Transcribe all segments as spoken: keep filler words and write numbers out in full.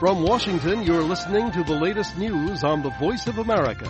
From Washington, you're listening to the latest news on the Voice of America.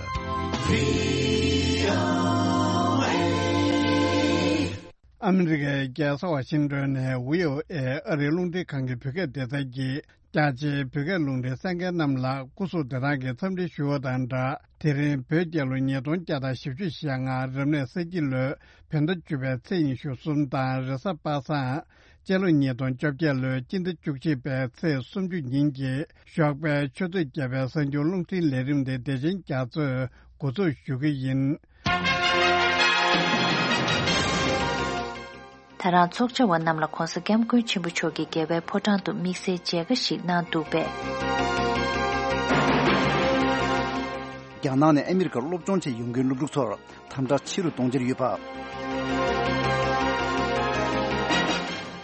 ཨ་མི་རི་ཀའི་རྒྱལ་ས་ཝ་ཤིང་ཏོན་ནས་བྷི་ཨོ་ཨེ་ཨ་རིའི་རླུང་འཕྲིན་ཁང་གི་བོད་སྐད་སྡེ་ཚན་གྱིས། རྒྱ་ཆེའི་བོད་སྐད་རླུང་འཕྲིན་གསན་མཁན་རྣམས་ལ་སྐུ་གཟུགས་བདེ་ཐང་གི་འཚམས་འདྲི་ཞུ་བ་དང་སྦྲགས། དེ་རིང་བོད་རྒྱལ་ལོ་ཉིས་སྟོང་བརྒྱ་དང་བཞི་བཅུ་ཞེ་ལྔ་རབ་གནས་ས་ཁྱི་ལོའི་བོད་ཟླ་བཅུ་པའི་ཚེས་ཉི་ཤུ་གསུམ་དང་། རེས་གཟའ་པ་སངས་སྤྱི་ལོ་ཉིས་སྟོང་བཅོ་བརྒྱད་ལོའི་སྤྱི་ཟླ་བཅུ་གཅིག་པའི་ཚེས་སུམ་ཅུ་ཉིན་གྱི་ཞོགས་པའི་ཆུ་ཚོད་བརྒྱད་པའི་གསར་འགྱུར་རླུང་འཕྲིན་ལས་རིམ་དེ་བདེ་ཆེན་རྒྱ་མཚོས་འགོ་འཛུགས་ཞུ་གི་ཡིན། ད་རང་ཚོགས་བཅར་བ་རྣམས་ལ་༧གོང་ས་༧སྐྱབས་མགོན་ཆེན་པོ་མཆོག་གིས་རྒྱལ་བའི་ཕོ་བྲང་དུ་དམིགས་བསལ་མཇལ་ཁ་ཞིག་གནང་འདུག་པས། རྒྱ་ནག་ནས་ཨ་མི་རི་ཀར་སློབ་སྦྱོང་ཆེད་ཡོང་མཁན་སློབ་ཕྲུག་ཚོར་དམ་དྲག་ཆེ་རུ་གཏོང་འཆར་ཡོད་པ།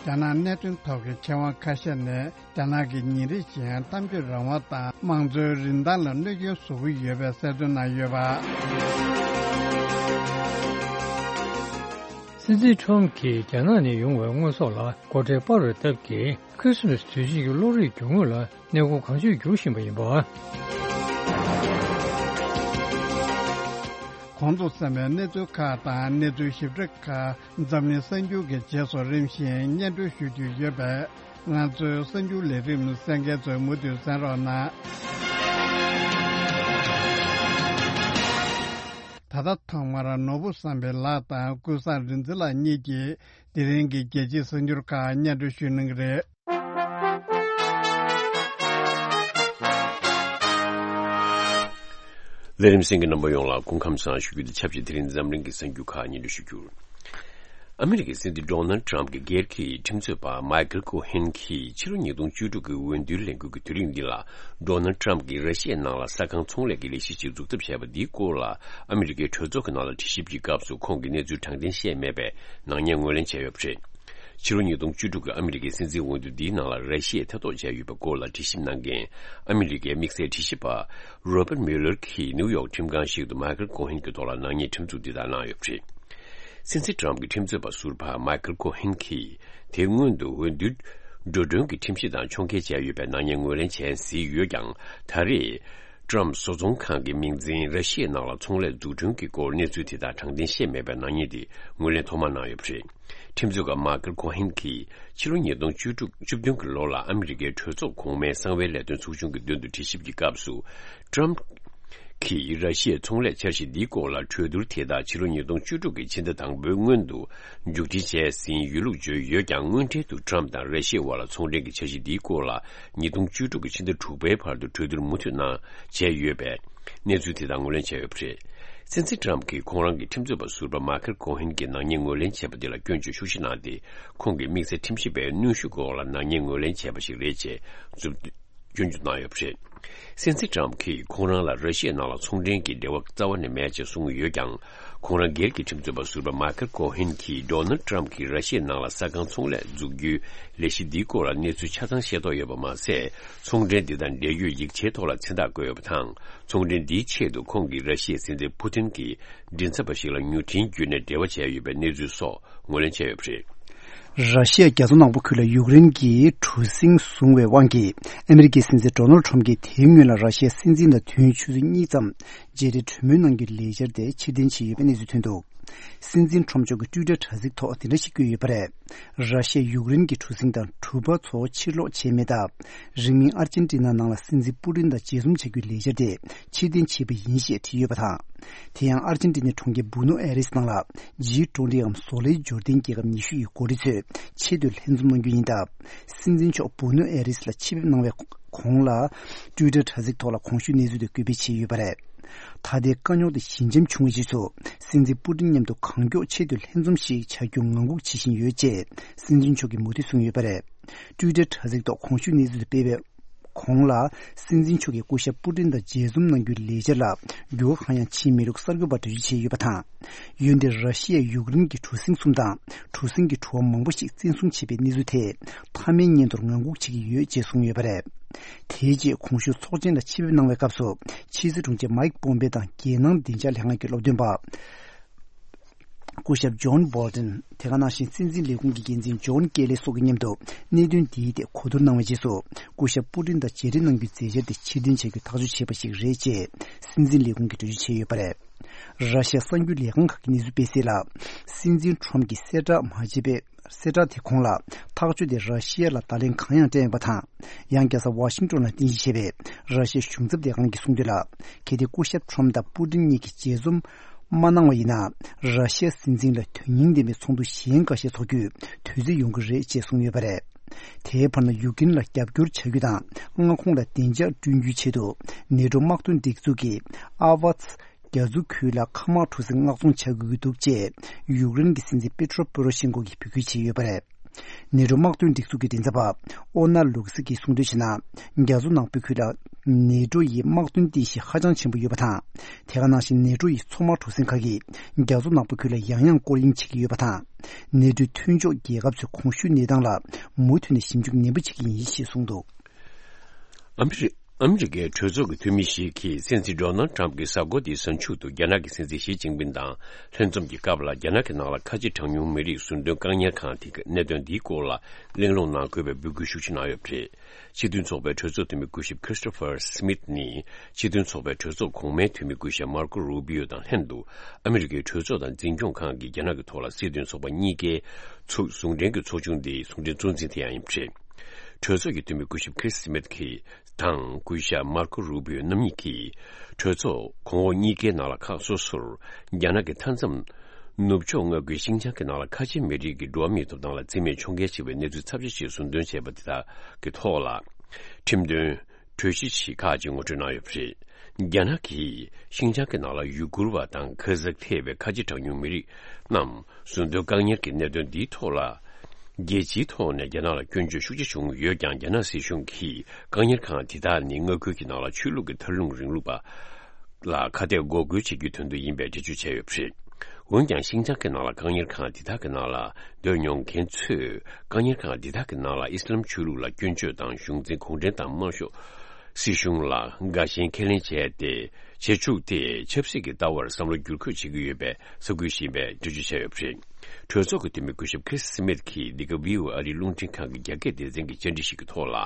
རྒྱ་ནག་གནད་དོན་ཐོག་གི་མཁས་དབང་ཁ་ཤས་ནས། རྒྱ་ནག་གི་ཉིན་རེ་བཞིན་གཏམ་བརྗོད་རང་དབང་དང་དམངས་གཙོའི་རིན་ཐང་ལ་གནོད་སྐྱོན་བཟོ་གི་ཡོད་པའི་གསལ་སྟོན་གནང་ཡོད་པ། སྲིད་འཛིན་ཁྲོམ་གྱིས་རྒྱ་ནག་ནས་ཡོང་བའི་དངོས་ཟོག་ལ་སྒོ་ཁྲལ་སྤར་བའི་སྟབས་ཀྱིས། ཁྲི་སི་མ་སི་དུས་ཆེན་གྱི་གློག་རིག་རྒྱུ་དངོས་ལ་གནས་སྐོར་གང་ཆོད་འགྱུར་བཞིན་པ་ཡིན་པ། གོང་དུ་གསན་པའི་གནས་ཚུལ་ཁག་དང་གནས་ཚུལ་ཞིབ་ཕྲ་ཁག་འཛམ་གླིང་གསར་འགྱུར་གྱི་རྗེས་སུ་རིམ་བཞིན་སྙན་སྒྲོན་ཞུ་རྒྱུ་ཡོད་པས། ང་ཚོའི་གསར་འགྱུར་ལས་རིམ་གསན་མཁན་ཚོས་མུ་མཐུད་གསན་རོགས་གནང་། ད་ལྟ་ཐོག་མར་ནོར་བུ་བསམ་འཕེལ་ལགས་དང་ཀུན་བཟང་རིག་འཛིན་ལགས་གཉིས་ཀྱིས་དེ་རིང་གི་རྒྱལ་སྤྱིའི་གསར་འགྱུར་ཁག་སྙན་སྒྲོན་ཞུ་གནང་གི་རེད། ལས་རིམ་གསན་མཁན་རྣམ་པ་ཡོངས་ལ་སྐུ་ཁམས་བཟང་ཞུ་རྒྱུ་དང་ཆབས་ཅིག་དེ་རིང་འཛམ་གླིང་གི་གསར་འགྱུར་ཁག་སྙན་སྒྲོན་ཞུ་རྒྱུར། ཨ་མི་རི་ཀའི་སྲིད་འཛིན་ཌོ་ནལ་ཊམ་གྱི་སྒེར་གྱི་ཁྲིམས་རྩོད་པ་མའི་ཁལ་ཀོ་ཧན་གྱིས་ཕྱི་ལོ་ཉིས་སྟོང་བཅུ་དྲུག་གི་འོས་བསྡུའི་ལས་འགུལ་གྱི་དུས་རིམ་འདི་ལ། ཌོ་ནལ་ཊམ་གྱིས་ར་ཤི་ཡའི་ནང་ལ་ས་ཁང་ཚོང་ལས་ཀྱི་ལས་གཞི་ཞིག་འཛུགས་ཐབས་བྱས་པ་འདིའི་སྐོར་ལ། ཨ་མི་རི་ཀའི་གྲོས་ཚོགས་ཀྱི་ནང་ལ་དྲི་ཞིབ་ཀྱི་སྐབས་སུ་ཁོང་གིས་གནས་ཚུལ་དྲང་བདེན་བཤད་མེད་པའི་ནག་ཉེས་ངོས་ལེན་བྱས་ཡོད་པ་རེད། ཕྱི་ལོ་ཉིས་སྟོང་བཅུ་དྲུག་གི་ཨ་མི་རི་ཀའི་སྲིད་འཛིན་འོས་བསྡུ་འདིའི་ནང་ལ་ར་ཤི་ཡས་ཐེ་གཏོགས་བྱས་ཡོད་པའི་སྐོར་ལ་དྲི་ཞིབ་གནང་མཁན་ཨ་མི་རི་ཀའི་དམིགས་བསལ་དྲི་ཞིབ་པ་རོ་པར་མིའུ་ལར་གྱིས་ནིའུ་ཡོག་ཁྲིམས་ཁང་ཞིག་ཏུ་མའི་ཁལ་ཀོ་ཧན་གྱི་ཐོག་ལ་ནག་ཉེས་ཁྲིམས་འཛུགས་འདི་ལྟར་གནང་ཡོད་པ་རེད། སྲིད་འཛིན་ཊམ་གྱི་ཁྲིམས་རྩོད་པ་ཟུར་པ་མའི་ཁལ་ཀོ་ཧན་གྱིས་དེ་སྔོན་དུ་འོས་བསྡུའི་འགྲོ་གྲོན་གྱི་ཁྲིམས་གཞི་དང་ཕྱོགས་འགལ་བྱས་ཡོད་པའི་ནག་ཉེས་ངོས་ལེན་བྱས་ཟིན་ཡོད་ཀྱང་ད་རེས། ཊམ་བཟོ་ཚོང་ཁང་གི་མིང་འཛིན་ར་ཤི་ཡའི་ནང་ལ་ཚོང་ལས་འཛུགས་སྐྲུན་གྱི་སྐོར་གནས་ཚུལ་དེ་དག་དྲང་བདེན་བཤད་མེད་པའི་ནག་ཉེས་དེ་ངོས་ལེན་ཐོག་མར་གནང་ཡོད་པ་རེད། ཁྲིམས་རྩོད་པ་མའི་ཁལ་ཀོ་ཧན་གྱིས་ཕྱི་ལོ་ཉིས་སྟོང་བཅུ་དྲུག་བཅུ་བདུན་གྱི་ལོ་ལ་ཨ་མི་རི་ཀའི་གྲོས་ཚོགས་གོང་མའི་གསང་བའི་ལས་དོན་ཚོགས་ཆུང་གི་མདུན་དུ་དྲི་ཞིབ་ཀྱི་སྐབས་སུ། ཊམ་གྱིས་ར་ཤི་ཡའི་ཚོང་ལས་འཆར་གཞི་འདིའི་སྐོར་ལ་གྲོས་བསྡུར་དེ་དག་ཕྱི་ལོ་ཉིས་སྟོང་བཅུ་དྲུག་གི་ཕྱི་ཟླ་དང་པོའི་སྔོན་དུ་མཇུག་སྒྲིལ་བྱས་ཟིན་ཡོད་ལུགས་བརྗོད་ཡོད་ཀྱང་། དངོས་འབྲེལ་དུ་ཊམ་དང་ར་ཤི་ཡའི་དབར་ལ་ཚོང་འབྲེལ་གྱི་འཆར་གཞི་འདིའི་སྐོར་ལ་ཉིས་སྟོང་བཅུ་དྲུག་གི་ཕྱི་ཟླ་དྲུག་པའི་བར་དུ་གྲོས་བསྡུར་མུ་མཐུད་གནང་བྱས་ཡོད་པས། གནས་ཚུལ་དེ་དག་ངོས་ལེན་བྱས་ཡོད་པ་རེད། སྲིད་འཛིན་ཊམ་གྱིས་ཁོང་རང་གི་ཁྲིམས་རྩོད་པ་ཟུར་པ་མའི་ཁལ་ཀོ་ཧན་གྱིས་ནག་ཉེས་ངོས་ལེན་བྱས་པ་དེ་ལ་སྐྱོན་བརྗོད་ཤུགས་ཆེ་གནང་སྟེ། ཁོང་གིས་དམིགས་བསལ་ཁྲིམས་ཞིབ་པའི་གནོན་ཤུགས་འོག་ལ་ནག་ཉེས་ངོས་ལེན་བྱས་པ་ཞིག་རེད་ཅེས་རྫུ་སྐྱོན་བརྗོད་གནང་ཡོད་པ་རེད། སྲིད་འཛིན་ཊམ་གྱིས་ཁོང་རང་ལ་ར་ཤི་ཡའི་ནང་ལ་ཚོང་འབྲེལ་གྱི་འབྲེལ་བ་རྩ་བ་ནས་མེད་ཅེས་གསུངས་ཡོད་ཀྱང་། ཁོང་རང་སྒེར་གྱི་ཁྲིམས་རྩོད་པ་ཟུར་པ་མའི་ཁལ་ཀོ་ཧན་གྱིས་ཌོ་ནལ་ཊམ་གྱིས་ར་ཤི་ཡའི་ནང་ལ་ས་ཁང་ཚོང་ལས་འཛུགས་རྒྱུའི་ལས་གཞི་འདིའི་སྐོར་ལ་གནས་ཚུལ་ཆ་ཚང་ཤེས་རྟོགས་ཡོད་པ་མ་ཟད། ཚོང་འབྲེལ་འདི་དང་འབྲེལ་ཡོད་ཡིག་ཆའི་ཐོག་ལ་མཚན་རྟགས་བཀོད་ཡོད་པ་དང་། ཚོང་འབྲེལ་འདིའི་ཆེད་དུ་ཁོང་གིས་ར་ཤི་ཡའི་སྲིད་འཛིན་ཕུ་ཏིན་གྱི་མགྲིན་ཚབ་པ་ཞིག་ལ་མྱུར་འཕྲིན་བརྒྱུད་ནས་འབྲེལ་བ་བྱས་ཡོད་པའི་གནས་ཚུལ་སོགས་ངོས་ལེན་བྱས་ཡོད་པ་རེད། ར་ཤི་ཡ་རྒྱ་མཚོ་ནག་པོ་ཁུལ་ལ་ཡུཀ་རེན་གྱིས་གྲུ་གཟིངས་བཟུང་བའི་དབང་གིས། ཨ་མི་རི་ཀའི་སྲིད་འཛིན་ཌོ་ནལ་ཁྲོམ་གྱིས་དེའི་སྔོན་ལ་ར་ཤི་ཡའི་སྲིད་འཛིན་དང་དུས་ཡུན་ཆུ་ཚོད་གཉིས་ཙམ་མཇལ་འཕྲད་གྲོས་མོལ་གནང་རྒྱུའི་ལས་འཆར་དེ་ཕྱིར་འཐེན་བྱས་ཡོད་པའི་གནས་ཚུལ་ཐོན་འདུག་སྲིད་འཛིན་ཁྲོམ་མཆོག་གིས་ཊུའི་ཊར་དྲ་ཚིགས་ཐོག་དེ་འདྲ་ཞིག་བཀོད་ཡོད་པ་རེད། ར་ཤི་ཡས་ཡུཀ་རེན་གྱི་གྲུ་གཟིངས་དང་གྲུ་པ་ཚོ་ཕྱིར་སློག་བྱས་མེད་སྟབས། རིང་མིན་ཨར་ཇེན་ཊི་ན་ནང་ལ་སྲིད་འཛིན་པུ་ཏིན་དང་མཇལ་འཛོམས་བྱ་རྒྱུའི་ལས་འཆར་དེ་ཕྱིར་འཐེན་བྱས་པ་ཡིན་ཞེས་བྲིས་ཡོད་པ་དང་། དེ་ཡང་ཨར་ཇེན་ཊི་ནའི་གྲོང་ཁྱེར་བུ་ནོ་ཨེ་རེས་ནང་ལ་ཇི་ཀྲུང་ཀྲུང་ཨམ་བཟོ་ལས་འབྱོར་ལྡན་རྒྱལ་ཁབ་ཉི་ཤུ་ཡི་འགོ་ཁྲིད་ཚོས་ཆེས་མཐོའི་ལྷན་འཛོམས་གནང་རྒྱུ་ཡིན་སྟབས། སྲིད་འཛིན་མཆོག་བུ་ནོ་ཨེ་རེས་ལ་ཆེད་ཕེབས་གནང་བའི་གོང་ལ། ཊུའི་ཊར་དྲ་ཚིགས་ཐོག་ལ་གོང་ཞུས་གནས་ཚུལ་དེ་སྐུལ་སྤེལ་བྱས་ཡོད་པ་རེད། ད་ལྟའི་དཀའ་རྙོག་དེ་ཞི་འཇམ་བྱུང་བའི་རྗེས་སུ། སྲིད་འཛིན་པུ་ཏིན་མཉམ་དུ་གང་མགྱོགས་ཆེས་མཐོའི་ལྷན་འཛོམས་ཤིག་བྱ་རྒྱུ་ངང་སྒུག་བྱེད་བཞིན་ཡོད་ཅེས་སྲིད་འཛིན་མཆོག་གིས་མུ་མཐུད་གསུངས་ཡོད་པ་རེད། ཊུའི་ཊར་དྲ་ཚིགས་ཐོག་གོང་ཞུས་གནས་ཚུལ་དེ་སྤེལ་བའི་གོང་ལ། སྲིད་འཛིན་མཆོག་གིས་སྐུ་ཞབས་པུ་ཏིན་དང་མཇལ་འཛོམས་གནང་རྒྱུའི་ལས་འཆར་ལ་འགྱུར་བ་གང་ཡང་ཕྱིན་མེད་ལུགས་གསར་འགོད་པར་འགྲེལ་བརྗོད་བྱས་ཡོད་པ་དང་། འོན་ཏེ་ར་ཤི་ཡས་ཡུཀ་རེན་གྱི་གྲུ་གཟིངས་གསུམ་དང་གྲུ་གཟིངས་ཀྱི་གྲུ་བ་མང་པོ་ཞིག་བཙན་བཟུང་བྱས་པའི་གནས་ཚུལ་དེ་མཐའ་མའི་སྙན་ཐོར་ངང་སྒུག་བྱེད་ཀྱི་ཡོད་ཅེས་གསུངས་ཡོད་པ་རེད། དེའི་རྗེས་གོང་ཞུས་ཚོགས་ཆེན་ལ་ཆེད་ཕེབས་གནང་བའི་སྐབས་སུ་ཕྱི་སྲིད་དྲུང་ཆེ་མའིག་པོམ་པེ་དང་རྒྱལ་ནང་བདེ་འཇགས་ལྷན་ཁང་གི་སློབ་སྟོན་པ། སྐུ་ཞབས་ཇོན་བྷོལ་ཏན། དེ་ག་ནང་བཞིན་སྲིད་འཛིན་ལས་ཁུངས་ཀྱི་འགན་འཛིན་ཇོན་ཀེ་ལེ་སོགས་ཀྱི་མཉམ་དུ་གནད་དོན་འདིའི་ཐད་གོ་བསྡུར་གནང་བའི་རྗེས་སུ། སྐུ་ཞབས་པུ་ཏིན་དང་མཇལ་འཕྲད་གནང་རྒྱུའི་མཛད་འཆར་དེ་ཕྱིར་འཐེན་བྱ་རྒྱུའི་ཐག་གཅོད་བྱས་པ་ཞིག་རེད་ཅེས་སྲིད་འཛིན་ལས་ཁུངས་ཀྱིས་འགྲེལ་བརྗོད་བྱས་ཡོད་པ་རེད། ར་ཤི་ཡ་གསར་འགྱུར་ལས་ཁང་ཁག་གིས་གནས་ཚུལ་སྤེལ་གསལ་ལ། སྲིད་འཛིན་ཁྲོམ་གྱིས་གསལ་བསྒྲགས་མ་བྱས་པའི། གསལ་བསྒྲགས་དེ་གོང་ལ། ཐག་གཅོད་དེ་ར་ཤི་ཡ་ལ་བརྡ་ལན་གང་ཡང་སྤྲད་མེད་པ་དང་། ཡང་རྒྱལ་ས་ཝ་ཤིང་ཏོན་ལ་རྟེན་གཞི་བྱས་པའི་ར་ཤི་ཡ་གཞུང་ཚབ་ལས་ཁང་གིས་གསུངས་དོན་ལ། གལ་ཏེ་སྐུ་ཞབས་ཁྲོམ་དང་པུ་ཏིན་གཉིས་ཀྱིས་མཇལ་འཛོམས་མ་གནང་བ་ཡིན་ན། ར་ཤི་ཡ་སྲིད་འཛིན་ལ་དོན་སྙིང་ལྡན་པའི་ཚོགས་འདུ་གཞན་འགའ་ཤས་འཚོགས་རྒྱུའི་དུས་ཚོད་ཡོང་གི་རེད་ཅེས་གསུངས་ཡོད་པ་རེད། དེའི་བར་ན་ཡུཀ་རེན་ལ་རྒྱབ་སྐྱོར་བྱ་རྒྱུ་དང་མངའ་ཁོངས་ལ་བདེ་འཇགས་བསྐྲུན་རྒྱུའི་ཆེད་དུ་ནེ་ཏྲོ་དམག་དོན་སྒྲིག་འཛུགས་ཀྱི་ཨ་ཝ་ཚ་རྒྱ་མཚོ་ཁུལ་ལ་མཁའ་དམག་གྲུ་གཟིངས་མངགས་ཚོང་བྱ་དགོས་ཀྱི་འདུག་ཅེས་ཡུཀ་རེན་གྱི་སྲིད་འཛིན་པེ་ཏྲོ་པོ་རོ་ཤེན་ཀོ་གིས་འབོད་སྐུལ་བྱས་ཡོད་པ་རེད། ནེ་ཏྲོ་དམག་དོན་སྒྲིག་འཛུགས་ཀྱི་མགྲིན་ཚབ་པ་ཨོ་ན་ལུག་སི་ཀྱིས་གསུངས་དོན་བྱས་ན། རྒྱ་མཚོ་ནག་པོའི་ཁུལ་ལ་ནེ་ཏྲོ་ཡི་དམག་དོན་རྟེན་གཞི་ཧ་ཅང་ཆེན་པོ་ཡོད་པ་དང་། དེ་ག་ནང་བཞིན་ནེ་ཏྲོ་ཡི་མཚོ་དམག་གྲུ་གཟིངས་ཁག་གིས་རྒྱ་མཚོ་ནག་པོའི་ཁུལ་ལ་ཡང་ཡང་སྐོར་གཡེང་བྱེད་ཀྱི་ཡོད་པ་དང་། ནེ་ཏྲོའི་མཐུན་ཕྱོགས་རྒྱལ་ཁབ་ཚོས་གོང་ཞུས་གནས་སྟངས་ལ་མུ་མཐུད་ནས་ཞིབ་འཇུག་ནན་པོ་བྱེད་ཀྱི་ཡིན་ཞེས་གསུངས་འདུག། ཨ་མི་རི། ཨ་མི་རི་ཀའི་གྲོས་ཚོགས་ཀྱི་འཐུས་མི་ཞིག་གིས་སྲིད་འཛིན་ཌོ་ནལ་ཊམ་གྱི་གཟའ་འཁོར་འདིའི་གཟའ་མཇུག་ཏུ་རྒྱ་ནག་གི་སྲིད་འཛིན་ཞི་ཅིན་ཕིན་དང་ལྷན་འཛོམས་ཀྱི་སྐབས་ལ། རྒྱ་ནག་གི་ནང་ལ་ཁ་ཆེ་གྲངས་ཉུང་མི་རིགས་ཟུར་འདོན་བཀག་ཉར་ཁང་དེ་གི་གནད་དོན་འདིའི་སྐོར་ལ་གླེང་སློང་གནང་དགོས་པའི་འབོད་སྐུལ་ཤུགས་ཆེ་གནང་ཡོད་པ་རེད། སྤྱི་མཐུན་ཚོགས་པའི་གྲོས་ཚོགས་འཐུས་མི་སྐུ་ཞབས་Christopher Smith ནི། སྤྱི་མཐུན་ཚོགས་པའི་གྲོས་ཚོགས་གོང་མའི་འཐུས་མི་སྐུ་ཞབས་Marco Rubio དང་ལྷན་དུ། ཨ་མི་རི་ཀའི་གྲོས་ཚོགས་དང་འཛིན་སྐྱོང་ཁང་གིས་རྒྱ་ནག་གི་ཐོག་ལ་སྲིད་དོན་ཚོགས་པ་གཉིས་ཀའི་ཚོགས་ཟུང་འབྲེལ་གྱི་ཚོགས་ཆུང་དེའི་ཟུང་འབྲེལ་གཙོ་འཛིན་དེ་ཡང་ཡིན་པ་རེད། གྲོས་ཚོགས་ཀྱི་འཐུས་མི་སྐུ་ཞབས་Chris Smith གིས་དང་སྐུ་ཞབས་Marco Rubio རྣམ་གཉིས་ཀྱིས། གྲོས་ཚོགས་གོང་འོག་གཉིས་ཀའི་ནང་ལ་ཁག་སོ་སོར། རྒྱ་ནག་གི་མཐའ་མཚམས་ནུབ་ཕྱོགས་མངའ་ཁུལ་ཤིན་ཅང་གི་ནང་ལ་ཁ་ཆེ་མི་རིགས་ཀྱི་འགྲོ་བ་མིའི་ཐོབ་ཐང་ལ་བརྩི་མེད་འཁྱོངས་གལ་ཆེ་བའི་གནས་ཚུལ་ཚབས་ཆེ་ཞིག་ཟུར་འདོན་བྱས་པ་དེ་དག་གི་ཐོག་ལ། ཁྲིམས་དོན་གྲོས་གཞི་ཞིག་ཁག་ཅིག་ངོ་སྤྲོད་གནང་ཡོད་པ་རེད། རྒྱ་ནག་གིས་ཤིན་ཅང་གི་ནང་ལ་ཡུ་གུར་བ་དང་ཁ་ཛག་ཐེ་བའི་ཁ་ཆེ་གྲངས་ཉུང་མི་རིགས་རྣམས་ཟུར་འདོན་བཀག་ཉར་གྱི་གནད་དོན་འདིའི་ཐོག་ལ། རྒྱལ་སྤྱིའི་ཐོག་ནས་རྒྱ་ནག་ལ་སྐྱོན་བརྗོད་ཤུགས་ཆེ་བྱུང་ཡོད་ཀྱང་། རྒྱ་ནག་སྲིད་གཞུང་གིས་བཀག་ཉར་ཁང་དེ་དག་ནི་མངའ་ཁུལ་གྱི་ནང་ལ་ཆོས་ལུགས་ཀྱི་མཐར་ལྷུང་རིང་ལུགས་པ་ལ་ཁ་གཏད་འགོག་རྒོལ་བྱེད་རྒྱུའི་དོན་དུ་ཡིན་པའི་འགྲེལ་བརྗོད་བྱས་ཡོད་པ་རེད། འོན་ཀྱང་། ཤིན་ཅང་གི་ནང་ལ་བཀག་ཉར་ཁང་དེ་དག་གི་ནང་ལ་སྡོད་མྱོང་མཁན་ཚོས། བཀག་ཉར་ཁང་དེ་དག་གི་ནང་ལ་ཨི་སི་ལམ་ཆོས་ལུགས་ལ་སྐྱོན་བརྗོད་དང་། གཞུང་འཛིན་གུང་ཁྲན་ཏང་དམར་ཤོག་སྲིད་གཞུང་ལ་དགའ་ཞེན་ཁས་ལེན་བྱས་ཏེ། བྱེད་བཅུག་སྟེ། ཆབ་སྲིད་ཀྱི་ལྟ་བར་བསམ་བློ་བསྒྱུར་བཀོད་བྱེད་ཀྱི་ཡོད་པའི་ས་ཁུལ་ཞིག་ཡིན་པའི་འགྲེལ་བརྗོད་བྱས་ཡོད་པ་རེད། གྲོས་ཚོགས་ཀྱི་འཐུས་མི་སྐུ་ཞབས་Chris Smith གྱིས་འདི་ག་བྷི་ཨོ་ཨེ་ཨ་རིའི་རླུང་འཕྲིན་ཁང་གི་རྒྱ་སྐད་སྡེ་ཚན་གྱི་བཅར་འདྲི་ཞིག་གི་ཐོག་ལ།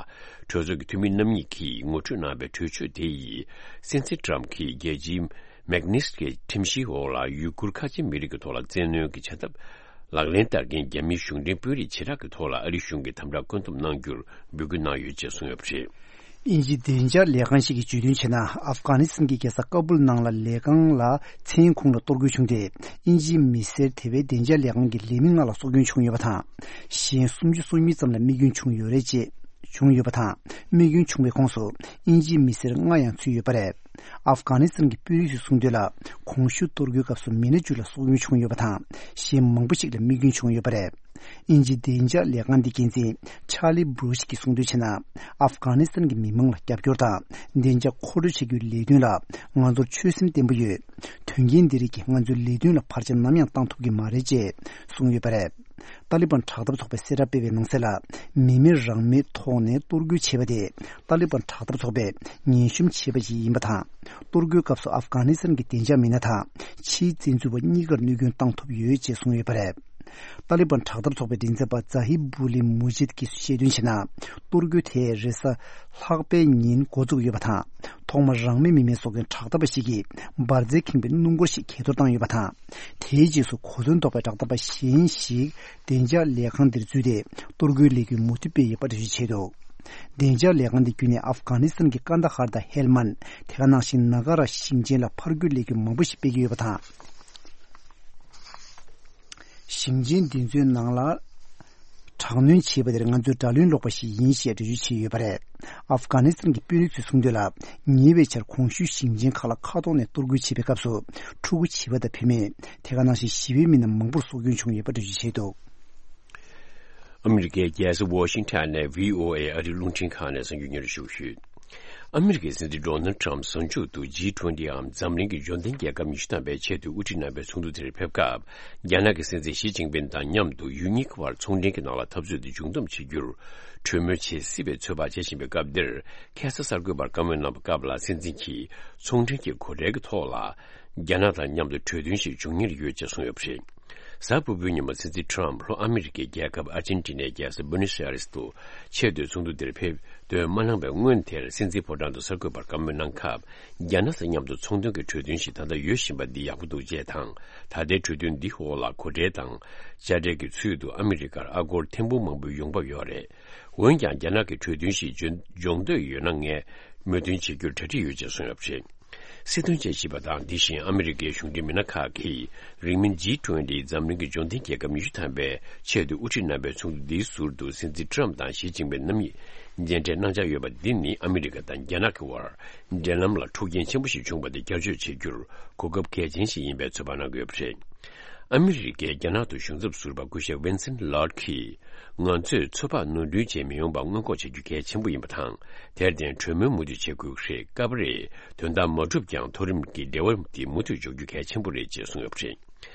གྲོས་ཚོགས་ཀྱི་འཐུས་མི་རྣམ་གཉིས་ཀྱིས་ངོ་སྤྲོད་གནང་བའི་གྲོས་ཆོད་དེ་ཡིས། སྲིད་འཛིན་ཊམ་གྱིས་རྒྱལ་སྤྱིའི་མེག་ནིས་ཀི་ཁྲིམས་གཞིའི་འོག་ལ་ཡུ་གུར་ཁ་ཆེ་མི་རིགས་ཀྱི་ཐོག་ལ་བཙན་གནོན་གྱི་བྱ་ཐབས་ལག་ལེན་བསྟར་མཁན་རྒྱ་མིའི་གཞུང་འབྲེལ་དཔོན་རིགས་བྱེ་བྲག་གི་ཐོག་ལ་ཨ་རིའི་གཞུང་གིས་དམ་དྲག་བཀོད་འདོམས་གནང་རྒྱུར་འབོད་སྐུལ་གནང་ཡོད་ཅེས་གསུངས་ཡོད་པ་རེད། དབྱིན་ཇིའི་བདེ་འཇགས་ལས་ཁང་ཞིག་གིས་བརྗོད་དོན་བྱས་ན། ཨབ་གྷ་ནི་སི་ཐན་གྱི་རྒྱལ་ས་ཀ་སྦུལ་ནང་ལ་ལས་ཁང་ལ་མཚན་ཁུངས་ལ་གཏོར་རྒོལ་བྱུང་སྟེ། དབྱིན་ཇིའི་མི་སེར་དེ་བའི་བདེ་འཇགས་ལས་ཁང་གི་ལས་མི་ལྔ་ལ་སྲོག་སྐྱོན་བྱུང་ཡོད་པ་དང་། གཞན་སུམ་ཅུ་སོ་གཉིས་ཙམ་ལ་རྨས་སྐྱོན་བྱུང་ཡོད་རེད་ཅེས། བྱུང་ཡོད་པ་དང་། རྨས་སྐྱོན་བྱུང་བའི་ཁོངས་སུ་དབྱིན་ཇིའི་མི་སེར་ལྔ་ཡང་ཚུད་ཡོད་པ་རེད། ཨབ་གྷ་ནི་སི་ཐན་གྱི་དཔོན་རིགས་ཚོས་གསུངས་དོན་ལ། གོང་ཞུས་གཏོར་རྒོལ་སྐབས་སུ་མི་སྣ་བཅུ་ལ་སྲོག་སྐྱོན་བྱུང་ཡོད་པ་དང་། གཞན་མང་པོ་ཞིག་ལ་རྨས་སྐྱོན་བྱུང་ཡོད་པ་རེད། དབྱིན་ཇིའི་བདེ་འཇགས་ལས་ཁང་འདི་འགན་འཛིན་ཆཱ་ལི་སྦྲུ་ཤི་གིས་གསུངས་དོན་བྱས་ན། ཨབ་གྷ་ནི་སི་ཐན་གྱི་མི་མང་ལ་རྒྱབ་སྐྱོར་དང་བདེ་འཇགས་མཁོ་སྤྲོད་བྱ་རྒྱུའི་ལས་དོན་ལ་ང་ཚོར་ཆོད་སེམས་བརྟན་པོ་ཡོད། དོན་རྐྱེན་འདི་རིགས་ཀྱིས་ང་ཚོའི་ལས་དོན་ལ་བར་ཆད་ནམ་ཡང་བཏང་ཐུབ་ཀྱི་མ་རེད་ཅེས་གསུངས་ཡོད་པ་རེད། ཏཱ་ལི་བན་དྲག་འཐབ་ཚོགས་པས་གསལ་བསྒྲགས་སྤེལ་བའི་ནང་གསལ་ལ། མི་མེད་རང་མེད་ཐོག་ནས་གཏོར་རྒོལ་བྱས་པ་དེ་ཏཱ་ལི་བན་དྲག་འཐབ་ཚོགས་པས་ངན་ཤོམ་བྱས་པ་ཞིག་ཡིན་པ་དང་། གཏོར་རྒོལ་སྐབས་སུ་ཨབ་གྷ་ནི་སི་ཐན་གྱི་བདེ་འཇགས་མི་སྣ་དང་ཕྱིའི་བཙན་འཛུལ་བ་གཉིས་ཀར་གནོད་སྐྱོན་བཏང་ཐུབ་ཡོད་ཅེས་གསུངས་ཡོད་པ་རེད། ཏཱ་ལི་བན་དྲག་འཐབ་ཚོགས་པའི་མགྲིན་ཚབ་པ་ཛ་ཧི་བུ་ལི་མུ་ཇིད་ཀྱིས་བཤད་དོན་བྱས་ན། གཏོར་རྒོལ་དེས་རེས་གཟའ་ལྷག་པའི་ཉིན་འགོ་བཙུགས་ཡོད་པ་དང་། ཐོག་མར་རང་མོས་མི་མེད་བཟོ་མཁན་དྲག་འཐབ་པ་ཞིག་གིས་འབར་རྫས་ཁེངས་པའི་སྣུམ་འཁོར་ཞིག་གས་གཏོར་བཏང་ཡོད་པ་དང་། དེའི་རྗེས་སུ་གོ་མཚོན་ཐོགས་པའི་དྲག་འཐབ་པ་གཞན་ཞིག་བདེ་འཇགས་ལས་ཁང་འདིར་འཛུལ་ཏེ་གཏོར་རྒོལ་ལས་འགུལ་མུ་མཐུད་སྤེལ་ཡོད་པ་འགྲེལ་བརྗོད་བྱས་འདུག། བདེ་འཇགས་ལས་ཁང་འདི་བརྒྱུད་ནས་ཨབ་གྷ་ནི་སི་ཐན་གྱི་ཀན་དྷ་ཧར་དང་ཧེལ་མན། དེ་ག་ནང་བཞིན་ནཱ་ག་ར་ཞིང་ཆེན་ལ་ཕར་རྒོལ་ལས་འགུལ་མང་པོ་ཞིག་སྤེལ་གྱི་ཡོད་པ་དང་། ཞིང་ཆེན་འདི་ཚོའི་ནང་ལ་དྲག་གནོན་བྱས་པ་དེར་ང་ཚོས་དགྲ་ལན་སློག་པ་ཞིག་ཡིན་ཞེས་འགྲེལ་བརྗོད་བྱས་ཡོད་པ་རེད། ཨབ་གྷ་ནི་སི་ཐན་གྱི་དཔོན་རིགས་ཚོས་གསུངས་དོན་ལ། ཉེ་བའི་ཆར་གོང་ཞུས་ཞིང་ཆེན་ཁག་ལ་མཁའ་ཐོག་ནས་གཏོར་རྒོལ་བྱས་པའི་སྐབས་སུ། ཕྲུ་གུ་བྱིས་པ་དང་བུད་མེད། དེ་ག་ནང་བཞིན་ཞི་བའི་མི་སྣ་མང་པོར་སྲོག་སྐྱོན་བྱུང་ཡོད་པ་འགྲེལ་བརྗོད་བྱས་འདུག། ཨ་མི་རི་ཀའི་རྒྱལ་ས་ཝ་ཤིང་ཊོན་ནས་བྷི་ཨོ་ཨེ་ཨ་རིའི་རླུང་འཕྲིན་ཁང་ནས་གསར་འགྱུར་སྙན་སྒྲོན་ཞུ་གི་ཡོད། ཨ་མི་རི་ཀའི་སྲིད་འཛིན་ཌོ་ནལ་ཊམ་གཟའ་མཇུག་ཏུ་ཇི་ཊུ་ཝེན་ཊི་འམ་འཛམ་གླིང་གི་འབྱོར་ལྡན་རྒྱལ་ཁབ་ཉི་ཤུ་ཐམ་པའི་ཆེད་དུ་དབུ་ཁྲིད་རྣམ་པའི་ཚོགས་འདུ་དེར་ཕེབས་སྐབས། རྒྱ་ནག་གི་སྲིད་འཛིན་ཞི་ཅིན་ཕིན་དང་མཉམ་དུ་ཡུལ་གཉིས་ཀྱི་བར་ཚོང་འབྲེལ་གྱི་ནང་ལ་འཐབ་རྩོད་དེ་འབྱུང་གཏམ་བྱེད་རྒྱུར་གྲོས་མོལ་བྱེད་སྲིད་པའི་ཚོད་དཔག་བྱེད་བཞིན་པའི་སྐབས་འདིར། ཁ་སང་གསར་འགོད་པར་བཀའ་མོལ་གནང་བའི་སྐབས་ལ། སྲིད་འཛིན་གྱིས་ཚོང་འབྲེལ་གྱི་གོ་གྲལ་གྱི་ཐོག་ལ། རྒྱ་ནག་དང་མཉམ་དུ་གྲོས་མཐུན་ཞིག་འབྱུང་ཉེར་ཡོད་ཅེས་གསུངས་ཡོད་པ་རེད། གཟའ་ཕུར་བུའི་ཉིན་མོ་སྲིད་འཛིན་ཁྲོམ་ལྷོ་ཨ་མི་རི་ཀའི་རྒྱལ་ཁབ་ཨར་ཇེན་ཊི་ནའི་རྒྱལ་ས་བུ་ནོས་ཨེ་རེས་དུ་ཆེས་མཐོའི་ཚོགས་འདུ་དེར་ཕེབས་འདོད་མ་གནང་བའི་སྔོན་དེར་སྲིད་འཛིན་ཕོ་བྲང་དུ་གསར་འགོད་པར་བཀའ་མོལ་གནང་སྐབས། རྒྱ་ནག་དང་མཉམ་དུ་ཚོང་དོན་གྱི་གྲོས་མཐུན་ཞིག་ད་ལྟ་ཡོད་བཞིན་པ་འདི་ཡག་པོ་འདུག་ཅེས་དང་། ད་ལྟའི་གྲོས་མཐུན་འདི་འོག་ལ་གོ་གྲལ་དང་དཔྱ་ཁྲལ་གྱི་ཚུལ་དུ་ཨ་མི་རི་ཀར་ཨ་སྒོར་ཐེར་འབུམ་མང་པོའི་ཡོང་འབབ་ཡོད་རེད། འོན་ཀྱང་རྒྱ་ནག་གིས་གྲོས་མཐུན་ཞིག་འཇོན་འཇོག་འདོད་ཡོད་ན་ངས་མོས་མཐུན་བྱེད་རྒྱུར་གྲ་སྒྲིག་ཡོད་ཅེས་གསུངས་ཡོད་པ་རེད། སྲིད་དོན་དཔྱད་ཞིབ་པ་དང་དེ་བཞིན་ཨ་མི་རི་ཀའི་གཞུང་འབྲེལ་མི་སྣ་ཁག་གིས་རིང་མིན་ཇི་ཊུ་ཝེན་ཊི་འཛམ་གླིང་གི་འབྱོར་ལྡན་རྒྱལ་ཁབ་ཉི་ཤུ་ཐམ་པའི་ཆེས་མཐོའི་དབུ་ཁྲིད་རྣམ་པའི་ཚོགས་འདུ་འདིའི་ཟུར་དུ་སྲིད་འཛིན་ཁྲོམ་དང་ཞི་ཅིན་ཕིང་རྣམ་གཉིས་མཇལ་འཕྲད་གནང་འཆར་ཡོད་པ་འདི་ནི་ཨ་མི་རི་ཀ་དང་རྒྱ་ནག་གི་དབར་འབྲེལ་ལམ་ལ་འཁྲུག་རྐྱེན་ཆེན་པོ་ཞིག་བྱུང་བ་དེ་བསྐྱར་བཅོས་བྱེད་རྒྱུར་གོ་སྐབས་གལ་ཆེན་ཞིག་ཡིན་པའི་ཚོད་དཔག་གནང་གི་ཡོད་པ་རེད། ཨ་མི་རི་ཀའི་རྒྱ་ནག་ཏུ་གཞུང་ཚབ་ཟུར་པ་སྐུ་ཞབས་ཝིན་སེན་ལོར་གྱིས། ང་ཚོས་ཚོད་དཔག་ནོར་འཁྲུལ་བྱས་མི་ཡོང་པ་སྔོན་འགོག་བྱ་རྒྱུ་གལ་ཆེན་པོ་ཡིན་པ་དང་། དེར་བརྟེན་གྲོས་མོལ་མུ་མཐུད་བྱེད་དགོས་ཀྱི་རེད། སྐབས་རེ་དོན་དག་མ་འགྲུབ་ཀྱང་མཐོ་རིམ་གྱི་འབྲེལ་བ་དེ་མུ་མཐུད་འཇོག་རྒྱུ་གལ་ཆེན་པོ་རེད་ཅེས་གསུངས་ཡོད་པ་རེད།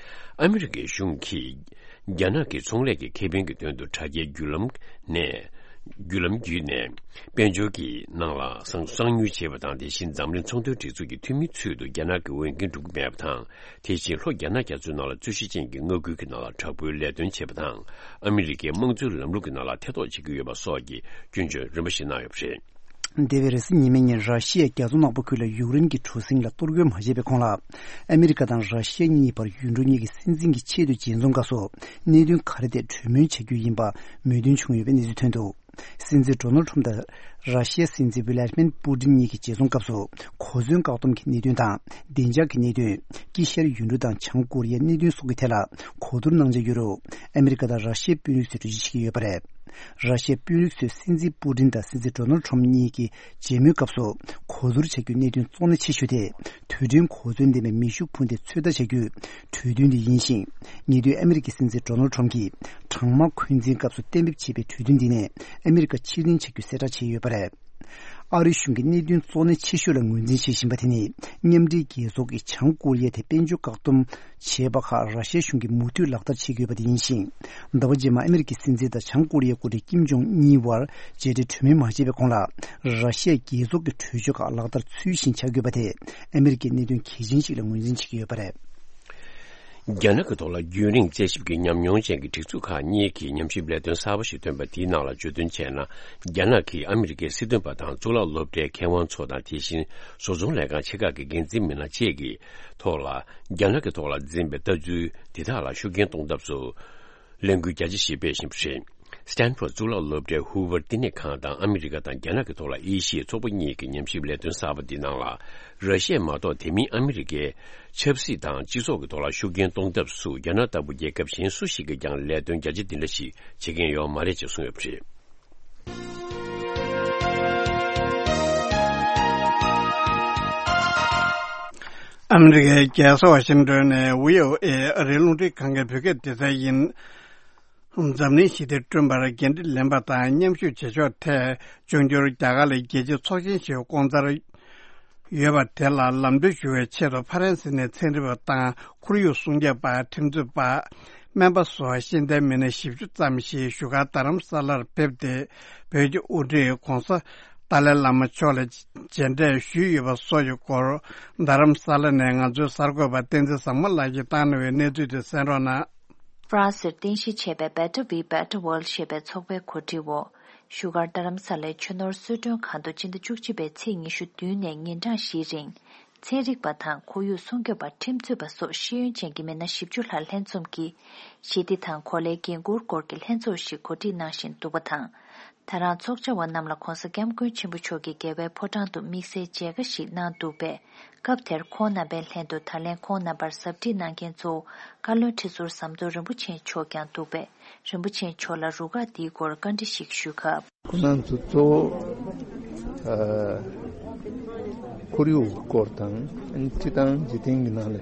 ཨ་མི་རི་ཀའི་གཞུང་གིས་རྒྱ་ནག་གི་ཚོང་ལས་ཀྱི་ཁེ་ཕན་གྱི་དོན་དུ་དྲ་རྒྱའི་བརྒྱུད་ལམ་ནས། བརྒྱུད་ལམ་བརྒྱུད་ནས་དཔལ་འབྱོར་གྱི་ནང་ལ་གསང་གསང་ཉུལ་བྱས་པ་དང་། དེ་བཞིན་འཛམ་གླིང་ཚོང་དོན་སྒྲིག་འཛུགས་ཀྱི་འཐུས་མི་ཚུལ་དུ་རྒྱ་ནག་གི་འོས་འགན་སྒྲུབ་ཀྱི་མེད་པ་དང་། དེ་བཞིན་ལྷོ་རྒྱ་ནག་རྒྱ་མཚོའི་ནང་ལ་རྩོད་གཞི་ཅན་གྱི་མངའ་ཁུལ་གྱི་ནང་ལ་དྲག་པོའི་ལས་དོན་བྱེད་པ་དང་། ཨ་མི་རི་ཀའི་དམངས་གཙོའི་ལམ་ལུགས་ཀྱི་ནང་ལ་ཐེ་གཏོགས་བྱེད་ཀྱི་ཡོད་པ་སོགས་ཀྱི་སྐྱོན་བརྗོད་རིམ་པ་ཞིག་གནང་ཡོད་པ་རེད། འདས་པའི་རེས་གཟའ་ཉི་མའི་ཉིན་ར་ཤི་ཡའི་རྒྱ་མཚོ་ནག་པོ་ཁུལ་ལ་ཡུཀ་རེན་གྱི་གྲུ་གཟིངས་ལ་གཏོར་རྒོལ་མ་བྱས་པའི་གོང་ལ། ཨ་མི་རི་ཀ་དང་ར་ཤི་ཡ་གཉིས་བར་ཡུལ་གྲུ་གཉིས་ཀྱི་སྲིད་འཛིན་གྱི་ཆེས་མཐོའི་མཇལ་འཛོམས་སྐབས་སུ་གནད་དོན་ག་རེ་ཐད་གྲོས་མོལ་བྱ་རྒྱུ་ཡིན་པ་མོས་མཐུན་བྱུང་ཡོད་པའི་གནས་ཚུལ་ཐོན་འདུག། སྲིད་འཛིན་ཌོ་ནལ་ཁྲོམ་དང་ར་ཤི་ཡའི་སྲིད་འཛིན་ཝི་ལ་ཏི་མིར་པུ་ཏིན་གཉིས་ཀྱི་མཇལ་འཛོམས་སྐབས་སུ། གོ་མཚོན་བཀག་སྡོམ་གྱི་གནད་དོན་དང་། བདེ་འཇགས་ཀྱི་གནད་དོན། དཀྱིལ་ཤར་ཡུལ་གྲུ་དང་བྱང་ཀོ་རི་ཡའི་གནད་དོན་སོགས་ཀྱི་ཐད་ལ་གོ་བསྡུར་གནང་འཆར་ཡོད་རུང་། ཨ་མི་རི་ཀ་དང་ར་ཤི་ཡའི་དཔོན་རིགས་ཚོས་གྲོས་ཆོད་བྱེད་ཀྱི་ཡོད་པ་རེད། ར་ཤི་ཡའི་དཔོན་རིགས་ཚོས་སྲིད་འཛིན་པུ་ཏིན་དང་སྲིད་འཛིན་ཌོ་ནལ་ཁྲོམ་གཉིས་ཀྱི་མཇལ་མོལ་སྐབས་སུ། གོ་བསྡུར་བྱ་རྒྱུའི་གནད་དོན་གཙོ་གནད་ཆེ་ཤོས་དེ། རྡུལ་ཕྲན་གོ་མཚོན་ལྡན་པའི་མེ་ཤུགས་འཕུར་མདེལ་ཚོད་ལྟ་བྱ་རྒྱུའི་གྲོས་མཐུན་དེ་ཡིན་ཞིང་། ཉེ་དུས་ཨ་མི་རི་ཀའི་སྲིད་འཛིན་ཌོ་ནལ་ཁྲོམ་གྱིས་གྲང་དམག་འཁོན་འཛིན་སྐབས་སུ་གཏན་འབེབས་བྱས་པའི་གྲོས་མཐུན་འདི་ནས་ཨ་མི་རི་ཀ་ཕྱིར་འཐེན་བྱ་རྒྱུ་གསལ་བསྒྲགས་བྱས་ཡོད་པ་རེད། ཨ་རིའི་གཞུང་གིས་གནད་དོན་གཙོ་གནད་ཆེ་ཤོས་ལ་ངོས་འཛིན་བྱེད་བཞིན་པ་དེ་ནི། མཉམ་འབྲེལ་རྒྱལ་ཚོགས་ཀྱིས་བྱང་ཀོ་རི་ཡ་དེ་དཔལ་འབྱོར་བཀག་སྡོམ་བྱས་པ་ཁག་ར་ཤི་ཡ་གཞུང་གིས་མུ་མཐུད་ལག་བསྟར་བྱེད་ཀྱི་ཡོད་པ་དེ་ཡིན་ཞིང་། ཟླ་བ་རྗེས་མར་ཨ་མི་རི་ཀའི་སྲིད་འཛིན་དང་བྱང་ཀོ་རི་ཡའི་འགོ་ཁྲིད་ཀིམ་ཇོང་གཉིས་བར་མཇལ་འཕྲད་གྲོས་མོལ་མ་བྱས་པའི་གོང་ལ། ར་ཤི་ཡ་རྒྱལ་ཚོགས་ཀྱི་གྲོས་ཆོད་ཁག་ལག་བསྟར་ཚུལ་བཞིན་བྱ་དགོས་པ་དེ་ཨ་མི་རི་ཀས་གནད་དོན་གལ་ཆེན་ཞིག་ལ་ངོས་འཛིན་བྱེད་ཀྱི་ཡོད་པ་རེད། རྒྱ་ནག་གི་ཐོག་ལ་རྒྱུན་རིང་དཔྱད་ཞིབ་ཀྱི་ཉམས་མྱོང་ཅན་གྱི་སྒྲིག་འཛུགས་ཁག་གཉིས་ཀྱིས་ཉམས་ཞིབ་ལས་དོན་གསར་པ་ཞིག་བཏོན་པ་དེའི་ནང་ལ་བརྗོད་དོན་བྱས་ན། རྒྱ་ནག་གིས་ཨ་མི་རི་ཀའི་སྲིད་དོན་པ་དང་གཙུག་ལག་སློབ་གྲྭའི་མཁས་དབང་ཚོ་དང་། དེ་བཞིན་བཟོ་ཚོང་ལས་ཁང་ཆེ་ཁག་གི་འགན་འཛིན་མི་སྣ་བཅས་ཀྱི་ཐོག་ལ། རྒྱ་ནག་གི་ཐོག་ལ་འཛིན་པའི་ལྟ་ཚུལ་དེ་དག་ལ་ཤུགས་རྐྱེན་གཏོང་ཐབས་སུ། ལས་འགུལ་རྒྱ་ཆེ་ཞིག་སྤེལ་བཞིན་པ་རེད། སི་ཏན་ཕོར་གཙུག་ལག་སློབ་གྲྭའི་ཧུ་ཝར་བསྟི་གནས་ཁང་དང་ཨ་མི་རི་ཀ་དང་རྒྱ་ནག་གི་ཐོག་ལ་དབྱེ་ཞིབ་ཚོགས་པ་གཉིས་ཀྱི་ཉམས་ཞིབ་ལས་དོན་གསར་པ་འདི་ནང་ལ། ར་ཤི་ཡ་མ་གཏོགས་དེ་མིན་ཨ་མི་རི་ཀའི་ཆབ་སྲིད་དང་སྤྱི་ཚོགས་ཀྱི་ཐོག་ལ་ཤུགས་རྐྱེན་གཏོང་ཐབས་སུ་རྒྱ་ནག་ལྟ་བུ་རྒྱལ་ཁབ་གཞན་སུ་ཞིག་གིས་ཀྱང་ལས་དོན་རྒྱ་ཆེ་འདི་འདྲ་ཞིག་བྱེད་མཁན་ཡོད་མ་རེད་ཅེས་གསུངས་ཡོད་པ་རེད། ཨ་མི་རི་ཀའི་རྒྱལ་ས་ཝ་ཤིང་ཏོན་ནས་བྷི་ཨོ་ཨེ་ཨ་རིའི་རླུང་འཕྲིན་ཁང་གི་བོད་སྐད་སྡེ་ཚན་ཡིན། འཛམ་གླིང་ཞི་བདེ་བསྐྲུན་པར་འགན་འཁྲི་ལེན་པ་དང་མཉམ་ཞུགས་བྱེད་ཕྱོགས་ཐད་འབྱུང་འགྱུར་རྒྱ་གར་ལ་རྒྱལ་སྤྱིའི་ཚོགས་ཆེན་ཞིག་བསྐོང་འཚར་ཡོད་པ་དེ་ལ་ལམ་སྟོན་ཞུ་བའི་ཆེད་དུ་ཕ་རན་སི་ནས་ཚན་རིག་པ་དང་ཁོར་ཡུག་སྲུང་སྐྱོབ་པ། ཁྲིམས་རྩོད་པ། སྨན་པ་སོགས་ཤེས་ལྡན་མི་སྣ་བཞི་བཅུ་ཙམ་ཞིག་བཞུགས་སྒར་རྡ་རམ་ས་ལར་ཕེབས་ཏེ། བོད་ཀྱི་དབུ་ཁྲིད་༧གོང་ས་ཏཱ་ལའི་བླ་མ་མཆོག་ལ་མཇལ་འཕྲད་ཞུས་ཡོད་པ་སོགས་ཀྱི་སྐོར། རྡ་རམ་ས་ལ་ནས་ང་ཚོའི་གསར་འགོད་པ་བསྟན་འཛིན་བཟང་མོ་ལགས་ཀྱིས་བཏང་གནང་བའི་གནས་ཚུལ་དེ་གསན་རོགས་གནང་། ཧྥ་རན་སིར་རྟེན་གཞི་བྱས་པའི་Better We Better World ཞེས་པའི་ཚོགས་པའི་གོ་སྒྲིག་འོག་བཞུགས་སྒར་རྡ་རམ་ས་ལའི་ཆོས་ནོར་གསོལ་མགྲོན་ཁང་དུ་སྤྱི་ཟླ་བཅུ་གཅིག་པའི་ཚེས་ཉི་ཤུ་བདུན་ནས་ཉིན་གྲངས་བཞིའི་རིང་། ཚན་རིག་པ་དང་ཁོར་ཡུག་སྲུང་སྐྱོབ་པ། ཁྲིམས་རྩོད་པ་སོགས་ཤེས་ཡོན་ཅན་གྱི་མི་སྣ་བཞི་བཅུ་ལྷག་ལྷན་འཛོམས་ཀྱིས་ཞི་བདེ་དང་གོ་ལའི་འགན་འཁུར་སྐོར་གྱི་ལྷན་ཚོགས་ཤིག་གོ་སྒྲིག་གནང་བཞིན་འདུག་པ་དང་། ད་རང་ཚོགས་བཅར་བ་རྣམས་ལ་༧གོང་ས་༧སྐྱབས་མགོན་ཆེན་པོ་མཆོག་གིས་རྒྱལ་བའི་ཕོ་བྲང་དུ་དམིགས་བསལ་མཇལ་ཁ་ཞིག་གནང་འདུག་པས། སྐབས་དེར་ཁོང་རྣམ་པའི་ལྷན་དུ་ད་ལན་ཁོང་རྣམ་པར་ཟབ་ཁྲིད་གནང་མཁན་གཙོ་བོ་བཀའ་བློན་ཁྲི་ཟུར་ཟམ་གདོང་རིན་པོ་ཆེ་མཆོག་ཀྱང་འདུག་པས། རིན་པོ་ཆེ་མཆོག་ལ་རུ་ཁག་འདིའི་སྐོར་བཀའ་འདྲི་ཞིག་ཞུས་སྐབས། ཁོང་རྣམ་ཚོ་གཙོ་བོ་ཨ་ཁོར་ཡུག་གི་སྐོར་དང་། སྤྱི་དང་འཇིག་རྟེན་གྱི་ནང་ལ་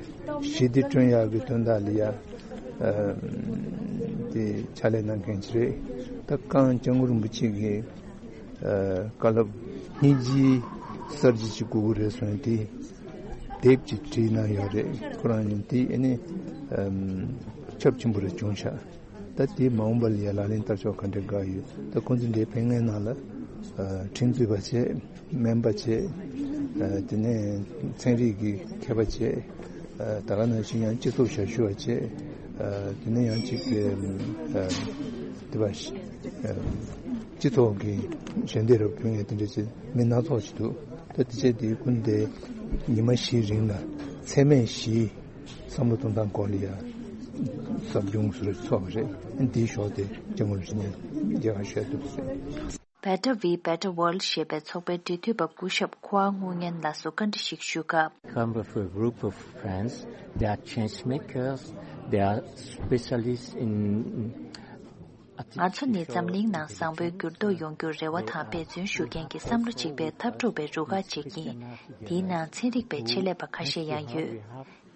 ཞི་བདེ་བསྐྲུན་ཡག་གི་དོན་དག་ལ་ཡ་ཨ་དེ་ཕྱག་ལས་གནང་མཁན་ཅིག་རེད། ད་གངས་སྐྱབས་མགོན་རིན་པོ་ཆེ་གིས་ཨ་བཀའ་སློབ་སྙིང་རྗེའི་གསར་བརྗེ་ཅིག་དགོས་ཀྱི་རེད་གསུངས་དེ་དེབ་ཅིག་བྲིས་གནང་ཡོད་རེད། ཁོ་རང་ཉིད་དེ་ཨ་ནི་ཨམ་ཁྱབ་ཆེན་པོ་རེ་བྱུང་ཤག། ད་དེ་མ་འོངས་པ་ལ་ཡ་ལག་ལེན་བསྟར་ཆོག་ག་འདྲ་དགའ་ཡོད། ད་ཁོང་ཚོ་འདིའི་ཕན་ངན་ནང་ལ་ཨ་ཁྲིམས་རྩོད་པ་བྱས། སྨན་པ་བྱས། ཨ་དེ་ནས་ཚན་རིག་གི་མཁས་པ་བྱས། ཨ་ད་ག་ནང་བཞིན་ཡང་སྤྱི་ཚོགས་ཞབས་ཞུ་བ་བྱས། ཨ། དེ་ནས་ཡང་ཅིག་ཨ། དེ་བ་ཨ། སྤྱི་ཚོགས་ཀྱི་ཞལ་འདེབས་རབ་ཕུལ་མཁན་དེ་འདྲ་ཅིག་མི་སྣ་ཚོགས་ཤིག་འདུག་ད་དེ་བྱས་དེ་ཀུན་དེ་ཉི་མ་བཞིའི་རིང་ལ་མཚན་སྨད་བཞིའི་བསམ་བློ་གཏོང་སྟངས་སྐོར་ལ་ཡ་ཟབ་སྦྱོང་ཟུར་ཚོགས་པ་རེད། འདིའི་ཞོར་དེ་སྐྱབས་མགོན་རིན་པོ་ཆེ་མཇལ་ཁ་ཞུ་ཡ་འདུག་ཟེར། Better We Better World ཞེས་པའི་ཚོགས་པའི་འབྲེལ་མཐུད་པ་སྐུ་ཞབས་ཁོ་ཨ་ངུ་ཉན་ལགས་སུ་བཀའ་འདྲི་ཞིག་ཞུས་སྐབས། Come with a group of friends, they are change makers, they are specialists in ང་ཚོ་ནི་འཛམ་གླིང་ནང་བཟང་པོའི་འགྱུར་ལྡོག་ཡོང་རྒྱུར་རེ་བ་དང་འབད་བརྩོན་ཞུ་མཁན་གྱི་བསམ་བློ་གཅིག་པའི་འཐབ་གྲོགས་པའི་རུ་ཁག་ཅིག་ཡིན། འདིའི་ནང་ཚན་རིག་པའི་ཆེད་ལས་པ་ཁ་ཤས་ཡང་ཡོད།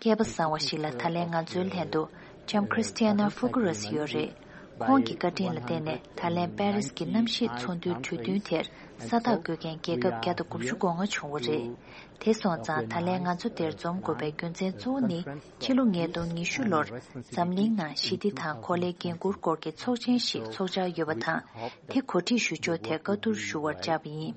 སྐལ་པ་བཟང་བ་ཞིག་ལ་ད་ལན་ང་ཚོའི་ལྷན་དུ་ལྕམ་Christiana Figueres ཡོད་རེད། ཁོང་གི་བཀའ་དྲིན་ལ་བརྟེན་ནས་ད་ལན་པེ་རིས་ཀྱི་གནམ་གཤིས་ཚོགས་འདུའི་གྲོས་མཐུན་དེར་ས་རྟགས་བཀོད་མཁན་རྒྱལ་ཁབ་བརྒྱ་དང་དགུ་བཅུ་གོ་ལྔ་བྱུང་བ་རེད། དེ་སོང་ཙང་ད་ལན་ང་ཚོ་འདིར་འཛོམས་དགོས་པའི་རྒྱུ་མཚན་གཙོ་བོ་ནི་ཕྱི་ལོ་ཉིས་སྟོང་ཉི་ཤུ་ལོར་འཛམ་གླིང་ནང་ཞི་བདེ་དང་གོ་ལའི་འགན་འཁུར་སྐོར་གྱི་ཚོགས་ཆེན་ཞིག་ཚོགས་འཆར་ཡོད་པ་དང་། དེ་གོ་སྒྲིག་ཞུ་ཕྱོགས་ཐད་བཀའ་བསྡུར་ཞུ་བར་བཅར་བ་ཡིན།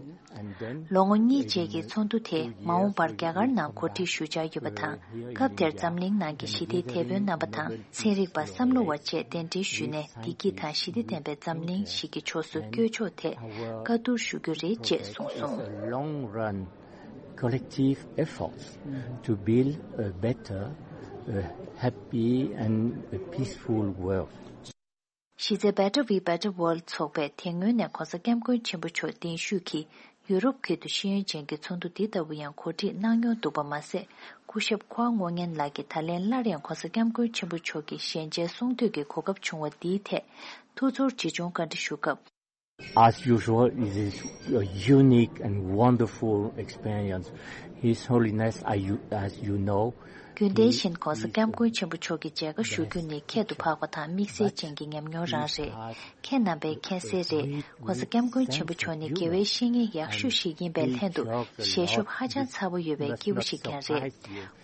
ལོ་ངོ་གཉིས་རྗེས་ཀྱི་ཚོགས་འདུ་དེ་མ་འོངས་པར་རྒྱ་གར་ནང་གོ་སྒྲིག་ཞུ་འཆར་ཡོད་པ་དང་། སྐབས་དེར་འཛམ་གླིང་ནང་གི་ཞི་བདེའི་དེད་དཔོན་རྣམ་པ་དང་ཚན་རིག་པ་བསམ་བློ་བ་བཅས་གདན་འདྲེན་ཞུས་ནས་བདེ་སྐྱིད་དང་ཞི་བདེ་ལྡན་པའི་འཛམ་གླིང་ཞིག་གི་ཕྱོགས་སུ་བསྐྱོད་ཕྱོགས་ཐད་བཀའ་བསྡུར་ཞུ་རྒྱུ་རེད་ཅེས་གསུངས་སོང་། A long run collective efforts to build a better, a happy and a peaceful world. གཞི་རྩའི་Better We Better World ཚོགས་པས་དེ་སྔོན་ནས་༧གོང་ས་༧སྐྱབས་མགོན་ཆེན་པོ་མཆོག་གདན་ཞུས་ཀྱིས་ཡུ་རོབ་ཁུལ་དུ་ཤེས་ཡོན་ཅན་གྱི་ཚོགས་འདུ་འདི་ལྟ་བུ་ཡང་གོ་སྒྲིག་གནང་མྱོང་འདུག་པ་མ་ཟད། སྐུ་ཞབས་ཁོ་ཨ་ངོ་ཉན་ལགས་ཀྱིས་ད་ལན་སླར་ཡང་༧གོང་ས་༧སྐྱབས་མགོན་ཆེན་པོ་མཆོག་གི་ཞལ་མཇལ་གསུང་འདོད་ཀྱི་གོ་སྐབས་བྱུང་བ་འདིའི་ཐད་ཐུགས་ཚོར་ཇི་བྱུང་བཀའ་འདྲི་ཞུ་སྐབས། As usual, it is a unique and wonderful experience. His Holiness, as you, as you know, རྒྱུན་ལྡན་བཞིན་༧གོང་ས་༧སྐྱབས་མགོན་ཆེན་པོ་མཆོག་གི་མཇལ་ཁ་ཞུ་རྒྱུ་ནི་ཁྱད་དུ་འཕགས་པ་དང་དམིགས་བསལ་ཅན་གྱི་ཉམས་མྱོང་རང་རེད། ཁྱེད་རྣམ་པས་མཁྱེན་གསལ་རེད། ༧གོང་ས་༧སྐྱབས་མགོན་ཆེན་པོ་མཆོག་ནི་དགེ་བའི་བཤེས་གཉེན་ཡག་ཤོས་ཤིག་ཡིན་པའི་ལྷན་དུ་ཞལ་ཤོབ་ཧ་ཅང་ཚ་པོ་ཡོད་པའི་སྐྱེས་བུ་ཞིག་ཀྱང་རེད།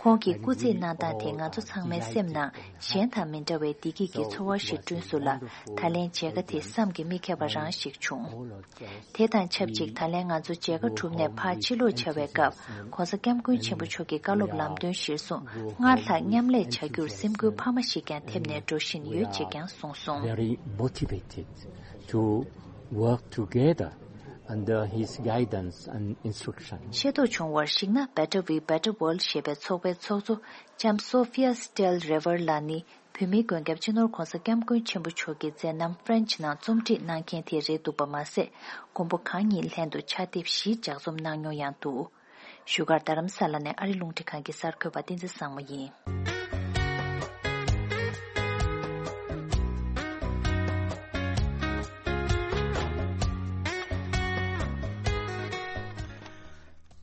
ཁོང་གིས་སྐུ་རྩེད་གནང་སྟངས་དེ་ང་ཚོ་ཚང་མའི་སེམས་ནང་གཞན་དང་མི་འདྲ་བའི་བདེ་སྐྱིད་ཀྱི་ཚོར་བ་ཞིག་བསྐྲུན་སོང་ལ། ད་ལན་མཇལ་ཁ་དེ་བསམ་གྱིས་མི་ཁྱབ་པ་རང་ཞིག་བྱུང་། དེ་དང་ཆབས་ཅིག་ད་ལན་ང་ཚོ་མཇལ་ཁ་གྲུབ་ནས་ཕར་ཕྱིར་ལོག་བྱ་བའི་སྐབས། ༧གོང་ས་༧སྐྱབས་མགོན་ཆེན་པོ་མཆོག་གི་བཀའ་སློབ་ལམ་སྟོན་གཞིར་བཟུང་སྔར་ལྷག་མཉམ་ལས་བྱ་རྒྱུར་སེམས་འགུལ་འཕར་མ་ཞིག་ཀྱང་ཐེབས་ནས་འགྲོ་བཞིན་ཡོད་ཅེས་ཀྱང་གསུངས་སོང་། Very motivated to work together under his guidance and instruction. ཤེས་རྟོགས་བྱུང་བར་གཞིགས་ན། Better We Better World ཞེས་པའི་ཚོགས་པའི་ཚོགས་གཙོ་ལྕམ་Sofia Stell Rever ལགས་ནི། བོད་མིའི་མགོན་སྐྱབས་སྤྱི་ནོར་༧གོང་ས་༧སྐྱབས་མགོན་ཆེན་པོ་མཆོག་གི་མཛད་རྣམ་French ནང་རྩོམ་སྒྲིག་གནང་མཁན་དེ་རེད་འདུག་པ་མ་ཟད། མགོན་པོ་གང་ཉིད་ལྷན་དུ་ཕྱག་དེབ་བཞི་ལྗགས་རྩོམ་གནང་མྱོང་ཡང་འདུག་བཞུགས་སྒར་རྡ་རམ་ས་ལ་ནས་ཨ་རི་རླུང་འཕྲིན་ཁང་གི་གསར་འགོད་པ་བསྟན་འཛིན་བཟང་མོ་ཡིན།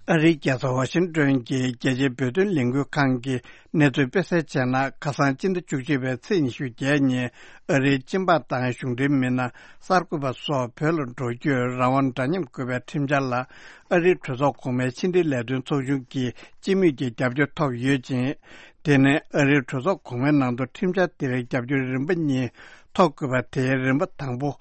ཨ་རིའི་རྒྱལ་ས་ཝ་ཤིང་ཏོན་གྱི་རྒྱལ་སྤྱིའི་བོད་དོན་ལས་འགུལ་ཁང་གིས་གནས་ཚུལ་སྤེལ་གསལ་བྱས་ན། ཁ་སང་སྤྱི་ཟླ་བཅུ་གཅིག་པའི་ཚེས་ཉི་ཤུ་བརྒྱད་ཉིན་ཨ་རིའི་སྤྱི་འབངས་དང་གཞུང་འབྲེལ་མི་སྣ་གསར་འགོད་པ་སོགས་བོད་ལ་འགྲོ་སྐྱོད་རང་དབང་འདྲ་མཉམ་དགོས་པའི་ཁྲིམས་འཆར་ལ་ཨ་རིའི་གྲོས་ཚོགས་གོང་མའི་ཕྱི་འབྲེལ་ལས་དོན་ཚོགས་ཆུང་གིས་སྤྱི་མོས་ཀྱི་རྒྱབ་སྐྱོར་ཐོབ་ཡོད་ཅིང་། དེ་ནི་ཨ་རིའི་གྲོས་ཚོགས་གོང་མའི་ནང་དུ་ཁྲིམས་འཆར་དེ་རིགས་རྒྱབ་སྐྱོར་རིམ་པ་གཉིས་ཐོབ་དགོས་པ་དེའི་རིམ་པ་དང་པོ་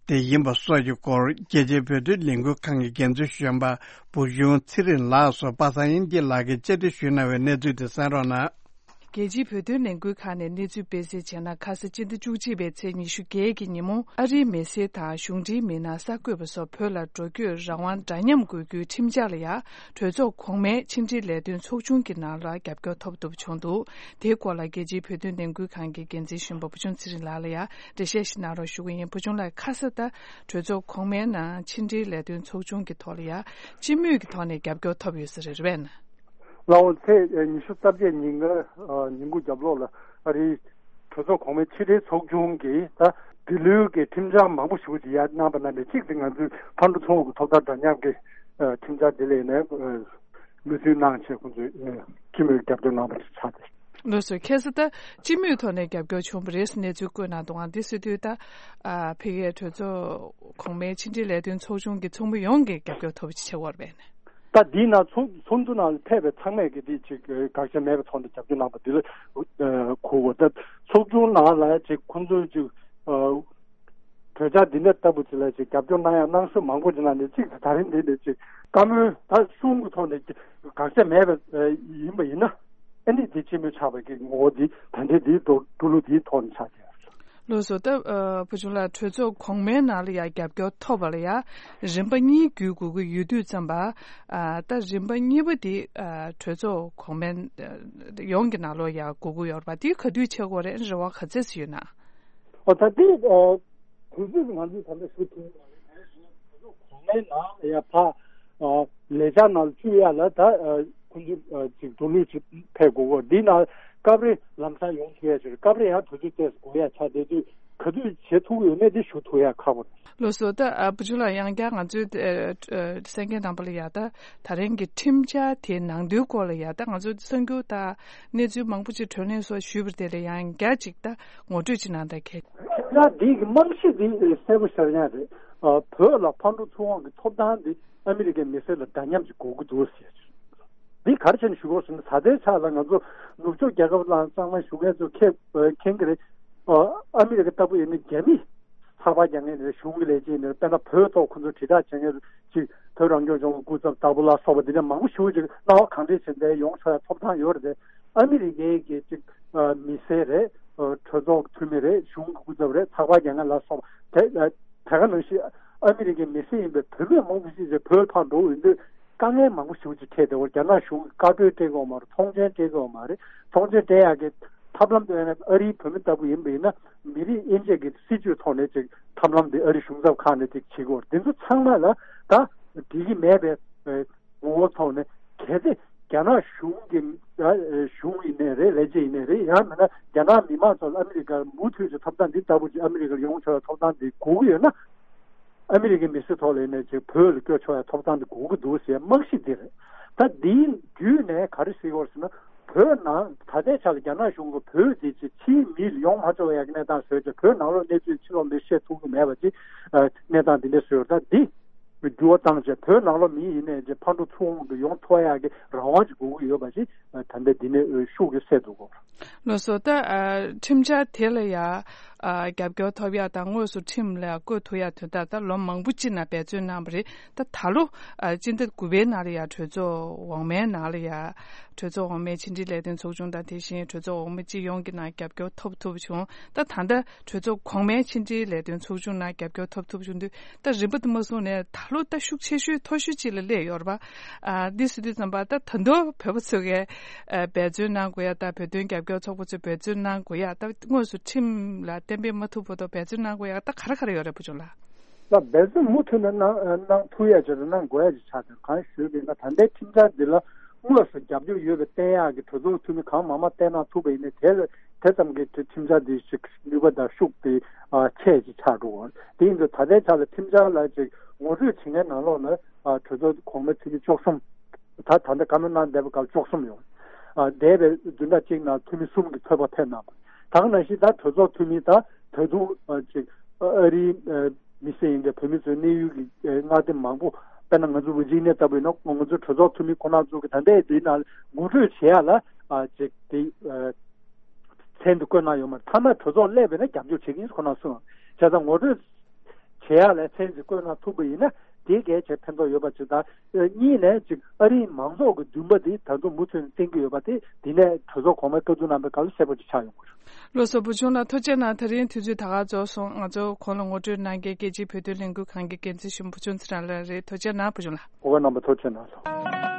དེ་ཡིན་པ་སོགས་ཀྱི་སྐོར། རྒྱལ་སྤྱིའི་བོད་དོན་ལས་འགུལ་ཁང་གི་འགན་འཛིན་གཞོན་པ་བུ་ཆུང་ཚེ་རིང་ལགས་སུ་པ་སངས་དབྱངས་སྐྱིད་ལགས་ཀྱིས་བཅར་འདྲི་ཞུས་གནང་བའི་གནས་ཚུལ་དེ་གསན་རོགས་གནང་། རྒྱལ་སྤྱིའི་བོད་དོན་ལས་འགུལ་ཁང་ནས་གནས་ཚུལ་སྤེལ་གསལ་བྱས་ན། ཁ་ས་སྤྱི་ཟླ་བཅུ་གཅིག་པའི་ཚེས་ཉི་ཤུ་བརྒྱད་ཀྱི་ཉིན་མོ། ཨ་རིའི་མི་སེར་དང་གཞུང་འབྲེལ་མི་སྣ་གསར་འགོད་པ་སོགས་བོད་ལ་འགྲོ་སྐྱོད་རང་དབང་འདྲ་མཉམ་དགོས་རྒྱུའི་ཁྲིམས་འཆར་ལ་ཡང་གྲོས་ཚོགས་གོང་མའི་ཕྱི་འབྲེལ་ལས་དོན་ཚོགས་ཆུང་གི་ནང་ལ་རྒྱབ་སྐྱོར་ཐོབ་ཐུབ་བྱུང་འདུག་དེའི་སྐོར་ལ་རྒྱལ་སྤྱིའི་བོད་དོན་ལས་འགུལ་ཁང་གི་འགན་འཛིན་གཞོན་པ་བུ་ཆུང་ཚེ་རིང་ལགས་ལ་ཡང་འགྲེལ་བཤད་ཞིག་གནང་རོགས་ཞུ་གི་ཡིན། བུ་ཆུང་ལགས། ཁ་ས་ད་གྲོས་ཚོགས་གོང་མའི་ནང་ཕྱི་འབྲེལ་ལས་དོན་ཚོགས་ཆུང་གི་ཐོག་ལ་ཡང་སྤྱི་མོས་ཀྱི་ཐོག་ནས་རྒྱབ་སྐྱོར་ཐོབ་ཡོད་ས་རེད། རེད་པས་ན། ལགས་འོང་། ཚེས་ཉི་ཤུ་རྩ་བརྒྱད་ཉིན་ཀ་ཉིན་གུང་རྒྱབ་ལོགས་ལ་ཨ་རིའི་གྲོས་ཚོགས་གོང་མའི་ཕྱི་དྲིལ་ཚོགས་ཆུང་གིས་ད་འདི་ལོའི་གི་ཁྲིམས་འཆར་མང་པོ་ཞེ་པོ་ཅིག་ཡར་གནང་པ་ནང་ནས་གཅིག་དེ་ང་ཚོའི་ཕར་འགྲོ་ཚུར་འོང་གི་ཐོབ་ཐང་འདྲ་མཉམ་གྱི་ཁྲིམས་འཆར་འདི་ལ་ཡིན་ནའི་མོས་མཐུན་གནང་བྱས་ཁོང་ཚོས་སྤྱི་མོས་རྒྱབ་སྐྱོར་གནང་པ་ཞིག་ཆགས་ཏེ། ལགས་སོ། ཁ་སང་ད་སྤྱི་མོས་ཐོག་ནས་རྒྱབ་སྐྱོར་བྱུང་བ་རེད་གནས་ཚུལ་བཀོད་གནང་འདུག་ཨང་། འདི་ཟེར་དུས་ད་ཕ་གིའི་གྲོས་ཚོགས་གོང་མའི་ཕྱི་འབྲེལ་ལས་དོན་ཚོགས་ཆུང་གི་ཚོགས་མི་ཡོངས་ཀྱིས་རྒྱབ་སྐྱོར་ཐོབ་པ་ཞིག་ཆགས་ཡོད་རེད་པས་ན། ད་འདིའི་ནང་ཚོགས་ཚོགས་འདུ་ནང་ལ་ཕེབས་པའི་ཚང་མས་ཀྱི་འདི་ཅིག་དགག་བྱ་མེད་པའི་ཐོག་ནས་རྒྱབ་སྐྱོར་གནང་པ་འདི་ལ་གོ་དགོས། ད་ཚོགས་ཆུང་ནང་ལ་ཅིག་ཁོང་ཚོས་ཅིག་གྲོས་འཆར་འདི་འདྲ་ལྟ་བུ་ཅིག་ལ་ཅིག་རྒྱབ་སྐྱོར་གནང་ཡ་གནང་ཤོས་མང་པོ་ཅིག་ནང་ནས་གཅིག་དེ་ད་རིང་འདི་ནས་ཅིག་བཀའ་མོལ་ད་གསུང་གི་ཐོག་ནས་དགག་བྱ་མེད་པ་ཡིན་པ་ཡིན་ན། ཨ་ནི་དེ་ཕྱི་མོ་ཆགས་པའི་གི་ངོ་བོ་འདི་ད་ལྟའི་འདིའི་འགྲོ་འགྲོ་ལུགས་འདིའི་ཐོག་ནས་ཆགས་ཀྱི་ཡོད་རེད། ལགས་སོ། ད་ཨ་བུ་ཆུང་ལགས། གྲོས་ཚོགས་གོང་མའི་ནང་ལ་ཡང་རྒྱབ་སྐྱོར་ཐོབ་པ་ལ་ཡང་རིམ་པ་གཉིས་བརྒྱུད་དགོས་ཀྱི་ཡོད་དུས་ཙམ་པ། ཨ་ད་རིམ་པ་གཉིས་པ་འདི་ཨ་གྲོས་ཚོགས་གོང་མའི་ཨ་ཡོངས་ཀྱི་ནང་ལོགས་ཡང་དགོས་ཀྱི་ཡོད་རེད་པ། འདི་ག་དུས་བྱེད་དགོས་རེད། རེ་བ་ག་ཚད་ཅིག་ཡོད་ན། ཨོ་ད་འདི་ཨ་དུས་ཚོད་ང་ཚོས་ད་ལྟ་ཞུ་ཐུབ་ཡོད་མ་རེད། གོང་མའི་ནང་ལ་ཡང་ཕ་ཨ་ལས་འཆར་ནང་ལ་བཅུག་ཡ་ལ་ད་ཨ་ཁོང་ཚོ་ཨ་ཅིག་འགྲོ་ལུགས་ཅིག་ཕེབས་དགོས་གོ། འདི་ནང་སྐབས་རེ་ལམ་སང་ཡོང་ཐུབ་ཡ་ཅིག་རེད། སྐབས་རེ་ཡང་དུས་ཚོད་ཏོག་ཙམ་འགོར་ཡ་ཆགས་བསྡད་དུས་ག་དུས་བྱེད་ཐུབ་ཀྱི་ཡོད་མེད་འདི་ཞུ་ཐུབ་ཡ་ཁག་པོ་རེད། ལགས་སོ། ད་ཨ་བུ་ཆུང་ལགས། ཡང་བསྐྱར་ང་ཚོའི་ཨ་ཨ་གསན་མཁན་རྣམ་པ་ལ་ཡང་ད་ད་རིང་གི་ཁྲིམས་འཆར་དེའི་ནང་དོན་སྐོར་ལ་ཡང་ད་ང་ཚོ་གསར་འགྱུར་དང་གནས་ཚུལ་མང་པོ་ཅིག་བགྲོ་གླེང་སོགས་ཞུས་པ་དེ་ལ་ཡང་བསྐྱར་ཅིག་ད་ངོ་སྤྲོད་ཅིག་གནང་དང་། གལ་ཁྲིམས་འཆར་འདི་གི་རྨང་གཞི་འདི་གསལ་པོ་ཤར་ཡ་རེད། ཨ་བོད་ལ་ཕར་འགྲོ་ཚུར་འོང་གི་ཐོབ་ཐང་འདི་ཨ་མི་རི་ཀའི་མི་སེར་ལ་འདྲ་མཉམ་ཅིག་དགོས་ཀྱི་འདུག་ཟེར། འདི་ག་རེ་བྱས་ནས་ཞུ་དགོས་ཟེར་ན། ད་ལྟའི་ཆ་ལ་ང་ཚོ་ནུབ་ཕྱོགས་རྒྱལ་ཁབ་ལ་གཙང་མ་ཞུ་མཁན་ཚོ་མཁྱེན་མཁྱེན་གྱི་རེད། ཨ་ཨ་མི་རི་ཀ་ལྟ་བུ་ཡིན་ན་རྒྱ་མི་ཚགས་པར་རྒྱག་མཁན་རེད། གཞུང་གི་ལས་བྱེད་ཡིན་ན་རེད། དཔེར་ན་བོད་ཐོག་ཁོ་ཚོ་དྲིལ་བསྒྲགས་བྱེད་མཁན་ཅིག་བོད་རང་སྐྱོང་ལྗོངས་ཀྱི་སྐུ་ཚབ་ལྟ་བུ་ལ་སོགས་པ་འདི་འདྲ་མང་པོ་ཞེ་པོ་ཅིག་སྣང་བ་གང་འདྲ་ཞིག་འདྲ་ཡོང་ཆོག་ཡ་ཐོབ་ཐང་ཡོད་རེད་དེ། ཨ་མི་རི་ཀའི་གི་ཅིག་ཨ་མི་སེར་རེད། ཨ་གྲོས་ཚོགས་འཐུས་མི་རེད། གཞུང་གི་སྐུ་ཚབ་རེད། ཚགས་པར་རྒྱག་མཁན་ལ་སོགས་པ་དེ། ཨ་དེ་ག་ནང་བཞིན་ཨ་མི་རི་ཀའི་མི་སེར་ཡིན་པའི་བུད་མེད་མང་པོ་ཞིག་ཅིག་བོད་ཕར་འགྲོ་ཡོང་དུས་དཀའ་ངལ་མང་པོ་ཞེ་པོ་ཅིག་འཕྲད་བསྡད་ཡོད་རེད། རྒྱ་ནག་གཞུང་གིས་བཀའ་འཁྲོལ་སྤྲད་ཀྱི་ཡོད་མ་རེད། ཐོངས་མཆན་སྤྲད་ཀྱི་ཡོད་མ་རེད། ཐོངས་མཆན་སྤྲད་ཡག་གི་ཐབས་ལམ་དེ་ཡང་ཨ་རིའི་བོད་མི་ལྟ་བུ་ཡིན་པ་ཡིན་ན་མི་རིགས་དབྱེ་འབྱེད་ཀྱི་སྲིད་བྱུས་ཐོག་ནས་ཅིག་ཐབས་ལམ་དེ་ཨ་རི་གཞུང་ཚབ་ཁག་ནས་ཅིག་བྱེད་ཀྱི་ཡོད་རེད། འདི་ཚོ་ཚང་མ་ལ་ད་འགྲིག་གི་མེད་པའི་ངོ་བོ་ཐོག་ནས། གལ་ཏེ་རྒྱ་ནག་གཞུང་གི་ཨ་གཞུང་ཡིན་ནའི་རེད། ལས་བྱེད་ཡིན་ནའི་རེད། ཡང་མིན་ན་རྒྱ་ནག་མི་མང་ཚོ་ལ་ཨ་མི་རི་ཀར་མུ་མཐུད་ཀྱི་ཐོབ་ཐང་འདི་ལྟ་བུ་ཅིག་ཨ་མི་རི་ཀར་ཡོང་ཆོག་ཡ་ཐོབ་ཐང་འདི་དགོས་ཀྱི་ཡོད་ན། ཨ་མི་རི་ཀའི་མི་སེར་ཐོག་ལ་ཡིན་ནའི་ཅིག་བོད་ལ་བསྐྱོད་ཆོག་ཡ་ཐོབ་ཐང་འདི་དགོས་ཀྱི་འདུག་ཟེར་རྨང་གཞི་འདི་རེད། ད་འདིའི་བརྒྱུད་ནས་ག་རེ་ཟེར་གྱི་ཡོད་ཟེར་ན། བོད་ནང་ད་ལྟའི་ཆ་ལ་རྒྱ་ནག་གཞུང་གིས་བོད་འདི་ཅིག་ཕྱིའི་མི་ཡོང་མ་ཆོག་ཡ་གི་གནས་སྟངས་བཟོས་བྱས། བོད་ནང་ལོགས་གནས་ཚུལ་ཕྱི་ལོགས་མིར་བཤད་ཐུབ་ཀྱི་མེད་པ་ཅིག་ཨ་གནས་སྟངས་འདི་འདྲ་བཟོས་ཡོད། ད་འདི་འགྱུར་བ་བཏང་བྱས་བོད་ནང་ལོགས་མི་ཡིན་ནའི་ཅིག་ཕར་འགྲོ་ཚུར་འོང་གི་ཡོང་ཐུབ་ཡ་གི་རང་དབང་ཅིག་དགོས་ཀྱི་ཡོད་པ་ཅིག་ཨ་ད་ལྟ་འདི་ནས་ཤུགས་ཀྱིས་གསལ་འདུག་གོ། ལགས་སོ། ད་ཨ་ཁྲིམས་འཆར་དེ་ལ་ཡ་ཨ་རྒྱབ་སྐྱོར་ཐོབ་ཡ་དང་དངོས་སུ་ཁྲིམས་ལ་བཀོད་ཐུབ་ཡ་དོན་དག་ད་ལོ་མང་པོ་ཅིག་ནང་འབད་བརྩོན་གནང་བ་རེད། ད་ད་ལོ་ཨ་སྤྱི་ཟླ་དགུ་པའི་ནང་ལ་ཡ་གྲོས་ཚོགས་འོག་མའི་ནང་ལ་ཡ་གྲོས་ཚོགས་འོག་མའི་ཕྱི་འབྲེལ་ལས་དོན་ཚོགས་ཆུང་དང་དེ་བཞིན་གྲོས་ཚོགས་འོག་མ་སྤྱི་ཡོངས་ཀྱི་ནང་རྒྱབ་སྐྱོར་ཐོབ་ཐུབ་བྱུང་། ད་ད་ལྟ་གྲོས་ཚོགས་གོང་མའི་ཕྱི་འབྲེལ་ལས་དོན་ཚོགས་ཆུང་ནང་རྒྱབ་སྐྱོར་ཐོབ་ཐུབ་བྱུང་དུས། ད་རིམ་པ་དུ་མ་སོང་ནས་ད་ལོ་ད་ཤུགས་ཆེ་ཤོས་མཐོ་ཤོས་ཅིག་ལ་སླེབས་ཡོད་རེད་པ། ཨ་འདི་ཟེར་དུས་ཙམ་པ་ད་ད་དུང་བོད་པ་ཚོ་གིས་ཨ་འབད་བརྩོན་གནང་དགོས་ཡ། ད་བོད་དོན་རྒྱབ་སྐྱོར་ཚོགས་པ་ཚོས་འབད་བརྩོན་གནང་དགོས་ཡ། ད་དངོས་སུ་ཁྲིམས་ལ་གཏན་འབེབས་མ་ཐུབ་བར་དུ་འབད་བརྩོན་གནང་དགོས་ཡ་ད་ག་རེ་ག་རེ་ཡོད་རེད་བུ་ཆུང་ལགས། ལ་འབད་བརྩོན་མུ་མཐུད་ནས་གནང་གནང་ཐུབ་ཡ་ཅིག་དང་གནང་དགོས་ཡ་ཅིག་ཆགས་ཏེ། གང་ཞུས་པ་ཡིན་ན་ད་ལྟའི་ཁྲིམས་འཆར་འདི་ལ་དངོས་སུ་རྒྱབ་སྐྱོར་ཡོད་པའི་བསྟན་ཡག་གི་གྲོས་ཚོགས་འཐུས་མི་གང་མང་མང་བསྟེན་གནང་ཐུབ་པ་ཡིན་ན་དེ་ལ་དེ་ཙམ་གྱི་ཁྲི་ཁྲིམས་འཆར་འདི་ཞིག་ནུས་པ་དང་ཤུགས་དེ་ཨ་ཆེ་ཅིག་ཆགས་འགྲོ་གི་རེད། དེ་ཡིན་དུས་ད་ལྟའི་ཆ་ལ་ཁྲིམས་འཆར་ལ་ཅིག་ངོ་སྤྲོད་བྱེད་མཁན་ནང་ལོགས་ལ་ཨ་གྲོས་ཚོགས་གོང་མའི་འཐུས་མི་བཅུ་གསུམ། ད་ད་ལྟ་བཀའ་མོལ་གནང་བསྡད་པ་སྐབས་བཅུ་གསུམ་ཡོད། ཨ་འདས་པའི་བདུན་ཕྲག་གཅིག་ནང་འཐུས་མི་གསུམ་གྱིས་ཚོད་དཔག་ཕེབས་གནང་བ། ད་ག་ནང་བཞིན་ད་གྲོས་ཚོགས་འཐུས་མི་ད་ད་དུང་ཨ་ཅིག་ཨ་རིའི་ཨ་མི་སེར་ཡིན་པའི་བོད་མི་ཚོའི་གནས་ཡུལ་གྱི་ཨ་མངའ་སྡེ་མང་པོ། དཔེར་ན་ང་ཚོ་ཝི་ཇི་ནི་ཡ་ལྟ་བུ་ཡིན་ན་ང་ཚོ་གྲོས་ཚོགས་འཐུས་མི་ཁོ་ན་ཚོ་གི་ད་ལྟའི་འདི་ནང་ངོ་སྤྲོད་བྱེད་ཡ་ལ་ཨ་ཅིག་དེ་ཨ་མཚན་དུ་བཀོད་གནང་ཡོད་མ་རེད། མཐའ་མ་གྲོས་ཚོགས་སླེབས་པ་ཡིན་ན་རྒྱབ་སྐྱོར་བྱེད་ཀྱི་ཡིན་ཁོ་ན་གསུངས། བྱས་ཙང་ངོ་སྤྲོད་བྱེད་ཡ་ལ་མཚན་ཞིག་བཀོད་གནང་ཐུབ་པ་ཡིན་ན་དེ་གལ་ཆེ་ཕན་ཐོགས་ཡོད་པ་ཅིག་དང་། གཉིས་ནས་ཅིག་ཨ་རིའི་མང་ཚོགས་ཀྱི་འདུན་པ་དེ་ད་དུང་མུ་མཐུད་ནས་བསྟན་གྱི་ཡོད་པ་དེ་འདི་ནས་གྲོས་ཚོགས་གོང་མའི་བཀའ་བསྡུར་གནང་པའི་སྐབས་ལ་གསལ་པོ་ཅིག་ཆགས་ཡོང་གི་རེད། ལགས་སོ། བུ་ཆུང་ལགས་ཐུགས་རྗེ་གནང་། ད་རིང་དུས་ཚོད་ད་ག་རྫོགས་སོང་། ང་ཚོ་གོང་ལ་ངོ་སྤྲོད་གནང་མཁན་རྒྱལ་སྤྱིའི་བོད་དོན་ལས་འགུལ་ཁང་གི་འགན་འཛིན་གཞོན་པ་བུ་ཆུང་ཚེ་རིང་ལགས་རེད། ཐུགས་རྗེ་གནང་བུ་ཆུང་ལགས། ཨོ་རྣམ་པ་ཐུགས་རྗེ་གནང་སོང་།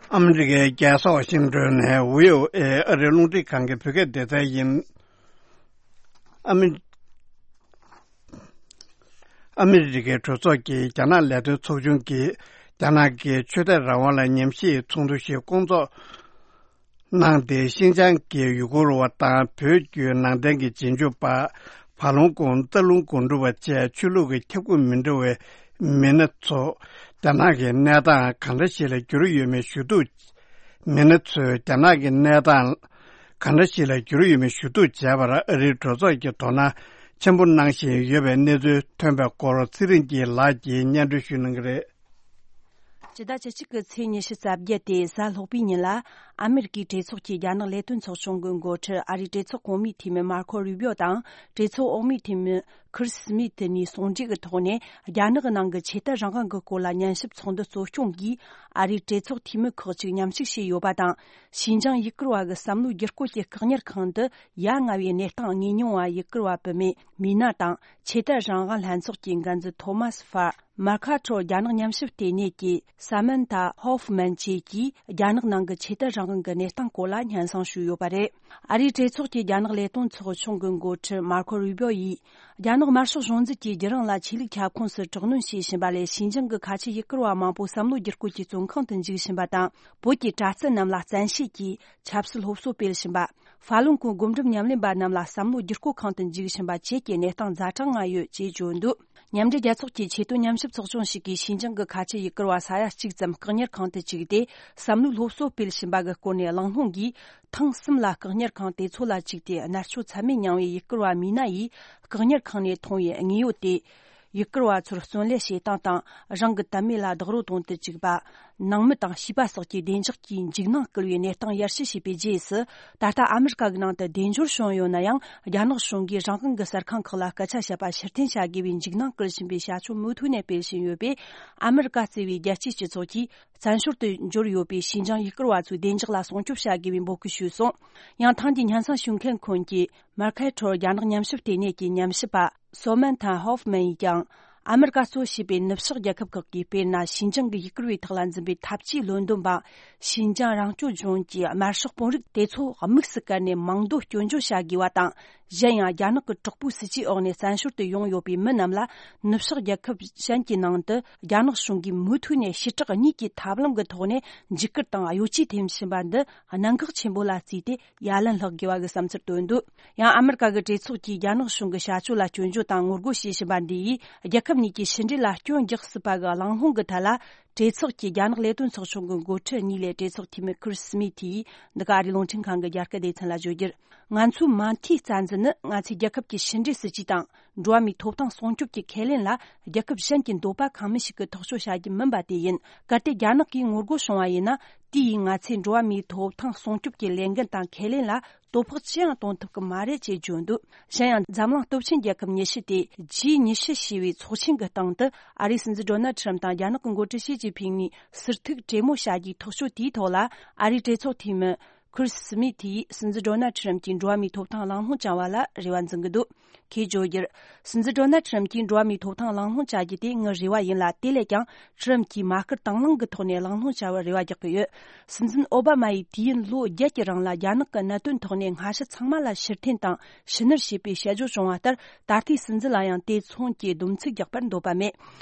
ཨ་མི་རི་ཀའི་རྒྱལ་ས་ཝ་ཤིང་ཏོན་ནས་བྷི་ཨོ་ཨེ་ཨ་རིའི་རླུང་འཕྲིན་ཁང་གི་བོད་སྐད་སྡེ་ཚན་ཡིན། ཨ་མི། ཨ་མི་རི་ཀའི་གྲོས་ཚོགས་ཀྱི་རྒྱ་ནག་ལས་དོན་ཚོགས་ཆུང་གིས་རྒྱ་ནག་གི་ཆོས་དད་རང་དབང་ལ་ཉམས་ཞིབ་ཚོགས་འདུ་ཞིག་བསྐོང་ཚོགས་གནང་སྟེ། ཤིན་ཅང་གི་ཡུ་གུར་བ་དང་བོད་བརྒྱུད་ནང་བསྟན་གྱི་རྗེས་འཇུག་པ། བར་ལུང་དགོན། རྟ་ལུང་དགོན་སྒྲུབ་པ་བཅས་ཆོས་ལུགས་ཀྱི་ཁྱབ་ཁོངས་མི་འདྲ་བའི་མི་སྣ་ཚོ་རྒྱ་ནག་གི་གནས་སྟངས་གང་འདྲ་ཞིག་ལ་གྱུར་ཡོད་མེད་ཞུ་གཏུག་མི་སྣ་ཚོས་རྒྱ་ནག་གི་གནས་སྟངས་གང་འདྲ་ཞིག་ལ་གྱུར་ཡོད་མེད་ཞུ་གཏུག་བྱས་པར་ཨ་རིའི་གྲོས་ཚོགས་ཀྱིས་དོ་སྣང་ཆེན་པོ་གནང་བཞིན་ཡོད་པའི་གནས་ཚུལ་ཐོན་པའི་སྐོར་ཚེ་རིང་སྐྱིད་ལགས་ཀྱིས་སྙན་སྒྲོན་ཞུ་གནང་གི་རེད། སྤྱི་ཟླ་བཅུ་གཅིག་གི་ཚེས་ཉི་ཤུ་རྩ་བརྒྱད་དེ་གཟའ་ལྷག་པའི་ཉིན་ལ། ཨ་མེ་རི་ཀའི་གྲོས་ཚོགས་ཀྱི་རྒྱ་ནག་ལས་དོན་ཚོགས་ཆུང་གི་འགོ་ཁྲིད་ཨ་རིའི་གྲོས་ཚོགས་གོང་མའི་འཐུས་མི་མར་ཁོ་རུ་བིའོ་དང་། གྲོས་ཚོགས་འོག་མའི་འཐུས་མི་ཁིར་སི་མིད་གཉིས་ཟུང་འབྲེལ་གྱི་ཐོག་ནས། རྒྱ་ནག་གི་ནང་གི་ཆོས་དད་རང་དབང་གི་སྐོར་ལ་ཉན་ཞིབ་ཚོགས་འདུ་གཙོ་སྐྱོང་གིས། ཨ་རིའི་གྲོས་ཚོགས་འཐུས་མི་ཁག་ཅིག་མཉམ་ཞུགས་བྱས་ཡོད་པ་དང་། ཞིན་ཅང་ཡུ་གུར་བ་གི་བསམ་བློའི་བསྒྱུར་བཀོད་ཀྱི་བཀག་ཉར་ཁང་དུ། ཡ་ང་བའི་གནས་སྟངས་ངོས་མྱོང་བ་ཡུ་གུར་བ་བུད་མེད་མི་ན་དང་། ཆོས་དད་རང་དབང་ལྷན་ཚོགས་ཀྱི་འགན་འཛིན་ཐོ་མཱ་སི་ཧྥར། མར་ཁ་ཁྲོ་རྒྱ་ནག་ཉམས་ཞིབ་ལྟེ་གནས་ཀྱི་ས་མན་ཐ་ཧོ་ཧྥ་མན་བཅས་ཀྱིས། རྒྱ་ནག་ནང་གི་ཆོས་དད་རང་དབང་གི་གནས་སྟངས་སྐོར་ལ་སྙན་སེང་ཞུས་ཡོད་པ་རེད། ཨ་རིའི་གྲོས་ཚོགས་ཀྱི་རྒྱ་ནག་ལས་དོན་ཚོགས་ཆུང་གི་འགོ་ཁྲིད་མར་ཁོ་རུ་བིའོ་ཡིས། རྒྱ་ནག་དམར་ཤོག་གཞུང་འཛིན་གྱིས་རྒྱུན་རིང་ལ་ཆོས་ལུགས་ཁྱབ་ཁོངས་སུ་དྲག་གནོན་བྱེད་བཞིན་པ་ལས། ཞིན་ཅང་གི་ཁ་ཆེ་ཡུ་གུར་བ་མང་པོ་བསམ་བློ་བསྒྱུར་བཀོད་ཀྱི་བཙོན་ཁང་དུ་འཇུག་བཞིན་པ་དང་། བོད་ཀྱི་གྲྭ་བཙུན་རྣམས་ལ་བཙན་ཤེད་ཀྱིས་ཆབ་སྲིད་སློབ་གསོ་སྤེལ་བཞིན་པ། ཧྥ་ལུན་གོང་སྒོམ་སྒྲུབ་ཉམས་ལེན་པ་རྣམས་ལ་བསམ་བློ་བསྒྱུར་བཀོད་ཁང་དུ་འཇུག་བཞིན་པ་བཅས་ཀྱི་གནས་སྟངས་ཛ་དྲག་ང་ཡོད་ཅེས་བརྗོད་འདུག་མཉམ་འབྲེལ་རྒྱལ་ཚོགས་ཀྱི་ཆེས་མཐོའི་ཉམས་ཞིབ་ཚོགས་ཆུང་ཞིག་གིས། ཞིན་ཅང་གི་ཁ་ཆེ་ཡུ་གུར་བ་ས་ཡ་གཅིག་ཙམ་བཀག་ཉར་ཁང་དུ་བཅུག་སྟེ། བསམ་བློའི་སློབ་གསོ་སྤེལ་བཞིན་པ་གི་སྐོར་ནས་གླེང་སློང་གིས། ཐེངས་གསུམ་ལ་བཀག་ཉར་ཁང་དེ་ཚོ་ལ་བཅུག་སྟེ། མནར་གཅོད་ཚད་མེད་མྱངས་པའི་ཡུ་གུར་བ་མི་ན་ཡིས། བཀག་ཉར་ཁང་ནས་མཐོང་བའི་དངོས་ཡོད་དེ། ཡུ་གུར་བ་ཚོར་བརྩོན་ལེན་བྱེད་སྟངས་དང་། རང་གི་དད་མོས་ལ་རྡོག་རོལ་གཏོང་དུ་བཅུག་པ། ནང་མི་དང་བྱིས་པ་སོགས་ཀྱི་བདེ་འཇགས་ཀྱི་འཇིགས་སྣང་སྐུལ་བའི་གནས་སྟངས་ཡར་ཞུ་བྱས་པའི་རྗེས་སུ། ད་ལྟ་ཨ་མི་རི་ཀ་གི་ནང་དུ་བདེ་འབྱོར་བྱུང་ཡོད་ན་ཡང་། རྒྱ་ནག་གཞུང་གིས་རང་དབང་གི་གསར་ཁང་ཁག་ལ་སྐད་ཆ་བཤད་པ་ཕྱིར་འཐེན་བྱ་དགོས་པའི་འཇིགས་སྣང་སྐུལ་བཞིན་པའི་བྱ་སྤྱོད་མུ་མཐུད་ནས་སྤེལ་བཞིན་ཡོད་པས། ཨ་མི་རི་ཀ་གཙོས་པའི་རྒྱལ་སྤྱིའི་སྤྱི་ཚོགས་ཀྱིས། བཙན་བྱོལ་དུ་འབྱོར་ཡོད་པའི་ཞིན་ཅང་ཡུ་གུར་བ་ཚོའི་བདེ་འཇགས་ལ་སྲུང་སྐྱོབ་བྱ་དགོས་པའི་འབོད་སྐུལ་ཞུས་སོང་། ཡང་། ཐེངས་འདིའི་སྙན་སེང་ཞུ་མཁན་ཁོངས་ཀྱི་མར་ཁེ་ཁྲོར་རྒྱ་ནག་ཉམས་ཞིབ་ལྟེ་གནས་ཀྱི་ཉམས་ཞིབ་པ་སོ་མན་ཐ་ཧོ་ཧྥ་མན་ཡིས་ཀྱང་། ཨ་མི་རི་ཀ་གཙོ་བྱས་པའི་ནུབ་ཕྱོགས་རྒྱལ་ཁབ་ཁག་གིས། དཔེར་ན། ཞིན་ཅང་གི་ཡུ་གུར་བའི་ཐོག་ལ་འཛིན་པའི་འཐབ་ཇུས་བློ་འདོན་པ། ཞིན་ཅང་རང་སྐྱོང་ལྗོངས་ཀྱི་དམར་ཤོག་དཔོན་རིགས་དེ་ཚོ་དམིགས་སུ་བཀར་ནས་མང་དུ་སྐྱོན་བརྗོད་བྱ་དགོས་པ་དང་། གཞན་ཡང་། རྒྱ་ནག་གི་དྲག་པོའི་སྲིད་ཇུས་འོག་ནས་བཙན་བྱོལ་དུ་ཡོང་ཡོད་པའི་མི་རྣམས་ལ། ནུབ་ཕྱོགས་རྒྱལ་ཁབ་གཞན་གྱི་ནང་དུ་རྒྱ་ནག་གཞུང་གིས་མུ་མཐུད་ནས་ཞི་དྲག་གཉིས་ཀྱི་ཐབས་ལམ་གྱི་ཐོག་ནས་འཇིགས་སྐུལ་དང་གཡོ་ཇུས་འཐེན་བཞིན་པ་འདི། གནད་འགག་ཆེན་པོ་ལ་བརྩིས་ཏེ། ཡ་ལན་ལྷག་དགོས་པ་གི་བསམ་ཚུལ་བཏོན་འདུག་ཡང་། ཨ་མི་རི་ཀ་གི་གྲོས་ཚོགས་ཀྱིས་རྒྱ་ནག་གཞུང་གི་བྱ་སྤྱོད་ལ་སྐྱོན་བརྗོད་དང་ངོ་རྒོལ་བྱེད་བཞིན་པ་འདི་ཡིས། རྒྱལ་ཁབ་གཉིས་ཀྱི་ཕྱི་འབྲེལ་ལ་སྐྱོན་རྒྱག་སྲིད་པ་གི་གླེང་སློང་གི་ཐད་ལ། གྲོས་ཚོགས་ཀྱི་རྒྱ་ནག་ལས་དོན་ཚོགས་ཆུང་གི་འགོ་ཁྲིད་གཉིས་ལས་གྲོས་ཚོགས་འཐུས་མི་ཁིར་སི་མི་ཐི་ཡིས། འདི་ག་ཨ་རིའི་རླུང་འཕྲིན་ཁང་གི་རྒྱ་སྐད་སྡེ་ཚན་ལ་བརྗོད་རྒྱུར། ང་ཚོའི་མ་མཐའི་རྩ་འཛིན་ནི། ང་ཚོས་རྒྱལ་ཁབ་ཀྱི་ཕྱི་འབྲེལ་སྲིད་ཇུས་དང་། འགྲོ་བ་མིའི་ཐོབ་ཐང་སྲུང་སྐྱོབ་ཀྱི་ཁས་ལེན་ལ། རྒྱལ་ཁབ་གཞན་གྱི་འདོད་པ་ཁེངས་མི་ཞིག་གིས་ཐག་གཅོད་བྱ་རྒྱུ་མིན་པ་དེ་ཡིན། གལ་ཏེ་རྒྱ་ནག་གིས་ངོ་རྒོལ་བྱུང་བ་ཡིན་ན། དེ་ཡིས་ང་ཚོས་འགྲོ་བ་མིའི་ཐོབ་ཐང་སྲུང་སྐྱོབ་ཀྱི་ལས་འགན་དང་ཁས་ལེན་ལ། དོ་ཕོག་ཅི་ཡང་གཏོང་ཐུབ་ཀྱི་མ་རེད་ཅེས་བརྗོད་འདུག་གཞན་ཡང་། འཛམ་གླིང་སྟོབས་ཆེན་རྒྱལ་ཁབ་ཉི་ཤུ་སྟེ། ཇི་ཉི་ཤུ་ཞེས་པའི་ཚོགས་ཆེན་གྱི་སྟེང་དུ། ཨ་རིའི་སྲིད་འཛིན་ཌོ་ནལ་ཁྲམ་དང་རྒྱ་ནག་གི་འགོ་ཁྲིད་ཞི་ཅིན་ཕིང་གཉིས་ཟུར་ཐུག་གྲོས་མོལ་བྱ་རྒྱུའི་ཐག་གཅོད་དེའི་ཐོག་ལ། ཨ་རིའི་གྲོས་ཚོགས་འཐུས་མི་ཁིར་སི་མི་ཐི་ཡིས་སྲིད་འཛིན་ཌོ་ནལ་ཁྲམ་གྱིས་འགྲོ་བ་མིའི་ཐོབ་ཐང་གླེང་སློང་བྱུང་བ་ལ་རེ་བ་འཛིན་གྱི་འདུག་ཁོས་བརྗོད་རྒྱུར། སྲིད་འཛིན་ཌོ་ནལ་ཁྲམ་གྱིས་འགྲོ་བ་མིའི་ཐོབ་ཐང་གླེང་སློང་བྱ་རྒྱུ་དེ་ངའི་རེ་བ་ཡིན་ལ། དེ་ལས་ཀྱང་། ཁྲམ་གྱིས་མ་ཁུར་དང་བླངས་ཀྱི་ཐོག་ནས་གླེང་སློང་བྱ་བར་རེ་བ་རྒྱག་གི་ཡོད། སྲིད་འཛིན་ཨོ་བྷ་མ་ཡིས་དུས་ཡུན་ལོ་བརྒྱད་ཀྱི་རིང་ལ་རྒྱ་ནག་གི་གནད་དོན་ཐོག་ནས་སྔ་ཕྱི་ཚང་མ་ལ་ཕྱིར་འཐེན་དང་ཕྱི་བསྣུར་བྱས་པའི་བཤད་སྦྱོར་བྱུང་བ་ལྟར། ད་ལྟའི་སྲིད་འཛིན་ལ་ཡང་དེ་མཚུངས་ཀྱི་སྡོམ་ཚིག་རྒྱག་པར་འདོད་པ་མེད།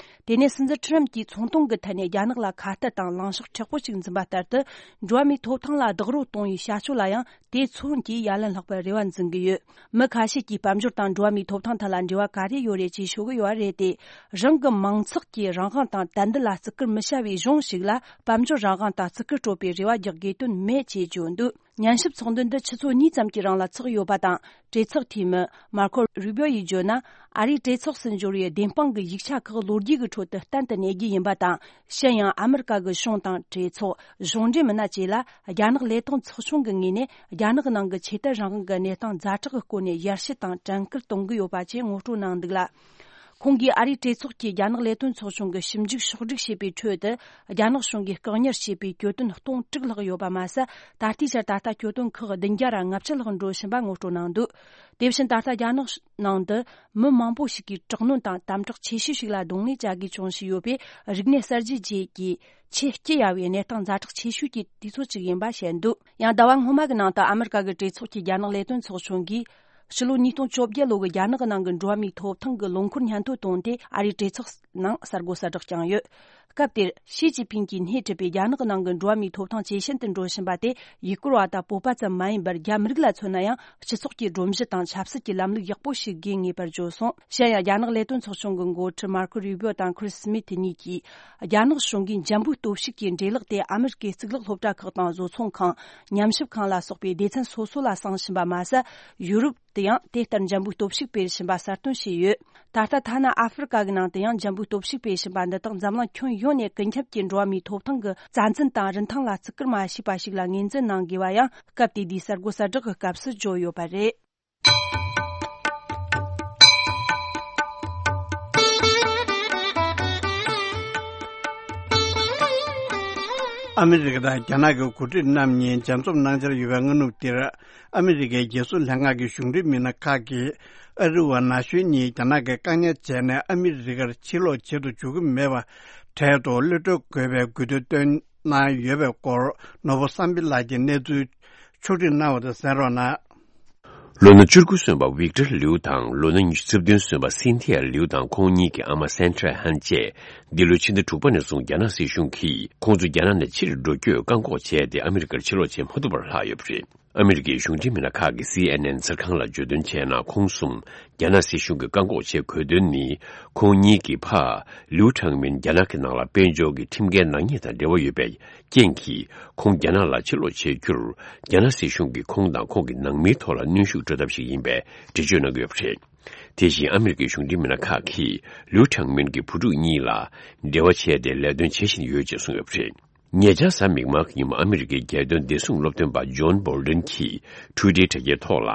དེ་ནས་སྲིད་འཛིན་ཁྲམ་གྱིས་ཚོང་དོན་གྱི་ཐད་ནས་རྒྱ་ནག་ལ་ཁ་གཏད་དང་ལངས་ཕྱོགས་མཁྲེགས་པོ་ཞིག་འཛིན་པ་ལྟར་དུ། འགྲོ་བ་མིའི་ཐོབ་ཐང་ལ་རྡོག་རོལ་གཏོང་བའི་བྱ་སྤྱོད་ལ་ཡང་དེ་མཚུངས་ཀྱིས་ཡ་ལན་ལྷག་པར་རེ་བ་འཛིན་གྱི་ཡོད། མི་ཁ་ཤས་ཀྱིས་དཔལ་འབྱོར་དང་འགྲོ་བ་མིའི་ཐོབ་ཐང་ཐད་ལ་འབྲེལ་བ་ག་རེ་ཡོད་རེད་ཅེས་ཤོད་ཀྱི་ཡོད་པ་རེད་དེ། རང་གི་མང་ཚོགས་ཀྱི་རང་དབང་དང་དད་འདུན་ལ་བརྩི་བཀུར་མི་བྱ་བའི་གཞུང་ཞིག་ལ་དཔལ་འབྱོར་རང་དབང་དང་བརྩི་བཀུར་སྤྲོད་པའི་རེ་བ་རྒྱག་དགོས་དོན་མེད་ཅེས་བརྗོད་འདུག་སྙན་ཞུ་ཚོགས་འདུ་འདི་ཆུ་ཚོད་གཉིས་ཙམ་གྱི་རིང་ལ་ཚོགས་ཡོད་པ་དང་། གྲོས་ཚོགས་འཐུས་མི་མར་ཁོ་རུ་བིའོ་ཡིས་བརྗོད་ན། ཨ་རིའི་གྲོས་ཚོགས་སུ་འབྱོར་བའི་བདེན་དཔང་གི་ཡིག་ཆ་ཁག་ལོ་རྒྱུས་ཀྱི་ཁྲོད་དུ་གཏན་དུ་གནས་རྒྱུ་ཡིན་པ་དང་། གཞན་ཡང་ཨ་མི་རི་ཀ་གི་གཞུང་དང་གྲོས་ཚོགས། གཞུང་འབྲེལ་མི་སྣ་བཅས་ལ་རྒྱ་ནག་ལས་དོན་ཚོགས་ཆུང་གི་ངོས་ནས་རྒྱ་ནག་ནང་གི་ཆོས་དད་རང་དབང་གི་གནས་སྟངས་ཛ་དྲག་གི་སྐོར་ནས་ཞལ་བཤད་དང་དྲན་སྐུལ་གཏོང་གི་ཡོད་པ་བཅས་ངོ་སྤྲོད་གནང་འདུག་ལ། ཁོང་གིས་ཨ་རིའི་གྲོས་ཚོགས་ཀྱིས་རྒྱ་ནག་ལས་དོན་ཚོགས་ཆུང་གི་ཞིབ་འཇུག་ཕྱོགས་སྒྲིག་བྱས་པའི་ཁྲོད་དུ། རྒྱ་ནག་གཞུང་གིས་བཀག་ཉར་བྱས་པའི་གྱོད་དོན་སྟོང་དྲུག་ལྷག་ཡོད་པ་མ་ཟད། ད་ལྟའི་ཆར་ད་ལྟ་གྱོད་དོན་ཁག་བདུན་བརྒྱ་ར་ལྔ་བཅུ་ལྷག་འགྲོ་བཞིན་པ་ངོ་སྤྲོད་གནང་འདུག་དེ་བཞིན་ད་ལྟ་རྒྱ་ནག་ནང་དུ་མི་མང་པོ་ཞིག་གིས་དྲག་གནོན་དང་དམ་དྲག་ཆེ་ཤོས་ཤིག་ལ་གདོང་ལེན་བྱ་དགོས་བྱུང་བཞིན་ཡོད་པས། རིག་གནས་གསར་བརྗེ་རྗེས་ཀྱི་ཆེས་སྐྱི་གཡའ་བའི་གནས་སྟངས་ཛ་དྲག་ཆེ་ཤོས་ཀྱི་དུས་ཚོད་ཅིག་ཡིན་པ་བཤད་འདུག་ཡང་ཟླ་བ་སྔོན་མ་གི་ནང་དུ་ཨ་མི་རི་ཀ་གི་གྲོས་ཚོགས་ཀྱི་རྒྱ་ནག་ལས་དོན་ཚོགས་ཆུང་གིས། ཕྱི་ལོ་ཉིས་སྟོང་བཅོ་བརྒྱད་ལོ་གི་རྒྱ་ནག་གི་ནང་གི་འགྲོ་བ་མིའི་ཐོབ་ཐང་གི་ལོ་འཁོར་སྙན་ཐོ་བཏོན་ཏེ། ཨ་རིའི་གྲོས་ཚོགས་ནང་གསར་འགོད་གསལ་བསྒྲགས་བསྐྱངས་ཡོད། སྐབས་དེར་ཞི་ཅིན་ཕིང་གིས་སྣེ་ཁྲིད་པའི་རྒྱ་ནག་གི་ནང་གི་འགྲོ་བ་མིའི་ཐོབ་ཐང་ཇེ་ཞན་དུ་འགྲོ་བཞིན་པ་དེ། ཡུ་གུར་བ་དང་བོད་པ་ཙམ་མ་ཡིན་པར། རྒྱ་མི་རིགས་ལ་མཚོན་ན་ཡང་སྤྱི་ཚོགས་ཀྱི་སྒྲོམ་གཞི་དང་ཆབ་སྲིད་ཀྱི་ལམ་ལུགས་ཡག་པོ་ཞིག་དགོས་ངེས་པར་བརྗོད་སོང་། གཞན་ཡང་། རྒྱ་ནག་ལས་དོན་ཚོགས་ཆུང་གི་འགོ་ཁྲིད་མར་ཁོ་རུ་བིའོ་དང་ཁྲིས་སི་མིད་གཉིས་ཀྱིས། རྒྱ་ནག་གཞུང་གིས་འཇམ་པོའི་སྟོབས་ཤུགས་ཀྱི་འབྲས་ལོག་དེ་ཨ་མི་རི་ཀའི་གཙུག་ལག་སློབ་གྲྭ་ཁག་དང་བཟོ་ཚོང་ཁང་། ཉམས་ཞིབ་ཁང་ལ་སོགས་པའི་སྡེ་ཚན་སོ་སོ་ལ་བསྲངས་བཞིན་པ་མ་ཟད། ཡུ་རོབ་ཏུ་ཡང་དེ་ལྟར་འཇམ་པོའི་སྟོབས་ཤུགས་སྤེལ་བཞིན་པ་གསལ་སྟོན་བྱས་ཡོད། ད་ལྟ་ཐ་ན་ཨ་ཧྥེ་རི་ཀ་གི་ནང་དུ་ཡང་འཇམ་པོའི། སྟོབས་ཤུགས་སྤེལ་བཞིན་པ་འདི་དག་འཛམ་གླིང་ཁྱོན་ཡོངས་ནས་ཀུན་ཁྱབ་ཀྱི་འགྲོ་བ་མིའི་ཐོབ་ཐང་གི་རྩ་འཛིན་དང་རིན་ཐང་ལ་བརྩི་བཀུར་མ་བྱས་པ་ཞིག་ལ་ངོས་འཛིན་གནང་དགོས་པ་ཡང་སྐབས་དེ་དུས་གསར་འགོད་གསལ་བསྒྲགས་ཀྱི་སྐབས་སུ་བརྗོད་ཡོད་པ་རེད། ཨ་མི་རི་ཀ་དང་རྒྱ་ནག་གི་འགོ་ཁྲིད་རྣམ་གཉིས་མཇལ་འཛོམས་གནང་འཆར་ཡོད་པའི་སྔ་ནུབ་འདིར། ཨ་མི་རི་ཀའི་རྒྱལ་སྲུང་ལྷན་ཁང་གི་གཞུང་འབྲེལ་མི་སྣ་ཁག་གིས་ཨ་རི་བ་ན་གཞོན་གཉིས་རྒྱ་ནག་གིས་བཀག་ཉར་བྱས་ནས་ཨ་མི་རི་ཀར་ཕྱིར་ལོག་བྱེད་དུ་འཇུག་གི་མེད་པ་འཕྲལ་དུ་གློད་གྲོལ་དགོས་པའི་དགོས་འདུན་བཏོན་གནང་ཡོད་པའི་སྐོར། ནོར་བུ་བསམ་འཕེལ་ལགས་ཀྱིས་གནས་ཚུལ་ཕྱོགས་སྒྲིག་གནང་བ་དང་གསན་རོགས་གནང་། ལོ་ན་བཅུ་དགུ་སོན་པ་ཝིག་ཏར་ལིའུ་དང་ལོ་ན་ཉི་ཤུ་རྩ་བདུན་སོན་པ་སིན་ཐི་ཡ་ལིའུ་དང་ཁོང་གཉིས་ཀྱི་ཨ་མ་སན་ཁྲ་ཧན་བཅས་འདི་ལོའི་ཕྱི་ཟླ་དྲུག་པ་ནས་བཟུང་རྒྱ་ནག་སྲིད་གཞུང་གིས་ཁོང་ཚོ་རྒྱ་ནག་ནས་ཕྱིར་འགྲོ་རྒྱུའི་བཀག་འགོག་བྱས་ཏེ་ཨ་མི་རི་ཀར་ཕྱིར་ལོག་བྱེད་མ་ཐུབ་པར་ལྷག་ཡོད་པ་རེད། ཨ་མི་རི་ཀའི་གཞུང་འབྲེལ་མི་སྣ་ཁག་གིས་སི་ཨེན་ཨེན་གསར་ཁང་ལ་བརྗོད་དོན་བྱས་ན། ཁོང་གསུམ་རྒྱ་ནག་སྲིད་གཞུང་གིས་བཀག་འགོག་བྱེད་དགོས་དོན་ནི། ཁོང་གཉིས་ཀྱི་ཕ་ལིའུ་ཁྲང་མིན་རྒྱ་ནག་གི་ནང་ལ་དཔལ་འབྱོར་གྱི་ཁྲིམས་འགལ་ནག་ཉེས་དང་འབྲེལ་བ་ཡོད་པའི་རྐྱེན་གྱིས། ཁོང་རྒྱ་ནག་ལ་ཕྱིར་ལོག་བྱེད་རྒྱུར། རྒྱ་ནག་སྲིད་གཞུང་གིས་ཁོང་དང་ཁོང་གི་ནང་མིའི་ཐོག་ལ་གནོན་ཤུགས་སྤྲོད་ཐབས་ཤིག་ཡིན་པའི་འགྲེལ་བརྗོད་གནང་གི་ཡོད་པ་རེད། དེ་བཞིན་ཨ་མི་རི་ཀའི་གཞུང་འབྲེལ་མི་སྣ་ཁག་གིས་ལིའུ་ཁྲང་མིན་གྱི་བུ་ཕྲུག་གཉིས་ལ་འབྲེལ་བ་བྱས་ཏེ་ལས་དོན་བྱེད་བཞིན་ཡོད་ཅེས་གསུངས་ཡོད་པ་རེད། ཉེ་ཆར་གཟའ་མིག་དམར་གྱི་ཉིན་མོ་ཨ་མི་རི་ཀའི་རྒྱལ་དོན་བདེ་སྲུང་སློབ་སྟོན་པ་ཇོན་བོལ་ཏན་གྱིས་ཊུའི་ཊར་དྲ་རྒྱའི་ཐོག་ལ།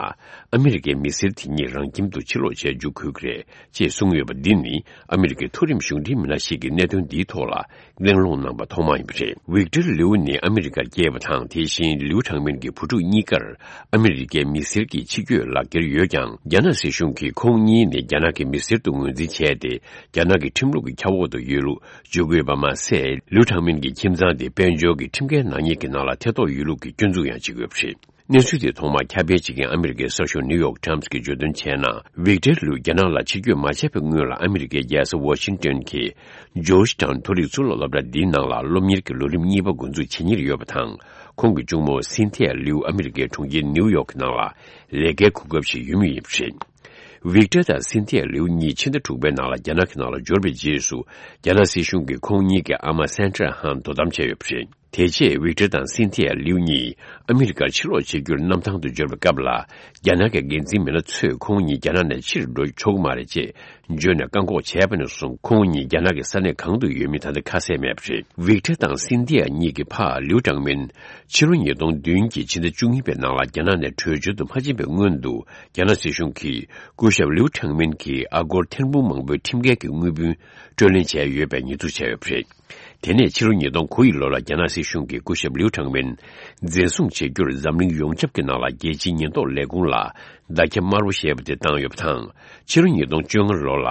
ཨ་མི་རི་ཀའི་མི་སེར་དེ་གཉིས་རང་ཁྱིམ་དུ་ཕྱིར་ལོག་བྱས་འཇུག་དགོས་ཀྱི་རེད་ཅེས་གསུངས་ཡོད་པ་འདི་ནི། ཨ་མི་རི་ཀའི་མཐོ་རིམ་གཞུང་འབྲེལ་མི་སྣ་ཞིག་གིས་གནད་དོན་འདིའི་ཐོག་ལ་གླེང་སློང་གནང་པ་ཐོག་མ་ཡིན་པ་རེད། ཝིག་ཏར་ལིའུ་ནི་ཨ་མི་རི་ཀར་སྐྱེས་པ་དང་། དེ་བཞིན་ལིའུ་ཁྲང་མིན་གྱི་བུ་ཕྲུག་གཉིས་ཀར་ཨ་མི་རི་ཀའི་མི་སེར་གྱི་ཕྱི་སྐྱོད་ལག་འཁྱེར་ཡོད་ཀྱང་། རྒྱ་ནག་སྲིད་གཞུང་གིས་ཁོང་གཉིས་ནི་རྒྱ་ནག་གི་མི་སེར་དུ་ངོས་འཛིན་བྱས་ཏེ། རྒྱ་ནག་གི་ཁྲིམས་ལུགས་ཀྱི་ཁྱབ་འོག་ཏུ་ཡོད་ལུགས་བརྗོད་དགོས་པ་མ་ཟད། ལིའུ་ཁྲང་མིན་གྱི་ཁྱིམ་ཚང་དེ་དཔལ་འབྱོར་གྱི་ཁྲིམས་འགལ་ནག་ཉེས་ཀྱི་ནང་ལ་ཐེ་གཏོགས་ཡོད་ལུགས་ཀྱི་སྐྱོན་འཛུགས་ཡང་བྱེད་ཀྱི་ཡོད་པ་རེད། གནས་ཚུལ་དེ་ཐོག་མར་ཁྱབ་སྤེལ་བྱེད་མཁན་ཨ་མི་རི་ཀའི་གསར་ཤོག་ནིའུ་ཡོག་ཊའིམ་སི་གིས་བརྗོད་དོན་བྱས་ན། ཝིག་ཏར་ལིའུ་རྒྱ་ནག་ལ་ཕྱིར་སྐྱོད་མ་བྱས་པའི་སྔོན་ལ། ཨ་མི་རི་ཀའི་རྒྱལ་ས་ཝ་ཤིང་ཏོན་གྱི་ཇོརྗ་ཊའུན་མཐོ་རིག་གཙུག་ལག་སློབ་གྲྭ་འདིའི་ནང་ལ་སློབ་གཉེར་གྱི་ལོ་རིམ་གཉིས་པ་འགོ་འཛུགས་བྱེད་མྱིར་ཡོད་པ་དང་། ཁོང་གི་གཅུང་མོ་སིན་ཐི་ཡ་ལིའུ་ཨ་མི་རི་ཀའི་གྲོང་ཁྱེར་ནིའུ་ཡོག་གི་ནང་ལ་ལས་ཀའི་གོ་སྐབས་ཤིག་ཡོད་མུས་ཡིན་པ་རེད། ཝིག་ཏར་དང་སིན་ཐི་ཡ་ལིའུ་གཉིས་ཕྱི་ཟླ་དྲུག་པའི་ནང་ལ་རྒྱ་ནག་གི་ནང་ལ་འབྱོར་བའི་རྗེས་སུ། རྒྱ་ནག་སྲིད་གཞུང་གིས་ཁོང་གཉིས་ཀྱི་ཨ་མ་སན་ཁྲ་ཧན་དོ་དམ་བྱས་ཡོད་པ་རེད། དེ་རྗེས་ཝིག་ཏར་དང་སིན་ཐི་ཡ་ལིའུ་གཉིས་ཨ་མི་རི་ཀར་ཕྱིར་ལོག་བྱེད་རྒྱུར་གནམ་ཐང་དུ་འབྱོར་བའི་སྐབས་ལ། རྒྱ་ནག་གི་འགན་འཛིན་མི་སྣ་ཚོས་ཁོང་གཉིས་རྒྱ་ནག་ནས་ཕྱིར་འགྲོ་ཆོག་གི་མ་རེད་ཅེས་བརྗོད་ནས་བཀག་འགོག་བྱས་པ་ནས་བཟུང་། ཁོང་གཉིས་རྒྱ་ནག་གི་ས་གནས་གང་དུ་ཡོད་མིན་ད་ལྟ་ཁ་གསལ་མེད་པ་རེད། ཝིག་ཏར་དང་སིན་ཐི་ཡ་གཉིས་ཀྱི་ཕ་ལིའུ་ཀྲང་མིན། ཕྱི་ལོ་ཉིས་སྟོང་བདུན་གྱི་ཕྱི་ཟླ་བཅུ་གཉིས་པའི་ནང་ལ་རྒྱ་ནག་ནས་བྲོས་བྱོལ་དུ་མ་ཕྱིན་པའི་སྔོན་དུ། རྒྱ་ནག་སྲིད་གཞུང་གིས་སྐུ་ཞབས་ལིའུ་ཁྲང་མིན་གྱི་ཨ་སྒོར་ཐེར་འབུམ་མང་པོའི་ཁྲིམས་འགལ་གྱི་དངུལ་བུན་སྤྲོད་ལེན་བྱས་ཡོད་པའི་ཉེས་འཛུགས་བྱས་ཡོད་པ་རེད། དེ་ནས་ཕྱི་ལོ་ཉིས་སྟོང་དགུ་ཡི་ལོ་ལ་རྒྱ་ནག་སྲིད་གཞུང་གིས་སྐུ་ཞབས་ལིའུ་ཁྲང་མིན་འཛིན་བཟུང་བྱེད་རྒྱུར་འཛམ་གླིང་ཡོངས་ཁྱབ་ཀྱི་ནང་ལ་རྒྱལ་སྤྱིའི་ཉེན་རྟོག་ལས་ཁུངས་ལ་བརྡ་ཁྱབ་དམར་པོ་ཞེས་པ་དེ་བཏང་ཡོད་པ་དང་། ཕྱི་ལོ་ཉིས་སྟོང་བཅོ་ལྔ་ལོ་ལ་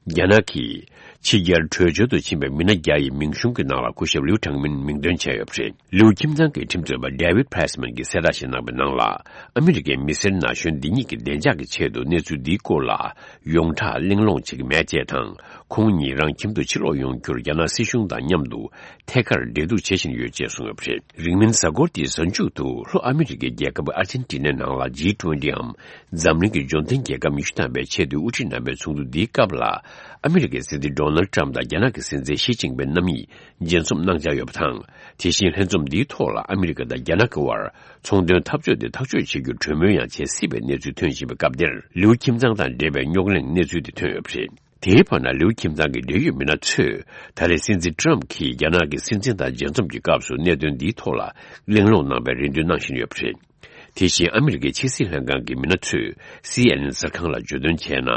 རྒྱ་ནག་གིས་ཕྱི་རྒྱལ་བྲོས་བྱོལ་དུ་ཕྱིན་པའི་མི་སྣ་བརྒྱ་ཡི་མིང་གཞུང་གི་ནང་ལ་སྐུ་ཞབས་ལིའུ་ཁྲང་མིན་མིང་འདོན་བྱས་ཡོད་པ་རེད། ལིའུ་ཁྱིམ་ཚང་གི་ཁྲིམས་རྩོད་པ་David Pressman་གྱིས་གསལ་བསྒྲགས་ཤིག་གནང་པའི་ནང་ལ། ཨ་མི་རི་ཀའི་མི་སེར་ན་གཞོན་འདི་གཉིས་ཀྱི་བདེ་འཇགས་ཀྱི་ཆེད་དུ་གནས་ཚུལ་འདིའི་སྐོར་ལ་ཡོངས་གྲགས་གླེང་སློང་བྱེད་ཀྱི་མེད་ཅེས་དང་། ཁོང་གཉིས་རང་ཁྱིམ་དུ་ཕྱིར་ལོག་ཡོང་རྒྱུར་རྒྱ་ནག་སྲིད་གཞུང་དང་མཉམ་དུ་ཐད་ཀར་འབྲེལ་གཏུག་བྱེད་བཞིན་ཡོད་ཅེས་གསུངས་ཡོད་པ་རེད། རིང་མིན་གཟའ་འཁོར་འདིའི་གཟའ་མཇུག་ཏུ་ལྷོ་ཨ་མི་རི་ཀའི་རྒྱལ་ཁབ་ཨར་ཇེན་ཊི་ནའི་ནང་ལ་ཇི་ཊུ་ཝེན་ཊི་འམ་འཛམ་གླིང་གི་འབྱོར་ལྡན་རྒྱལ་ཁབ་ཉི་ཤུ་ཐམ་པའི་ཆེས་མཐོའི་དབུ་ཁྲིད་རྣམ་པའི་ཚོགས་འདུ་འདིའི་སྐབས་ལ། ཨ་མི་རི་ཀའི་སྲིད་འཛིན་ཌོ་ནལ་ཏྲམ་དང་རྒྱ་ནག་གི་སྲིད་འཛིན་ཞི་ཅིན་ཕིན་རྣམ་གཉིས་མཇལ་འཛོམས་གནང་འཆར་ཡོད་པ་དང་། དེ་བཞིན་ལྷན་འཛོམས་འདིའི་ཐོག་ལ་ཨ་མི་རི་ཀ་དང་རྒྱ་ནག་གི་དབར་ཚོང་དོན་འཐབ་ཕྱོགས་དེ་ཐག་གཅོད་བྱེད་རྒྱུར་གྲོས་མོལ་ཡང་བྱེད་སྲིད་པའི་གནས་ཚུལ་ཐོན་བཞིན་པའི་སྐབས་འདིར། ལིའུ་ཁྱིམ་ཚང་དང་འབྲེལ་བའི་རྙོག་གླེང་གནས་ཚུལ་དེ་ཐོན་ཡོད་པ་རེད། དེའི་བར་ན། ལིའུ་ཁྱིམ་ཚང་གི་འབྲེལ་ཡོད་མི་སྣ་ཚོས་ད་རེས་སྲིད་འཛིན་ཏྲམ་གྱིས་རྒྱ་ནག་གི་སྲིད་འཛིན་དང་མཇལ་འཛོམས་ཀྱི་སྐབས་སུ་གནད་དོན་འདིའི་ཐོག་ལ་གླེང་སློང་གནང་བའི་རེ་འདུན་གནང་བཞིན་ཡོད་པ་རེད། དེ་བཞིན་ཨ་མི་རི་ཀའི་ཕྱི་སྲིད་ལྷན་ཁང་གི་མི་སྣ་ཚོས་སི་ཨེན་ཨེན་གསར་ཁང་ལ་བརྗོད་དོན་བྱས་ན།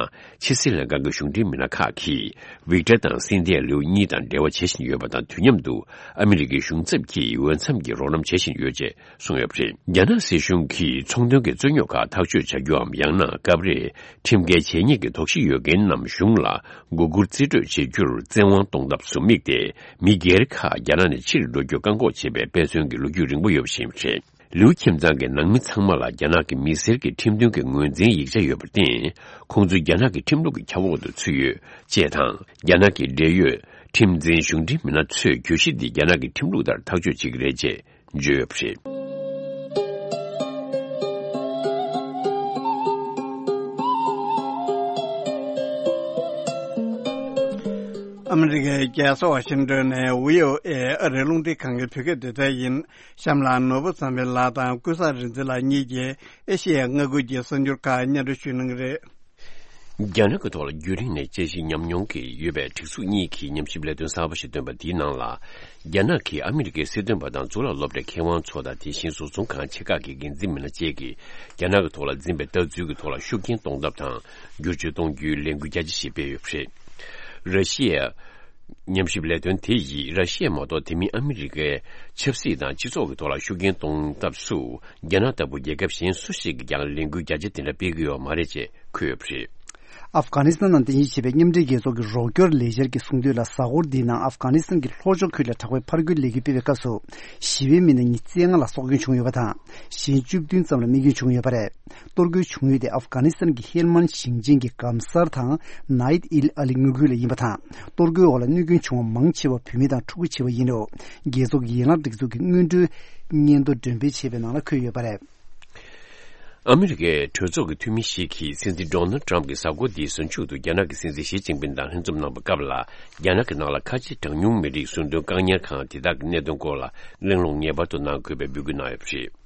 ཕྱི་སྲིད་ལྷན་ཁང་གི་གཞུང་འབྲེལ་མི་སྣ་ཁག་གིས་ཝིག་ཏར་དང་སིན་ཐི་ཡ་ལིའུ་གཉིས་དང་འབྲེལ་བ་བྱེད་བཞིན་ཡོད་པ་དང་། དུས་མཉམ་དུ་ཨ་མི་རི་ཀའི་གཞུང་ཚབ་ཀྱིས་འོས་འཚམ་གྱི་རོགས་རམ་བྱེད་བཞིན་ཡོད་ཅེས་གསུངས་ཡོད་པ་རེད། རྒྱ་ནག་སྲིད་གཞུང་གིས་ཚོང་དོན་གྱི་རྩོད་རྙོག་ཁག་ཐག་གཅོད་བྱ་རྒྱུའམ། ཡང་ན་སྐབས་རེ་ཁྲིམས་འགལ་བྱེད་མཁན་གྱི་དོགས་གཞི་ཡོད་མཁན་རྣམས་གཞུང་ལ་མགོ་སྒུར་རྩིས་སྤྲོད་བྱེད་རྒྱུར་བཙན་དབང་གཏོང་ཐབས་སུ་དམིགས་ཏེ། མི་སྒེར་ཁག་རྒྱ་ནག་ནས་ཕྱིར་འགྲོ་རྒྱུ་བཀག་འགོག་བྱེད་པའི་དཔེ་མཚོན་གྱི་ལོ་རྒྱུས་རིང་པོ་ཡོད་པ་ཞིག་ཡིན་པ་རེད། ལིའུ་ཁྱིམ་ཚང་གི་ནང་མི་ཚང་མ་ལ་རྒྱ་ནག་གི་མི་སེར་གྱི་ཁྲིམས་མཐུན་གྱི་ངོས་འཛིན་ཡིག་ཆ་ཡོད་པར་བརྟེན། ཁོང་ཚོ་རྒྱ་ནག་གི་ཁྲིམས་ལུགས་ཀྱི་ཁྱབ་འོག་ཏུ་ཚུད་ཡོད་ཅེས་དང་། རྒྱ་ནག་གི་འབྲེལ་ཡོད་ཁྲིམས་འཛིན་གཞུང་འབྲེལ་མི་སྣ་ཚོས་གྱོད་གཞི་འདི་རྒྱ་ནག་གི་ཁྲིམས་ལུགས་ལྟར་ཐག་གཅོད་བྱེད་ཀྱི་རེད་ཅེས་བརྗོད་ཡོད་པ་རེད། ཨ་མི་རི་ཀའི་རྒྱལ་ས་ཝ་ཤིང་ཏོན་ནས་བྷི་ཨོ་ཨེ་ཨ་རིའི་རླུང་འཕྲིན་ཁང་གི་བོད་སྐད་སྡེ་ཚན་ཡིན། གཤམ་ལ་ནོར་བུ་བསམ་འཕེལ་ལགས་དང་ཀུན་བཟང་རིག་འཛིན་ལགས་གཉིས་ཀྱིས་ཨེ་ཤེ་ཡའི་མངའ་ཁུལ་གྱི་གསར་འགྱུར་ཁག་སྙན་སྒྲོན་ཞུ་གནང་གི་རེད། རྒྱ་ནག་གི་ཐོག་ལ་རྒྱུན་རིང་ནས་དཔྱད་ཞིབ་ཉམས་མྱོང་གི་ཡོད་པའི་སྒྲིག་འཛུགས་གཉིས་ཀྱིས་ཉམས་ཞིབ་ལས་དོན་གསར་པ་ཞིག་བཏོན་པ་དེའི་ནང་ལ། རྒྱ་ནག་གིས་ཨ་མི་རི་ཀའི་སྲིད་དོན་པ་དང་གཙུག་ལག་སློབ་གྲྭའི་མཁས་དབང་ཚོ་དང་དེ་བཞིན་བཟོ་ཚོང་ཁང་ཆེ་ཁག་གི་འགན་འཛིན་མི་སྣ་བཅས་ཀྱིས་རྒྱ་ནག་གི་ཐོག་ལ་འཛིན་པའི་ལྟ་ཚུལ་གྱི་ཐོག་ལ་ཤུགས་རྐྱེན་གཏོང་ཐབས་དང་བསྒྱུར་བཅོས་གཏོང་རྒྱུའི་ལས་འགུལ་རྒྱ་ཆེ་ཞིག་སྤེལ་ཡོད་པ་རེད། ར་ཤི་ཡའི་ཉམས་ཞིབ་ལས་དོན་དེ་ཡིས་ར་ཤི་ཡ་མ་གཏོགས་དེ་མིན་ཨ་མི་རི་ཀའི་ཆབ་སྲིད་དང་སྤྱི་ཚོགས་ཀྱི་ཐོག་ལ་ཤུགས་རྐྱེན་གཏོང་ཐབས་སུ། རྒྱ་ནག་ལྟ་བུ་རྒྱལ་ཁབ་གཞན་སུ་ཞིག་གིས་ཀྱང་ལས་འགུལ་རྒྱ་ཆེ་དེ་འདྲ་སྤེལ་གྱི་ཡོད་མ་རེད་ཅེས་འཁོད་ཡོད་པ་རེད། ཨབ་གྷ་ནི་སི་ཐན་ནང་རྟེན་གཞི་བྱས་པའི་མཉམ་འབྲེལ་རྒྱལ་ཚོགས་ཀྱི་རོགས་སྐྱོར་ལས་འཆར་གྱིས་གསུངས་དོན་ལ། གཟའ་འཁོར་འདིའི་ནང་ཨབ་གྷ་ནི་སི་ཐན་གྱི་ལྷོ་ཕྱོགས་ཁུལ་ལ་དྲག་པོའི་ཕར་རྒོལ་ལས་འགུལ་སྤེལ་བའི་སྐབས་སུ། ཞི་བའི་མི་སྣ་ཉི་ཤུ་རྩ་ལྔ་ལ་སྲོག་སྐྱོན་བྱུང་ཡོད་པ་དང་། གཞན་བཅུ་བདུན་ཙམ་ལ་རྨས་སྐྱོན་བྱུང་ཡོད་པ་རེད། གཏོར་རྒོལ་བྱུང་ཡུལ་དེ་ཨབ་གྷ་ནི་སི་ཐན་གྱི་ཧེལ་མན་ཞིང་ཆེན་གྱི་གམ་སར་དང་ནཱིད་ཨིལ་ཨ་ལི་མངའ་ཁུལ་ལ་ཡིན་པ་དང་། གཏོར་རྒོལ་འོག་ལ་གནོད་སྐྱོན་བྱུང་བ་མང་ཆེ་བ་བུད་མེད་དང་ཕྲུ་གུ་བྱས་པ་ཡིན་རུང་། རྒྱལ་ཚོགས་ཀྱི་ཡན་ལག་སྒྲིག་འཛུགས་ཀྱི་སྔོན་འགྲོའི་སྙན་ཐོ་འགྲེམས་སྤེལ་བྱས་པའི་ནང་ལ་འཁོད་ཡོད་པ་རེད། ཨ་མི་རི་ཀའི་གྲོས་ཚོགས་ཀྱི་འཐུས་མི་ཞིག་གིས་སྲིད་འཛིན་ཌོ་ནལ་ཊམ་གྱིས་གཟའ་འཁོར་འདིའི་གཟའ་མཇུག་ཏུ་རྒྱ་ནག་གི་སྲིད་འཛིན་ཞི་ཅིན་ཕིན་དང་ལྷན་འཛོམས་གནང་པའི་སྐབས་ལ། རྒྱ་ནག་གི་ནང་ལ་ཁ་ཆེ་གྲངས་ཉུང་མི་རིགས་ཟུར་འདོན་བཀག་ཉར་ཁང་དེ་དག་གི་གནད་དོན་སྐོར་ལ་གླེང་སློང་ངེས་པར་དུ་གནང་དགོས་པའི་འབོད་སྐུལ་གནང་ཡོད་པ་རེད།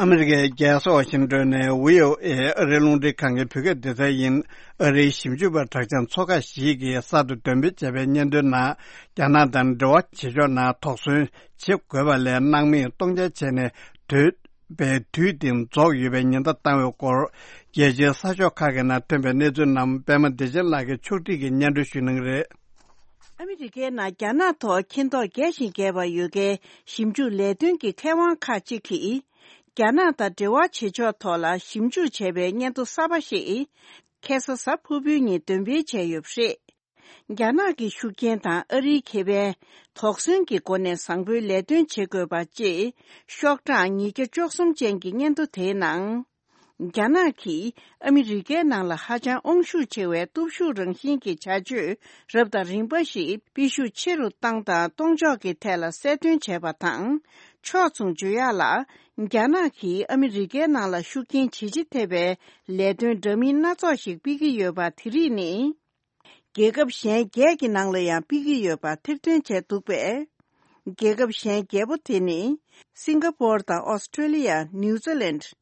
ཨ་མི་རི་ཀའི་རྒྱལ་ས་ཝ་ཤིང་ཏོན་ནས་བྷི་ཨོ་ཨེ་ཨ་རིའི་རླུང་འཕྲིན་ཁང་གི་བོད་སྐད་སྡེ་ཚན་ཡིན། ཨ་རིའི་ཞིབ་འཇུག་པ་གྲགས་ཅན་ཚོགས་ཁག་ཞིག་གིས་གསར་དུ་འདོན་སྤེལ་བྱས་པའི་སྙན་ཐོའི་ནང་། རྒྱ་ནག་དང་འབྲེལ་བ་བྱེད་ཕྱོགས་ནང་དོགས་ཟོན་བྱེད་དགོས་པ་ལས་སྣང་མེད་གཏོང་འཆར་བྱས་ནས་སྡོད་པའི་དུས་དེ་རྫོགས་ཡོད་པའི་ཉེན་བརྡ་བཏང་བའི་སྐོར། རྒྱལ་སྤྱིའི་གསར་ཤོག་ཁག་གི་ནང་ཐོན་པའི་གནས་ཚུལ་རྣམས་པད་མ་བདེ་ཆེན་ལགས་ཀྱིས་ཕྱོགས་སྒྲིག་གིས་སྙན་སྒྲོན་ཞུ་གནང་གི་རེད། ཨ་མི་རི་ཀའི་ནང་རྒྱ་ནག་ཐོག་མཁྱེན་རྟོགས་རྒྱས་ཤིང་རྒྱས་པ་ཡོད་མཁན་ཞིབ་འཇུག་ལས་དོན་གྱི་མཁས་དབང་ཁག་ཅིག་གིས། རྒྱ་ནག་དང་འབྲེལ་བ་བྱེད་ཕྱོགས་ཐོག་ལ་ཞིབ་འཇུག་བྱས་པའི་སྙན་ཐོ་གསར་པ་ཞིག་ཁ་སང་གཟའ་ཕུར་བུའི་ཉིན་འདོན་སྤེལ་བྱས་ཡོད་པ་རེད། རྒྱ་ནག་གི་ཤུགས་རྐྱེན་དང་ཨ་རིའི་ཁེ་ཕན་དོགས་ཟོན་གྱི་སྒོ་ནས་བཟང་པོའི་ལས་དོན་བྱེད་དགོས་པ་ཅེས་ཤོག་གྲངས་ཉིས་བརྒྱ་བཅུ་གསུམ་ཅན་གྱི་སྙན་ཐོ་དེའི་ནང་། རྒྱ་ནག་གིས་ཨ་མི་རི་ཀའི་ནང་ལ་ཧ་ཅང་དབང་ཤུགས་ཆེ་བའི་སྟོབས་ཤུགས་རང་བཞིན་གྱི་བྱ་སྤྱོད་རབ་དང་རིམ་པ་ཞིག་སྤེལ་ཤུགས་ཆེ་རུ་བཏང་དང་གཏོང་ཕྱོགས་ཀྱི་ཐད་ལ་གསལ་སྟོན་བྱས་པ་དང་། ཕྱོགས་མཚུངས་བརྗོད་ཡག་ལ། རྒྱ་ནག་གིས་ཨ་མི་རི་ཀའི་ནང་ལ་ཤུགས་རྐྱེན་ཇེ་ཆེ་ཐེབས་པའི་ལས་དོན་འདྲ་མིན་སྣ་ཚོགས་ཤིག་སྤེལ་གྱི་ཡོད་པ་དེ་རིགས་ནི། རྒྱལ་ཁབ་གཞན་བརྒྱད་ཀྱི་ནང་ལ་ཡང་སྤེལ་གྱི་ཡོད་པ་ཐེར་འདོན་བྱས་འདུག་པས། རྒྱལ་ཁབ་གཞན་བརྒྱད་པོ་དེ་ནི། སིང་ག་པོར་དང་ཨོ་སི་ཀྲེ་ལི་ཡ། ནིའུ་ཛི་ལན།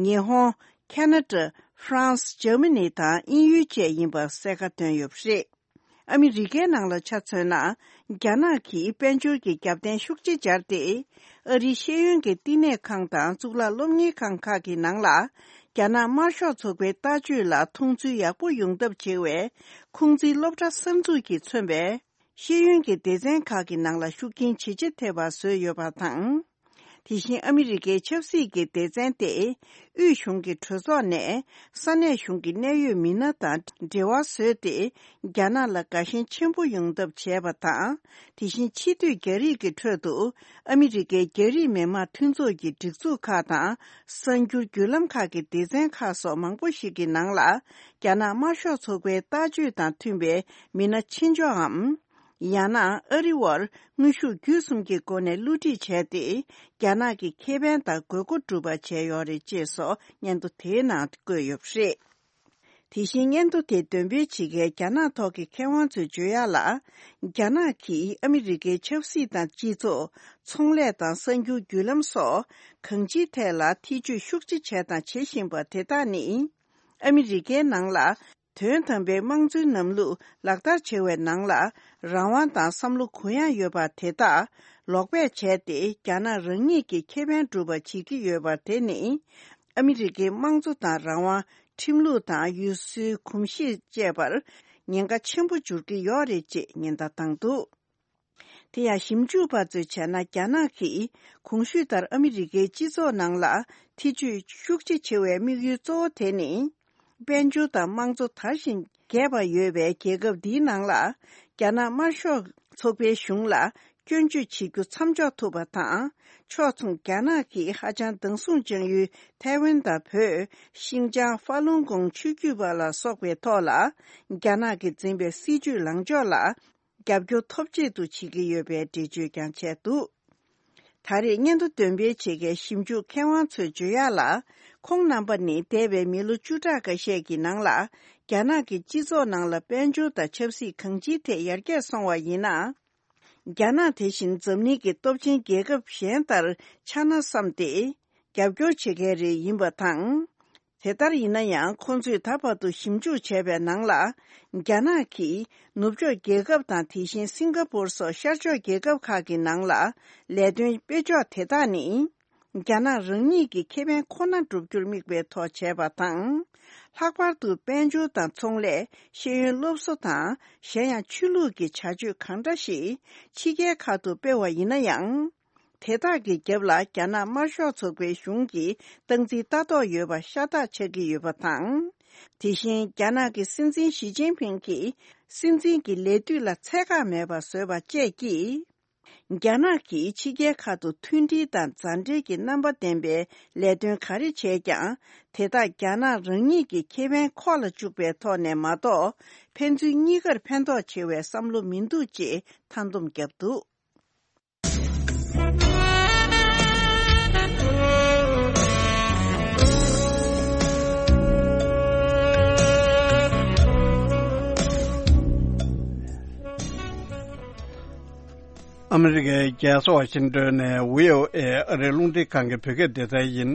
ཉི་ཧོང་། ཁ་ན་ཌ། ཧྥ་རན་སི། འཇར་མ་ནི་དང་དབྱིན་ཡུལ་བཅས་ཡིན་པ་གསལ་ཁ་བཏོན་ཡོད་པ་རེད། ཨ་མི་རི་ཀའི་ནང་ལ་ཆ་མཚོན་ན། རྒྱ་ནག་གིས་དཔལ་འབྱོར་གྱི་རྒྱབ་རྟེན་ཤུགས་ཆེ་སྦྱར་ཏེ། ཨ་རིའི་ཤེས་ཡོན་གྱི་བསྟི་གནས་ཁང་དང་གཙུག་ལག་སློབ་གཉེར་ཁང་ཁག་གི་ནང་ལ། རྒྱ་ནག་དམར་ཤོག་ཚོགས་པའི་ལྟ་སྤྱོད་ལ་མཐོང་ཚུལ་ཡག་པོ་ཡོང་ཐབས་བྱེད་པའི་ཁུང་ཙི་སློབ་གྲྭ་གསར་འཛུགས་ཀྱིས་མཚོན་པའི་ཤེས་ཡོན་གྱི་སྡེ་ཚན་ཁག་གི་ནང་ལ་ཤུགས་རྐྱེན་ཇེ་ཆེ་ཐེབས་པ་བཟོས་ཡོད་པ་དང་། དེ་བཞིན་ཨ་མི་རི་ཀའི་ཆབ་སྲིད་ཀྱི་སྡེ་ཚན་ཏེ། དབུས་གཞུང་གི་གྲོས་ཚོགས་ནས་ས་གནས་གཞུང་གི་གནད་ཡོད་མི་སྣ་དང་འབྲེལ་བ་བཟོས་ཏེ། རྒྱ་ནག་ལ་དགའ་ཞེན་ཆེན་པོ་ཡོང་ཐབས་བྱས་པ་དང་། དེ་བཞིན་ཕྱི་སྡོད་རྒྱ་རིགས་ཀྱི་ཁྲོད་དུ་ཨ་མི་རི་ཀའི་རྒྱ་རིགས་མི་དམངས་མཐུན་ཚོགས་ཀྱི་སྒྲིག་འཛུགས་ཁག་དང་། གསར་འགྱུར་བརྒྱུད་ལམ་ཁག་གི་སྡེ་ཚན་ཁག་སོགས་མང་པོ་ཞིག་གི་ནང་ལ། རྒྱ་ནག་དམར་ཤོག་ཚོགས་པའི་ལྟ་སྤྱོད་དང་མཐུན་པའི་མི་སྣ་ཆེ་འཇོག་གམ། ཡང་ན་ཨ་རི་བར་དངོས་ཤུགས་བརྒྱུད་གསུམ་གྱི་སྒོ་ནས་བསླུ་བྲིད་བྱས་ཏེ། རྒྱ་ནག་གི་ཁེ་ཕན་དང་དགོས་མཁོ་སྒྲུབ་པ་བྱས་ཡོད་རེད་ཅེས་སོགས་སྙན་ཐོ་དེའི་ནང་བཀོད་ཡོད་པ་རེད། དེ་བཞིན་སྙན་ཐོ་དེ་འདོན་སྤེལ་བྱེད་མཁན་རྒྱ་ནག་ཐོག་གི་མཁས་དབང་ཚོས་བརྗོད་ཡག་ལ། རྒྱ་ནག་གིས་ཨ་མི་རི་ཀའི་ཆབ་སྲིད་དང་སྤྱི་ཚོགས། ཚོང་ལས་དང་གསར་འགྱུར་བརྒྱུད་ལམ་སོགས་གང་ཅིའི་ཐད་ལ་ཐེ་ཇུས་ཤུགས་ཆེ་བྱས་དང་བྱེད་བཞིན་པ་དེ་དག་ནི། ཨ་མི་རི་ཀའི་ནང་ལ། དོན་དམ་པའི་དམངས་གཙོའི་ལམ་ལུགས་ལག་བསྟར་བྱེད་པའི་ནང་ལ། རང་དབང་དང་བསམ་བློ་གུ་ཡངས་ཡོད་པ་དེ་དག་ལོག་པས་བྱས་ཏེ། རྒྱ་ནག་རང་ཉིད་ཀྱི་ཁེ་ཕན་སྒྲུབ་པ་བྱེད་ཀྱི་ཡོད་པ་དེ་ནི། ཨ་མི་རི་ཀའི་དམངས་གཙོ་དང་རང་དབང་། ཁྲིམས་ལུགས་དང་ཡུལ་སྲོལ་གོམས་གཤིས་བཅས་པར་ཉེན་ཁ་ཆེན་པོ་འབྱོར་གྱི་ཡོད་རེད་ཅེས་ཉེན་བརྡ་བཏང་འདུག་དེ་ཡང་ཞིབ་འཇུག་པ་ཚོས་བྱས་ན། རྒྱ་ནག་གིས་གོང་ཞུས་ལྟར་ཨ་མི་རི་ཀའི་སྤྱི་ཚོགས་ནང་ལ་ཐེ་ཇུས་ཤུགས་ཆེ་བྱེད་པའི་དམིགས་ཡུལ་གཙོ་བོ་དེ་ནི། དཔལ་འབྱོར་དང་དམངས་གཙོ་དར་ཞིང་རྒྱས་པ་ཡོད་པའི་རྒྱལ་ཁབ་འདིའི་ནང་ལ། རྒྱ་ནག་དམར་ཤོག་ཚོགས་པའི་གཞུང་ལ་སྐྱོན་བརྗོད་བྱེད་རྒྱུ་མཚམས་འཇོག་ཐུབ་པ་དང་། ཕྱོགས་མཚུངས་རྒྱ་ནག་གིས་ཧ་ཅང་སྡང་ཟུག་བཅངས་ཡུལ་ཐའེ་ཝན་དང་བོད། ཤིན་ཅང་། ཧྥ་ལུན་གོང་ཆོས་བརྒྱུད་པ་ལ་སོགས་པའི་ཐོག་ལ། རྒྱ་ནག་གིས་འཛིན་པའི་སྲིད་བྱུས་ལངས་ཕྱོགས་ལ། རྒྱབ་སྐྱོར་ཐོབ་ཆེད་དུ་བྱེད་ཀྱི་ཡོད་པའི་འགྲེལ་བརྗོད་ཀྱང་བྱས་འདུག་ད་རེས་སྙན་ཐོ་འདོན་སྤེལ་བྱེད་མཁན་ཞིབ་འཇུག་མཁས་དབང་ཚོས་བརྗོད་ཡག་ལ། ཁོང་རྣམ་པ་ནི་འདས་པའི་མི་ལོ་བཅུ་ཕྲག་འགའ་ཤས་ཀྱི་ནང་ལ། རྒྱ་ནག་གི་སྤྱི་ཚོགས་ནང་ལ་དཔལ་འབྱོར་དང་ཆབ་སྲིད་གང་ཅིའི་ཐད་ཡར་རྒྱས་སོང་བ་ཡིན་ན། རྒྱ་ནག་དེ་བཞིན་འཛམ་གླིང་གི་སྟོབས་ཆེན་རྒྱལ་ཁབ་གཞན་ལྟར་ཆགས་ན་བསམ་སྟེ། རྒྱབ་སྐྱོར་བྱེད་མཁན་རེ་ཡིན་པ་དང་། དེ་ལྟར་ཡིན་ན་ཡང་ཁོང་ཚོས་ད་བར་དུ་ཞིབ་འཇུག་བྱས་པའི་ནང་ལ། རྒྱ་ནག་གིས་ནུབ་ཕྱོགས་རྒྱལ་ཁབ་དང་དེ་བཞིན་སིང་ག་པུར་སོགས་ཤར་ཕྱོགས་རྒྱལ་ཁབ་ཁག་གི་ནང་ལ་ལས་དོན་སྤེལ་ཕྱོགས་དེ་དག་ནི། རྒྱ་ནག་རང་ཉིད་ཀྱི་ཁེ་ཕན་ཁོ་ན་བསྒྲུབ་རྒྱུར་དམིགས་པའི་ཐོག་བྱས་པ་དང་། ལྷག་པར་དུ་དཔལ་འབྱོར་དང་ཚོང་ལས། ཤེས་ཡོན་སློབ་གསོ་དང་གཞན་ཡང་ཆོས་ལུགས་ཀྱི་བྱ་སྤྱོད་གང་འདྲ་ཞིག་ཕྱི་རྒྱལ་ཁག་ཏུ་སྤེལ་བ་ཡིན་ན་ཡང་། དེ་དག་གི་རྒྱབ་ལ་རྒྱ་ནག་དམར་ཤོག་ཚོགས་པའི་གཞུང་གིས་སྟངས་འཛིན་ལྟ་རྟོག་ཡོད་པ་ཤ་སྟག་ཆགས་ཀྱི་ཡོད་པ་དང་། དེ་བཞིན་རྒྱ་ནག་གི་སྲིད་འཛིན་ཞི་ཅིན་ཕིང་གིས་སྲིད་འཛིན་གྱི་ལས་དུས་ལ་ཚད་བཀག་མེད་པ་བཟོས་པ་བཅས་ཀྱིས། རྒྱ་ནག་གིས་ཕྱི་རྒྱལ་ཁག་ཏུ་མཐུན་སྒྲིལ་དང་མཛའ་འབྲེལ་གྱི་རྣམ་པ་ལྡན་པའི་ལས་དོན་ག་རེ་བྱས་ཀྱང་། དེ་དག་རྒྱ་ནག་རང་ཉིད་ཀྱི་ཁེ་ཕན་ཁོག་ལ་བཅུག་པའི་ཐོག་ནས་མ་གཏོགས། ཕན་ཚུན་གཉིས་ཀར་ཕན་ཐོགས་ཆེ་བའི་བསམ་བློ་མི་འདུག་ཅེས་མཐའ་སྡོམ་བརྒྱབ་འདུག། ཨ་མི་རི་ཀའི་རྒྱལ་ས་ཝ་ཤིང་ཏོན་ནས་བྷི་ཨོ་ཨེ་ཨ་རིའི་རླུང་འཕྲིན་ཁང་གི་བོད་སྐད་སྡེ་ཚན་ཡིན།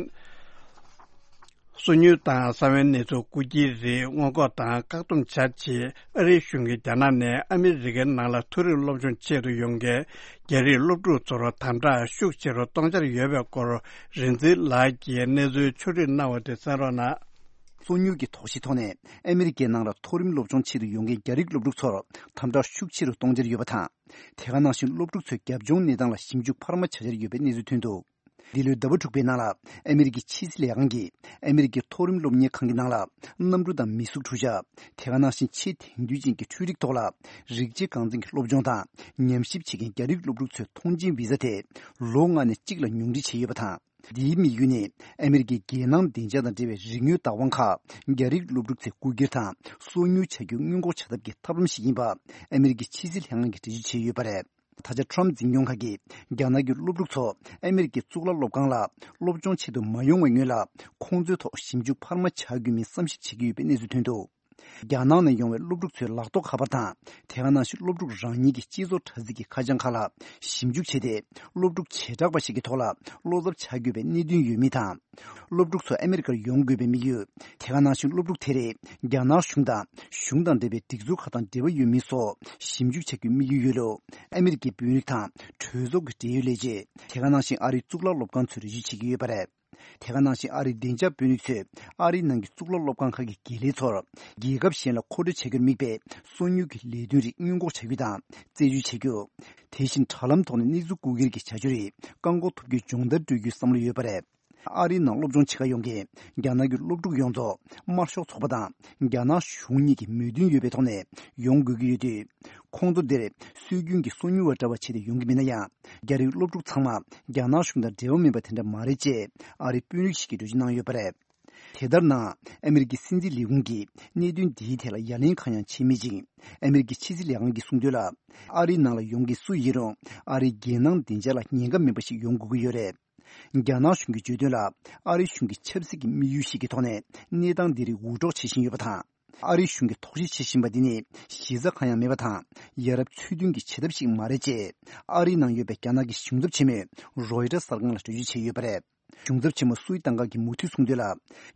སོ་ཉུལ་དང་ས་བོན་གནས་ཚུལ་རྐུ་འཁྱེར་རིགས་སྔོན་འགོག་དང་བཀག་སྡོམ་བྱ་ཆེད་ཨ་རིའི་གཞུང་གིས་རྒྱ་ནག་ནས་ཨ་མི་རི་ཀའི་ནང་ལ་མཐོ་རིམ་སློབ་སྦྱོང་ཆེད་དུ་ཡོང་མཁན་རྒྱ་རིགས་སློབ་ཕྲུག་ཚོར་དམ་དྲག་ཤུགས་ཆེ་རུ་གཏོང་འཆར་ཡོད་པའི་སྐོར་རིག་འཛིན་ལགས་ཀྱིས་གནས་ཚུལ་ཕྱོགས་སྒྲིག་གནང་བ་དེ་གསན་རོགས་གནང་། སོ་ཉུལ་གྱི་དོགས་གཞི་ཐོག་ནས་ཨ་མི་རི་ཀའི་ནང་ལ་མཐོ་རིམ་སློབ་སྦྱོང་ཆེད་དུ་ཡོང་མཁན་རྒྱ་རིགས་སློབ་ཕྲུག་ཚོར་དམ་དྲག་ཤུགས་ཆེ་རུ་གཏོང་འཆར་ཡོད་པ་དང་། དེ་ག་ནང་བཞིན་སློབ་ཕྲུག་ཚོའི་རྒྱབ་ལྗོངས་གནས་སྟངས་ལ་ཞིབ་འཇུག་འཕར་མ་བྱ་འཆར་ཡོད་པའི་གནས་ཚུལ་ཐོན་འདུག། འདི་ལོའི་ཟླ་བ་དྲུག་པའི་ནང་ལ་ཨ་མི་རི་ཀའི་ཕྱི་སྲིད་ལས་ཁང་གིས་ཨ་མི་རི་ཀའི་མཐོ་རིམ་སློབ་གཉེར་ཁང་གི་ནང་ལ་གནམ་གྲུ་དང་མི་གཟུགས་འཕྲུལ་ཆས། དེ་ག་ནང་བཞིན་ཆེས་དེང་དུས་ཅན་གྱི་འཕྲུལ་རིག་ཐོག་ལ་རིགས་གཅིག་རྐང་འཛིན་གྱི་སློབ་སྦྱོང་དང་ཉམས་ཞིབ་བྱེད་མཁན་རྒྱ་རིགས་སློབ་ཕྲུག་ཚོའི་ཐོངས་མཆན་བི་ཟ་དེ་ལོ་ལྔ་ནས་གཅིག་ལ་ཉུང་འཕྲི་བྱས་ཡོད་པ་དང་། འདིའི་དམིགས་ཡུལ་ནི་ཨ་མི་རི་ཀའི་རྒྱལ་ནང་བདེ་འཇགས་དང་འབྲེལ་བའི་རིག་དངོས་བདག་དབང་ཁག་རྒྱ་རིགས་སློབ་ཕྲུག་ཚོས་རྐུ་འཁྱེར་དང་སོ་ཉུལ་བྱ་རྒྱུ་སྔོན་འགོག་བྱ་ཐབས་ཀྱི་ཐབས་ལམ་ཞིག་ཡིན་པ་ཨ་མི་རི་ཀའི་ཕྱི་སྲིད་ལྷན་ཁང་གིས་འགྲེལ་བརྗོད་བྱས་ཡོད་པ་རེད། ད་ཆ་ཁྲོམ་འཛིན་སྐྱོང་ཁག་གིས་རྒྱ་ནག་གི་སློབ་ཕྲུག་ཚོ་ཨ་མི་རི་ཀའི་གཙུག་ལག་སློབ་ཁང་ལ་སློབ་སྦྱོང་ཆེད་དུ་མ་ཡོང་བའི་སྔོན་ལ་ཁོང་ཚོའི་ཐོག་ཞིབ་འཇུག་འཕར་མ་བྱ་དགོས་མིན་བསམ་ཞིབ་བྱེད་ཀྱི་ཡོད་པའི་གནས་ཚུལ་ཐོན་འདུག། རྒྱ་ནག་ནས་ཡོང་བའི་སློབ་ཕྲུག་ཚོའི་ལག་ཐོགས་ཁ་པར་དང་དེ་ག་ནང་བཞིན་སློབ་ཕྲུག་རང་ཉིད་ཀྱི་སྤྱི་ཚོགས་དྲ་ཚིགས་ཀྱི་ཁ་བྱང་ཁག་ལ་ཞིབ་འཇུག་བྱས་ཏེ། སློབ་ཕྲུག་བྱེ་བྲག་པ་ཞིག་གི་ཐོག་ལ་བློ་འཚབ་བྱ་དགོས་པའི་གནད་དོན་ཡོད་མིན་དང་། སློབ་ཕྲུག་ཚོ་ཨ་མི་རི་ཀར་ཡོང་དགོས་པའི་དམིགས་ཡུལ། དེ་ག་ནང་བཞིན་སློབ་ཕྲུག་དེ་རིགས་རྒྱ་ནག་གཞུང་དང་གཞུང་དང་འབྲེལ་བའི་སྒྲིག་འཛུགས་ཁག་དང་འབྲེལ་བ་ཡོད་མིན་སོགས་ཞིབ་འཇུག་བྱ་རྒྱུའི་དམིགས་ཡུལ་ཡོད་ལུགས་ཨ་མི་རི་ཀའི་དཔོན་རིགས་དང་གྲོས་ཚོགས་ཀྱི་འབྲེལ་ཡོད་ལས་བྱེད། དེ་ག་ནང་བཞིན་ཨ་རིའི་གཙུག་ལག་སློབ་ཁང་ཚོས་འགྲེལ་བརྗོད་བྱེད་ཀྱི་ཡོད་པ་རེད། དེ་ག་ནང་བཞིན་ཨ་རིའི་བདེ་འཇགས་དཔོན་རིགས་ཚོས་ཨ་རིའི་ནང་གི་གཙུག་ལག་སློབ་ཁང་ཁག་གི་དགེ་ལས་ཚོར་རྒྱལ་ཁབ་གཞན་ལ་མཁོ་སྤྲོད་བྱ་རྒྱུར་དམིགས་པའི་སོ་ཉུལ་གྱི་ལས་དོན་རིགས་སྔོན་འགོག་བྱ་རྒྱུ་དང་རྩད་གཅོད་བྱ་རྒྱུ། དེ་བཞིན་དྲ་ལམ་ཐོག་ནས་གནས་ཚུལ་རྐུ་འཁྱེར་གྱི་བྱ་སྤྱོད་རིགས་བཀག་འགོག་ཐུབ་རྒྱུའི་སྦྱོང་བརྡར་སྤྲོད་རྒྱུའི་བསམ་བློ་ཡོད་པ་རེད། ཨ་རིའི་ནང་སློབ་སྦྱོང་བྱེད་གར་ཡོང་མཁན་རྒྱ་ནག་གི་སློབ་ཕྲུག་ཡོངས་རྫོགས་དམར་ཤོག་ཚོགས་པ་དང་རྒྱ་ནག་གཞུང་གཉིས་ཀྱི་མོས་མཐུན་ཡོད་པའི་ཐོག་ནས་ཡོང་དགོས་ཀྱི་ཡོད་དུས། ཁོང་ཚོ་འདིར་སྲོལ་རྒྱུན་གྱི་སོ་ཉུལ་བ་འདྲ་བ་བྱས་ཏེ་ཡོང་གི་མིན་ན་ཡང་། རྒྱ་རིགས་སློབ་ཕྲུག་ཚང་མ་རྒྱ་ནག་གཞུང་དང་འབྲེལ་བ་མེད་པ་དེ་འདྲ་མ་རེད་ཅེས་ཨ་རིའི་དཔོན་རིགས་ཤིག་གིས་འགྲེལ་བརྗོད་གནང་ཡོད་པ་རེད། དེ་ལྟར་ན། ཨ་མི་རི་ཀའི་སྲིད་འཛིན་ལས་ཁུངས་ཀྱིས་གནད་དོན་འདིའི་ཐད་ལ་ཡ་ལན་གང་ཡང་བྱས་མེད་ཅིང་། ཨ་མི་རི་ཀའི་ཕྱི་སྲིད་ལས་ཁང་གིས་གསུངས་དོན་ལ། ཨ་རིའི་ནང་ལ་ཡོང་མཁན་སུ་ཡིན་རུང་ཨ་རིའི་རྒྱལ་ནང་བདེ་འཇགས་ལ་ཉེན་ཁ་མེད་པ་ཞིག་ཡོང་དགོས་ཀྱི་ཡོད་རེད། རྒྱ་ནག་གཞུང་གིས་བརྗོད་དོན་ལ། ཨ་རི་གཞུང་གི་ཆབ་སྲིད་ཀྱི་དམིགས་ཡུལ་ཞིག་གི་ཐོག་ནས་གནས་སྟངས་འདི་རིགས་འུར་སྒྲོག་བྱེད་བཞིན་ཡོད་པ་དང་། ཨ་རི་གཞུང་གིས་དོགས་གཞི་བྱེད་བཞིན་པ་འདི་ནི་གཞི་རྩ་གང་ཡང་མེད་པ་དང་། ཡ་རབས་ཚོས་མཐུན་གྱི་བྱེད་ཐབས་ཤིག་མ་རེད་ཅེས། ཨ་རིའི་ནང་ཡོད་པའི་རྒྱ་ནག་གི་གཞུང་ཚབ་ཆེན་མོས་རོའི་ཊར་གསར་ཁང་ལ་འགྲེལ་བརྗོད་བྱས་ཡོད་པ་རེད། གཞུང་ཚབ་ཆེན་མོ་སུའི་ཏང་ཀ་གིས་མུ་མཐུད་གསུངས་དོན་ལ།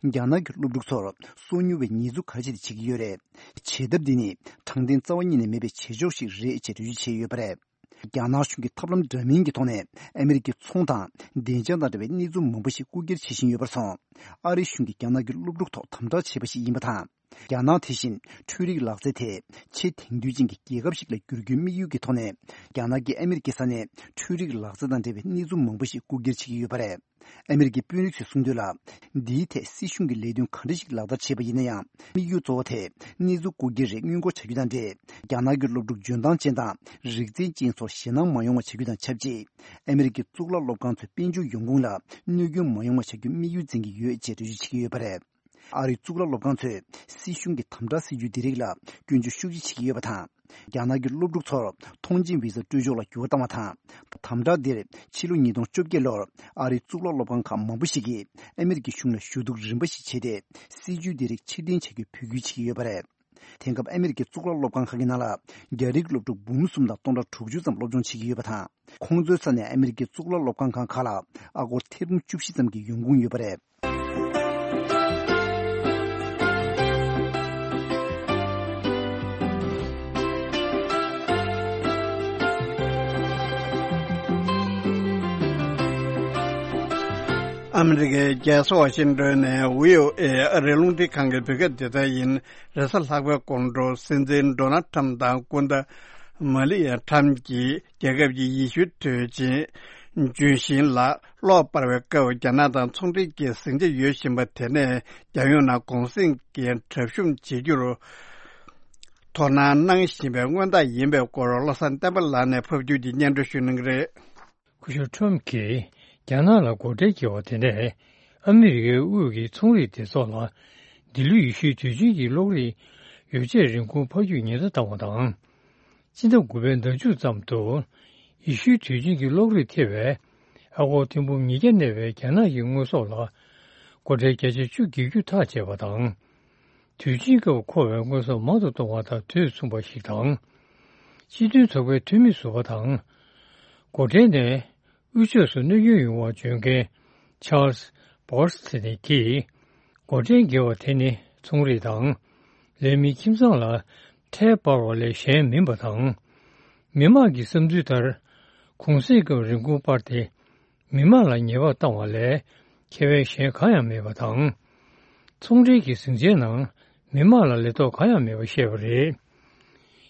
རྒྱ་ནག་གི་སློབ་ཕྲུག་ཚོར་སོ་ཉུལ་བའི་ཉེས་འཛུགས་ག་རེ་བྱས་ཏེ་བྱེད་ཀྱི་ཡོད་རེད། བྱེད་ཐབས་འདི་ནི་དྲང་བདེན་རྩ་བ་ཉིད་ནས་མེད་པའི་བྱེད་ཕྱོགས་ཤིག་རེད་ཅེས་འགྲེལ་བརྗོད་བྱས་ཡོད་པ་རེད། རྒྱ་ནག་གཞུང་གིས་ཐབས་ལམ་འདྲ་མིན་གྱི་ཐོག་ནས་ཨ་མི་རི་ཀའི་ཚོང་དང་བདེ་འཇགས་དང་འབྲེལ་བའི་གནས་ཚུལ་མང་པོ་ཞིག་རྐུ་འཁྱེར་བྱེད་བཞིན་ཡོད་པར་སོང་། ཨ་རི་གཞུང་གིས་རྒྱ་ནག་གི་སློབ་ཕྲུག་ཐོག་དམ་དྲག་བྱས་པ་ཞིག་ཡིན་པ་དང་། རྒྱ་ནག་དེ་བཞིན་འཕྲུལ་རིག་ལག་རྩལ་དེ་ཆེས་དེང་དུས་ཅན་གྱི་རྒྱལ་ཁབ་ཞིག་ལ་བསྒྱུར་རྒྱུའི་དམིགས་ཡུལ་གྱི་ཐོག་ནས། རྒྱ་ནག་གིས་ཨ་མི་རི་ཀའི་ས་ནས་འཕྲུལ་རིག་ལག་རྩལ་དང་འབྲེལ་བའི་གནས་ཚུལ་མང་པོ་ཞིག་རྐུ་འཁྱེར་བྱེད་ཀྱི་ཡོད་པ་རེད། ཨ་མི་རི་ཀའི་དཔོན་རིགས་ཚོས་གསུངས་དོན་ལ། འདིའི་ཐད་སྲིད་གཞུང་གིས་ལས་དོན་ག་འདྲ་ཞིག་ལག་བསྟར་བྱས་པ་ཡིན་ན་ཡང་། དམིགས་ཡུལ་གཙོ་བོ་དེ་གནས་ཚུལ་རྐུ་འཁྱེར་རིགས་སྔོན་འགོག་བྱ་རྒྱུ་དང་འབྲེལ། རྒྱ་ནག་གི་སློབ་ཕྲུག་འཇོན་ཐང་ཅན་དང་རིག་རྩལ་ཅན་ཚོར་ཞེད་སྣང་མ་ཡོང་བ་བྱ་རྒྱུ་དང་ཆབས་ཅིག་ཨ་མི་རི་ཀའི་གཙུག་ལག་སློབ་ཁང་ཚོའི་དཔལ་འབྱོར་ཡོང་ཁུངས་ལ་གནོད་སྐྱོན་མ་ཡོང་བ་བྱ་རྒྱུ་དམིགས་ཡུལ་འཛིན་གྱི་ཡོད་ཅེས་འགྲེལ་བརྗོད་བྱེད་ཀྱི་ཡོད་པ་རེད། ཨ་རིའི་གཙུག་ལག་སློབ་ཁང་ཚོས་སྲིད་གཞུང་གི་དམ་དྲག་སྲིད་ཇུས་འདི་རིགས་ལ་སྐྱོན་བརྗོད་ཤུགས་ཆེ་བྱེད་ཀྱི་ཡོད་པ་དང་། རྒྱ་ནག་གི་སློབ་ཕྲུག་ཚོར་ཐོངས་མཆན་བི་ཟ་སྤྲོད་ཕྱོགས་ལ་འགྱུར་བ་བཏང་བ་དང་། དམ་དྲག་འདིར་ཕྱི་ལོ་ཉིས་སྟོང་བཅོ་བརྒྱད་ལོར་ཨ་རིའི་གཙུག་ལག་སློབ་ཁང་ཁག་མང་པོ་ཞིག་གིས་ཨ་མི་རི་ཀའི་གཞུང་ལ་ཞུ་གཏུག་རིམ་པ་ཞིག་བྱས་ཏེ། སྲིད་ཇུས་འདི་རིགས་ཕྱིར་འཐེན་བྱ་རྒྱུའི་འབོད་སྐུལ་བྱེད་ཀྱི་ཡོད་པ་རེད། དེང་སྐབས་ཨ་མི་རི་ཀའི་གཙུག་ལག་སློབ་ཁང་ཁག་གི་ནང་ལ་རྒྱ་རིགས་སློབ་ཕྲུག་འབུམ་གསུམ་དང་སྟོང་ཕྲག་དྲུག་ཅུ་ཙམ་སློབ་སྦྱོང་བྱེད་ཀྱི་ཡོད་པ་དང་། ཁོང་ཚོའི་ས་ནས་ཨ་མི་རི་ཀའི་གཙུག་ལག་སློབ་ཁང་ཁག་ཁག་ལ་ཨ་སྒོར་ཐེར་འབུམ་བཅུ་བཞི་ཙམ་གྱི་ཡོང་ཁུངས་ཡོད་པ་རེད། ཨ་མི་རི་ཀའི་རྒྱལ་ས་ཝ་ཤིང་ཏོན་ནས་བྷི་ཨོ་ཨེ་ཨ་རིའི་རླུང་འཕྲིན་ཁང་གི་བོད་སྐད་སྡེ་ཚན་ཡིན། རེས་གཟའ་ལྷག་པའི་དགོང་དྲོ་སྲིད་འཛིན་ཌོ་ནལ་ཁྲམ་དང་སྐུ་ཟླ་མ་ལི་ཡ་ཁྲམ་གྱིས་རྒྱལ་ཁབ་ཀྱི་ཡེ་ཤུའི་དུས་ཆེན་ལྗོན་ཤིང་ལ་གློག་སྤར་བའི་སྐབས། རྒྱ་ནག་དང་ཚོང་འབྲེལ་གྱི་ཟིང་ཆ་ཡོད་བཞིན་པ་དེ་ནས་རྒྱལ་ཡོངས་ནང་གུང་གསེང་གི་གྲབས་གཤོམ་བྱེད་རྒྱུར་དོ་སྣང་གནང་བཞིན་པའི་མངོན་རྟགས་ཡིན་པའི་སྐོར། བློ་བཟང་བསྟན་པ་ལགས་ནས་ཕབ་སྒྱུར་གྱིས་སྙན་སྒྲོན་ཞུ་གནང་གི་རེད། སྐུ་ཞབས་ཁྲོམ་གྱིས་རྒྱ་ནག་ལ་སྒོ་ཁྲལ་བཀལ་བ་དེ་ནས་ཨ་མི་རི་ཀའི་དབུས་ཀྱི་ཚོང་རིག་སྡེ་ཚོགས་ལ་འདི་ལོའི་ཡེ་ཤུའི་དུས་ཆེན་གྱི་གློག་རིག་ཡོ་བྱད་རིན་གོང་འཕར་རྒྱུར་ཉེན་བརྡ་བཏང་བ་དང་། སྤྱི་ཟླ་དགུ་པའི་ཟླ་མཇུག་ཙམ་དུ་ཡེ་ཤུའི་དུས་ཆེན་གྱི་གློག་རིག་ཐེ་བའི་ཨ་སྒོར་ཐེར་འབུམ་ཉིས་བརྒྱ་གནས་པའི་རྒྱ་ནག་གི་དངོས་ཟོག་ལ་སྒོ་ཁྲལ་བརྒྱ་ཆ་བཅུ་བརྒྱབ་རྒྱུ་ཐག་བཅད་པ་དང་། དུས་ཆེན་སྐབས་མཁོ་བའི་དངོས་ཟོག་མང་དུ་གཏོང་བ་དང་དུས་མཚུངས་པ་ཞིག་དང་། སྤྱི་མཐུན་ཚོགས་པའི་འཐུས་མི་ཟུར་པ་དང་། སྒོ་ཁྲལ་ནས་དབུས་ཕྱོགས་སུ་གནོད་སྐྱོན་ཡོང་བ་འཇོན་མཁན་ཆཱལ་སི་བྷོ་སི་ཐེ་ནི་གིས། སྒོ་ཁྲལ་འགེལ་བ་དེ་ནི་ཚོང་རིག་དང་། ལས་མིའི་ཁྱིམ་ཚང་ལ་ཁྲལ་སྤར་བ་ལས་གཞན་མིན་པ་དང་། མི་དམངས་ཀྱི་བསམ་ཚུལ་ལྟར། གུང་གསེང་སྐབས་རིན་གོང་སྤར་ཏེ། མི་དམངས་ལ་ཉེས་པ་བཏང་བ་ལས་ཁེ་བས་གཞན་གང་ཡང་མེད་པ་དང་། ཚོང་འབྲེལ་གྱི་ཟིང་ཆའི་ནང་མི་དམངས་ལ་ལས་ཐོག་གང་ཡང་མེད་པ་བཤད་པ་རེད།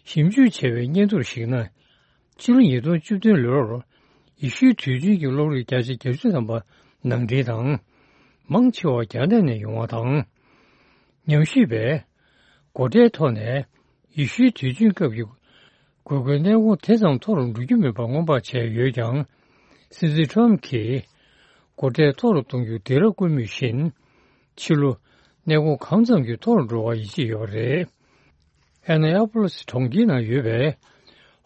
ཞིབ་འཇུག་བྱས་པའི་སྙན་ཐོར་གཞིགས་ན། ཕྱི་ལོ་ཉིས་སྟོང་བཅུ་བདུན་ལོར་ཡེ་ཤུའི་དུས་ཆེན་གྱི་གློག་རིགས་བརྒྱ་ཆ་བརྒྱད་ཅུ་ཐམ་པ་ནང་འདྲེན་དང་། མང་ཆེ་བ་རྒྱ་ནག་ནས་ཡོང་བ་དང་། ཉམས་ཞིབ་པས་སྒོ་ཁྲལ་ཐོག་ནས་ཡེ་ཤུའི་དུས་ཆེན་སྐབས་ཀྱི་དགོས་མཁོའི་གནས་གོང་དེ་ཙམ་མཐོ་རུ་འགྲོ་རྒྱུ་མིན་པ་སྔོན་དཔག་བྱས་ཡོད་ཀྱང་། སྲིད་འཛིན་ཁྲོམ་གྱིས་སྒོ་ཁྲལ་མཐོ་རུ་གཏོང་རྒྱུ་དེ་ར་བཀོད་མུས་བཞིན། ཕྱི་ལོ་གནས་གོང་གང་ཙམ་གྱིས་མཐོ་རུ་འགྲོ་བར་ཡིད་ཆེས་ཡོད་པ་རེད། ཨེ་ན་ཡ་པོ་ལི་སི་གྲོང་ཁྱེར་ནང་ཡོད་པའི་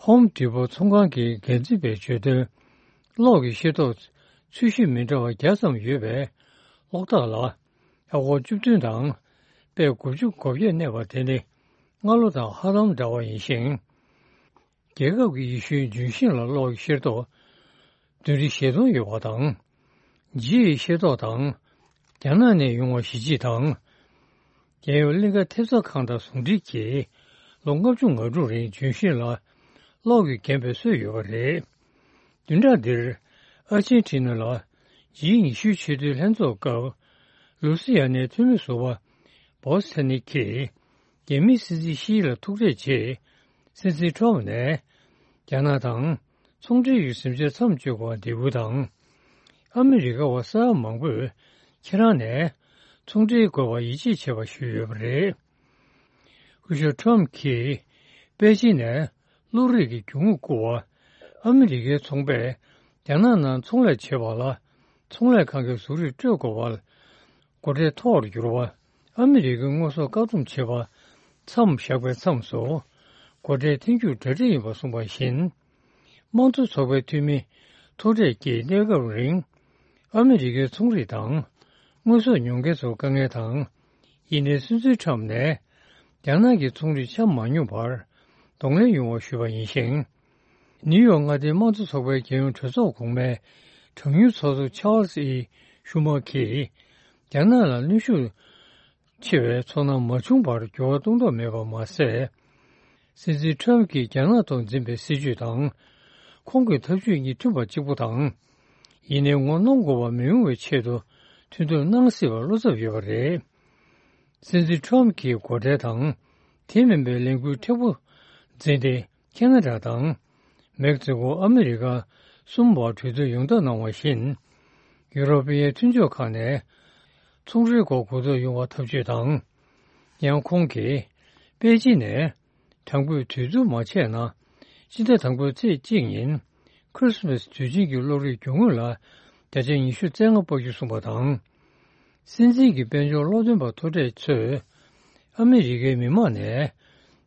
ཧོམ་ཌི་པོ་ཚོང་ཁང་གི་འགན་འཛིན་པས་བརྗོད་དོན། གློག་གི་ཤེལ་ཏོག་ཚོས་གཞི་མི་འདྲ་བ་བརྒྱ་ཙམ་ཡོད་པའི་གློག་ཐག་ལ་ཨ་སྒོར་བཅུ་བདུན་དང་པད་དགུ་བཅུ་གོ་བརྒྱད་གནས་པ་དེ་ནི་སྔ་ལོ་དང་ཧ་ལམ་འདྲ་བ་ཡིན་ཞིང་། རྒྱལ་ཁབ་ཀྱི་ཡེ་ཤུའི་ལྗོན་ཤིང་ལ་གློག་གི་ཤེལ་ཏོག་བདུན་ཁྲི་བཞི་སྟོང་ཡོད་པ་དང་། ལྗིད་ཡི་ཤེལ་ཏོག་དང་། རྒྱ་ནག་ནས་ཡོང་བ་བཞི་གཅིག་དང་། རྒྱལ་ཡོངས་གླིང་ཁ་ཐེབས་རྩ་ཁང་དང་ཟུང་འབྲེལ་གྱིས་ལོ་ལྔ་བཅུ་ང་དྲུག་རིང་ལྗོན་ཤིང་ལ་གློག་གིས་བརྒྱན་པའི་སྲོལ་ཡོད་པ་རེད། བདུན་ཕྲག་འདིར་ཨར་ཇེན་ཊི་ན་ལ་ཇི་ཉི་ཤུའི་ཆེས་མཐོའི་ལྷན་ཚོགས་སྐབས། ལུ་སི་ཡ་ནའི་འཐུས་མི་ཟུར་པ་བོ་སི་ཐ་ནི་ཀིས་རྒྱ་མིའི་སྲིད་འཛིན་ཤི་ལ་ཐུག་འཕྲད་རྗེས། སྲིད་འཛིན་ཁྲོམ་ནས་རྒྱ་ནག་དང་ཚོང་འབྲེལ་གྱི་ཟིང་ཆ་མཚམས་གཅོད་དགོས་པར་འདེད་སྐུལ་དང་། ཨ་མི་རི་ཀ་བ་ས་ཡ་མང་པོས་ཁྱེད་རང་ནས་ཚོང་འབྲེལ་དགོས་པར་ཡིད་ཆེས་བྱེད་པ་ཞུས་ཡོད་པ་རེད། སྐུ་ཞབས་ཁྲོམ་གྱིས་པེ་ཅིན་ནས་གློག་རིག་གི་རྒྱུ་དངོས་བསྐུར་བ། ཨ་མི་རི་ཀའི་ཚོང་པས་རྒྱ་ནག་ནང་ཚོང་ལས་བྱེད་པ་ལ་ཚོང་ལས་ཁང་གི་བཟོ་རིགས་སྤྲོད་དགོས་པ། སྒོ་ཁྲལ་མཐོ་རུ་གྱུར་བ། ཨ་མི་རི་ཀའི་དངོས་ཟོག་བཀག་སྡོམ་བྱེད་པ་མཚམས་བཞག་པའི་མཚམས་སུ། སྒོ་ཁྲལ་འཐེན་རྒྱུར་གྲ་སྒྲིག་ཡིན་པ་གསུངས་པ་བཞིན། དམངས་གཙོ་ཚོགས་པའི་འཐུས་མི་མཐོ་གྲས་ཀྱིས་གནས་སྐབས་རིང་ཨ་མི་རི་ཀའི་ཚོང་རིགས་དང་དངོས་ཟོག་ཉོ་མཁན་ཚོར་དཀའ་ངལ་དང་། ཡིན་ནའི་སྲིད་འཛིན་ཁྲམ་ནས་རྒྱ་ནག་གི་ཚོང་རིགས་ཆ་མ་སྙོམས་པར་གདོང་ལེན་ཡོང་བ་ཞུས་པ་ཡིན་ཞིང་། ནིའུ་ཡོག་མངའ་སྡེའི་དམངས་གཙོ་ཚོགས་པའི་རྒྱལ་ཡོངས་གྲོས་ཚོགས་གོང་མའི་གྲངས་ཉུང་ཚོགས་གཙོ་ཆཱལ་སི་ཨི་ཤུ་མ་གིས་རྒྱ་ནག་ལ་གནོན་ཤུགས་ཆེ་བའི་ཚོར་སྣང་མ་བྱུང་བར་འགྱུར་བ་གཏོང་ཐབས་མེད་པ་མ་ཟད། སྲིད་འཛིན་ཁྲོམ་གྱིས་རྒྱ་ནག་ཐོག་འཛིན་པའི་སྲིད་བྱུས་དང་། ཁོང་གི་ཐབས་ཇུས་གཉིས་མཐུན་པ་གཅིག་པུ་དང་། ཡིན་ནའི་ངོ་གནོང་དགོས་པ་མི་ཡོང་བའི་ཆེད་དུ་མཐུན་གཏོང་གནང་སྲིད་པར་བློ་འཚབ་ཡོད་པ་རེད། སྲིད་འཛིན་ཁྲོམ་གྱིས་སྒོ་ཁྲལ་དང་། དེ་མིན་པའི་ལས་འགུལ་མཁྲེགས་པོ་འཛིན་ཏེ། ཁེ་ན་ཌ་དང་། མེག་སི་ཀོ། ཨ་མི་རི་ཀ་གསུམ་བར་གྲོས་བསྡུར་ཡོངས་བསྡོམས་གནང་བ་བཞིན། ཡུ་རོ་པི་ཡའི་མཐུན་ཕྱོགས་ཁག་ནས་ཚོང་འབྲེལ་སྐོར་གོ་རྟོགས་ཡོང་བ་ཐབས་ཇུས་དང་། ཡང་ཁོང་གིས་པེ་ཅིན་ནས་དྲང་པོའི་གྲོས་བསྡུར་མ་བྱས་ན། སྤྱི་ཟླ་དང་པོའི་ཚེས་གཅིག་ཉིན་ཁྲིས་མས་དུས་ཆེན་གྱི་གློག་རིག་རྒྱུ་དངོས་ལ་བརྒྱ་ཆ་ཉི་ཤུ་རྩ་ལྔ་སྤར་རྒྱུ་གསུངས་པ་དང་། སྲིད་འཛིན་གྱི་དཔལ་འབྱོར་སློབ་སྟོན་པ་མཐོ་གྲས་ཚོས་ཨ་མི་རི་ཀའི་མི་དམངས་ནས་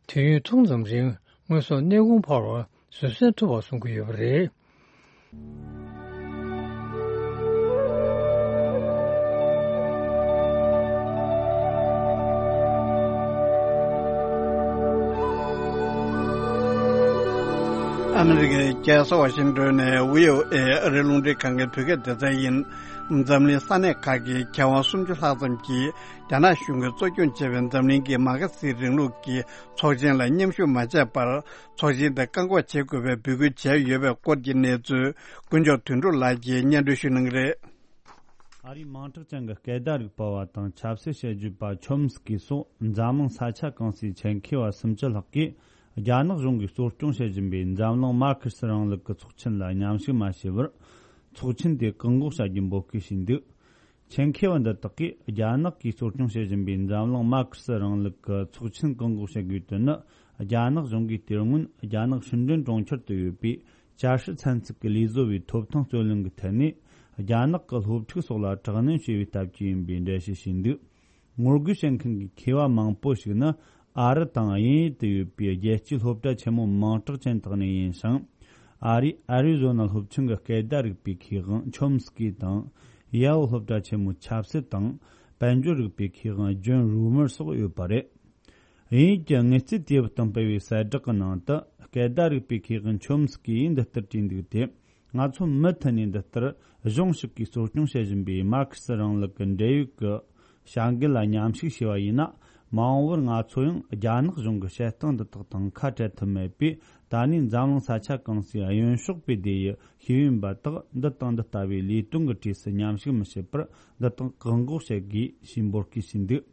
དུས་ཡུན་ཐུང་ཙམ་རིང་དངོས་ཟོག་གནས་གོང་འཕར་བ་བཟོད་བསྲན་ཐུབ་པ་གསུང་གི་ཡོད་པ་རེད། ཨ་མི་རི་ཀའི་རྒྱལ་ས་ཝ་ཤིང་ཏོན་ནས་བྷི་ཨོ་ཨེ་ཨ་རིའི་རླུང་འཕྲིན་ཁང་གི་བོད་སྐད་སྡེ་ཚན་ཡིན། འཛམ་གླིང་ས་གནས་ཁག་གི་མཁས་དབང་སུམ་ཅུ་ལྷག་ཙམ་གྱིས་རྒྱ་ནག་གཞུང་གིས་གཙོ་སྐྱོང་བྱས་པའི་འཛམ་གླིང་གི་མ་ཁ་སིའི་རིང་ལུགས་ཀྱི་ཚོགས་ཆེན་ལ་མཉམ་ཞུགས་མ་བྱས་པར། ཚོགས་ཆེན་དེ་བཀག་འགོག་བྱེད་དགོས་པའི་འབོད་སྐུལ་བྱས་ཡོད་པའི་སྐོར་གྱི་གནས་ཚུལ། དཀོན་མཆོག་དོན་གྲུབ་ལགས་ཀྱིས་སྙན་སྒྲོན་ཞུ་གནང་གི་རེད། ཨ་རིའི་མིང་གྲགས་ཅན་གྱི་སྐད་བརྡ་རིག་པ་བ་དང་ཆབ་སྲིད་དཔྱད་བརྗོད་པ་ཆོམ་སྐི་སོགས་འཛམ་གླིང་ས་ཆ་གང་སའི་ཆེད་མཁས་པ་སུམ་ཅུ་ལྷག་གིས། རྒྱ་ནག་གཞུང་གིས་གཙོ་སྐྱོང་བྱེད་བཞིན་པའི་འཛམ་གླིང་མར་ཁེ་སི་རིང་ལུགས་ཀྱི་ཚོགས་ཆེན་ལ་མཉམ་ཞུགས་མ་བྱས་པར། ཚོགས་ཆེན་དེ་བཀག་འགོག་བྱ་རྒྱུའི་འབོད་སྐུལ་ཞུས་འདུག་ཆེད་མཁས་པ་འདི་དག་གིས། རྒྱ་ནག་གིས་གཙོ་སྐྱོང་བྱེད་བཞིན་པའི་འཛམ་གླིང་མར་ཁེ་སི་རིང་ལུགས་ཀྱི་ཚོགས་ཆེན་བཀག་འགོག་བྱེད་དགོས་དོན་ནི། རྒྱ་ནག་གཞུང་གིས་དེ་སྔོན་རྒྱ་ནག་ཧྲིན་ཀྲིན་གྲོང་ཁྱེར་དུ་ཡོད་པའི། ཅ་ཧྲི་ཚན་རྩལ་གྱི་ལས་བཟོ་བའི་ཐོབ་ཐང་རྩོད་ལེན་གྱི་ཐད་ནས། རྒྱ་ནག་གི་སློབ་ཕྲུག་སོགས་ལ་དྲག་གནོན་བྱས་པའི་སྟབས་ཀྱིས་ཡིན་པའི་འགྲེལ་བཤད་བྱས་འདུག་ངོ་རྒོལ་བྱེད་མཁན་གྱི་མཁས་པ་མང་པོ་ཞིག་ནི། ཨ་རི་དང་དབྱིན་ཡུལ་དུ་ཡོད་པའི་རྒྱལ་སྤྱིའི་སློབ་གྲྭ་ཆེན་མོ་མིང་གྲགས་ཅན་དག་ནས་ཡིན་ཞིང་། ཨ་རིའི་ཨ་རི་ཛོ་ན་སློབ་ཆེན་གྱི་སྐད་བརྡ་རིག་པའི་མཁས་དབང་ཆོམ་སྐི་དང་། ཡའོ་སློབ་གྲྭ་ཆེན་མོའི་ཆབ་སྲིད་དང་། དཔལ་འབྱོར་རིག་པའི་མཁས་དབང་ཇོན་རུ་མར་སོགས་ཡོད་པ་རེད། དབྱིན་ཡུལ་གྱི་དངུལ་རྩིས་དུས་བབ་དང་སྤེལ་བའི་གསལ་བསྒྲགས་ཀྱི་ནང་དུ། སྐད་བརྡ་རིག་པའི་མཁས་དབང་ཆོམ་སྐི་ཡིས་འདི་ལྟར་བྲིས་འདུག་སྟེ། ང་ཚོ་མུ་མཐུད་ནས་འདི་ལྟར་གཞུང་ཞིག་གིས་གཙོ་སྐྱོང་བྱེད་བཞིན་པའི་མར་ཁེ་སི་རིང་ལུགས་ཀྱི་འབྲེལ་ཡོད་ཀྱི་བྱ་འགུལ་ལ་མཉམ་ཞུགས་བྱས་པ་ཡིན་ན། མ་འོངས་པར་ང་ཚོ་ཡང་རྒྱ་ནག་གཞུང་གི་བྱེད་སྟངས་འདི་དག་དང་ཁ་བྲལ་ཐུབ་མེད་པས། ད་ནས་འཛམ་གླིང་ས་ཆ་གང་སའི་གཡོན་ཕྱོགས་པའི་སྡེ་ཡི་ཤེས་ཡོན་པ་དག་འདི་དང་འདི་ལྟ་བུའི་ལས་དོན་གྱི་གྲས་སུ་མཉམ་ཞུགས་མི་བྱེད་པར། འདི་དག་བཀག་འགོག་བྱེད་དགོས་ཞེས་འབོད་སྐུལ་ཞུས་འདུག་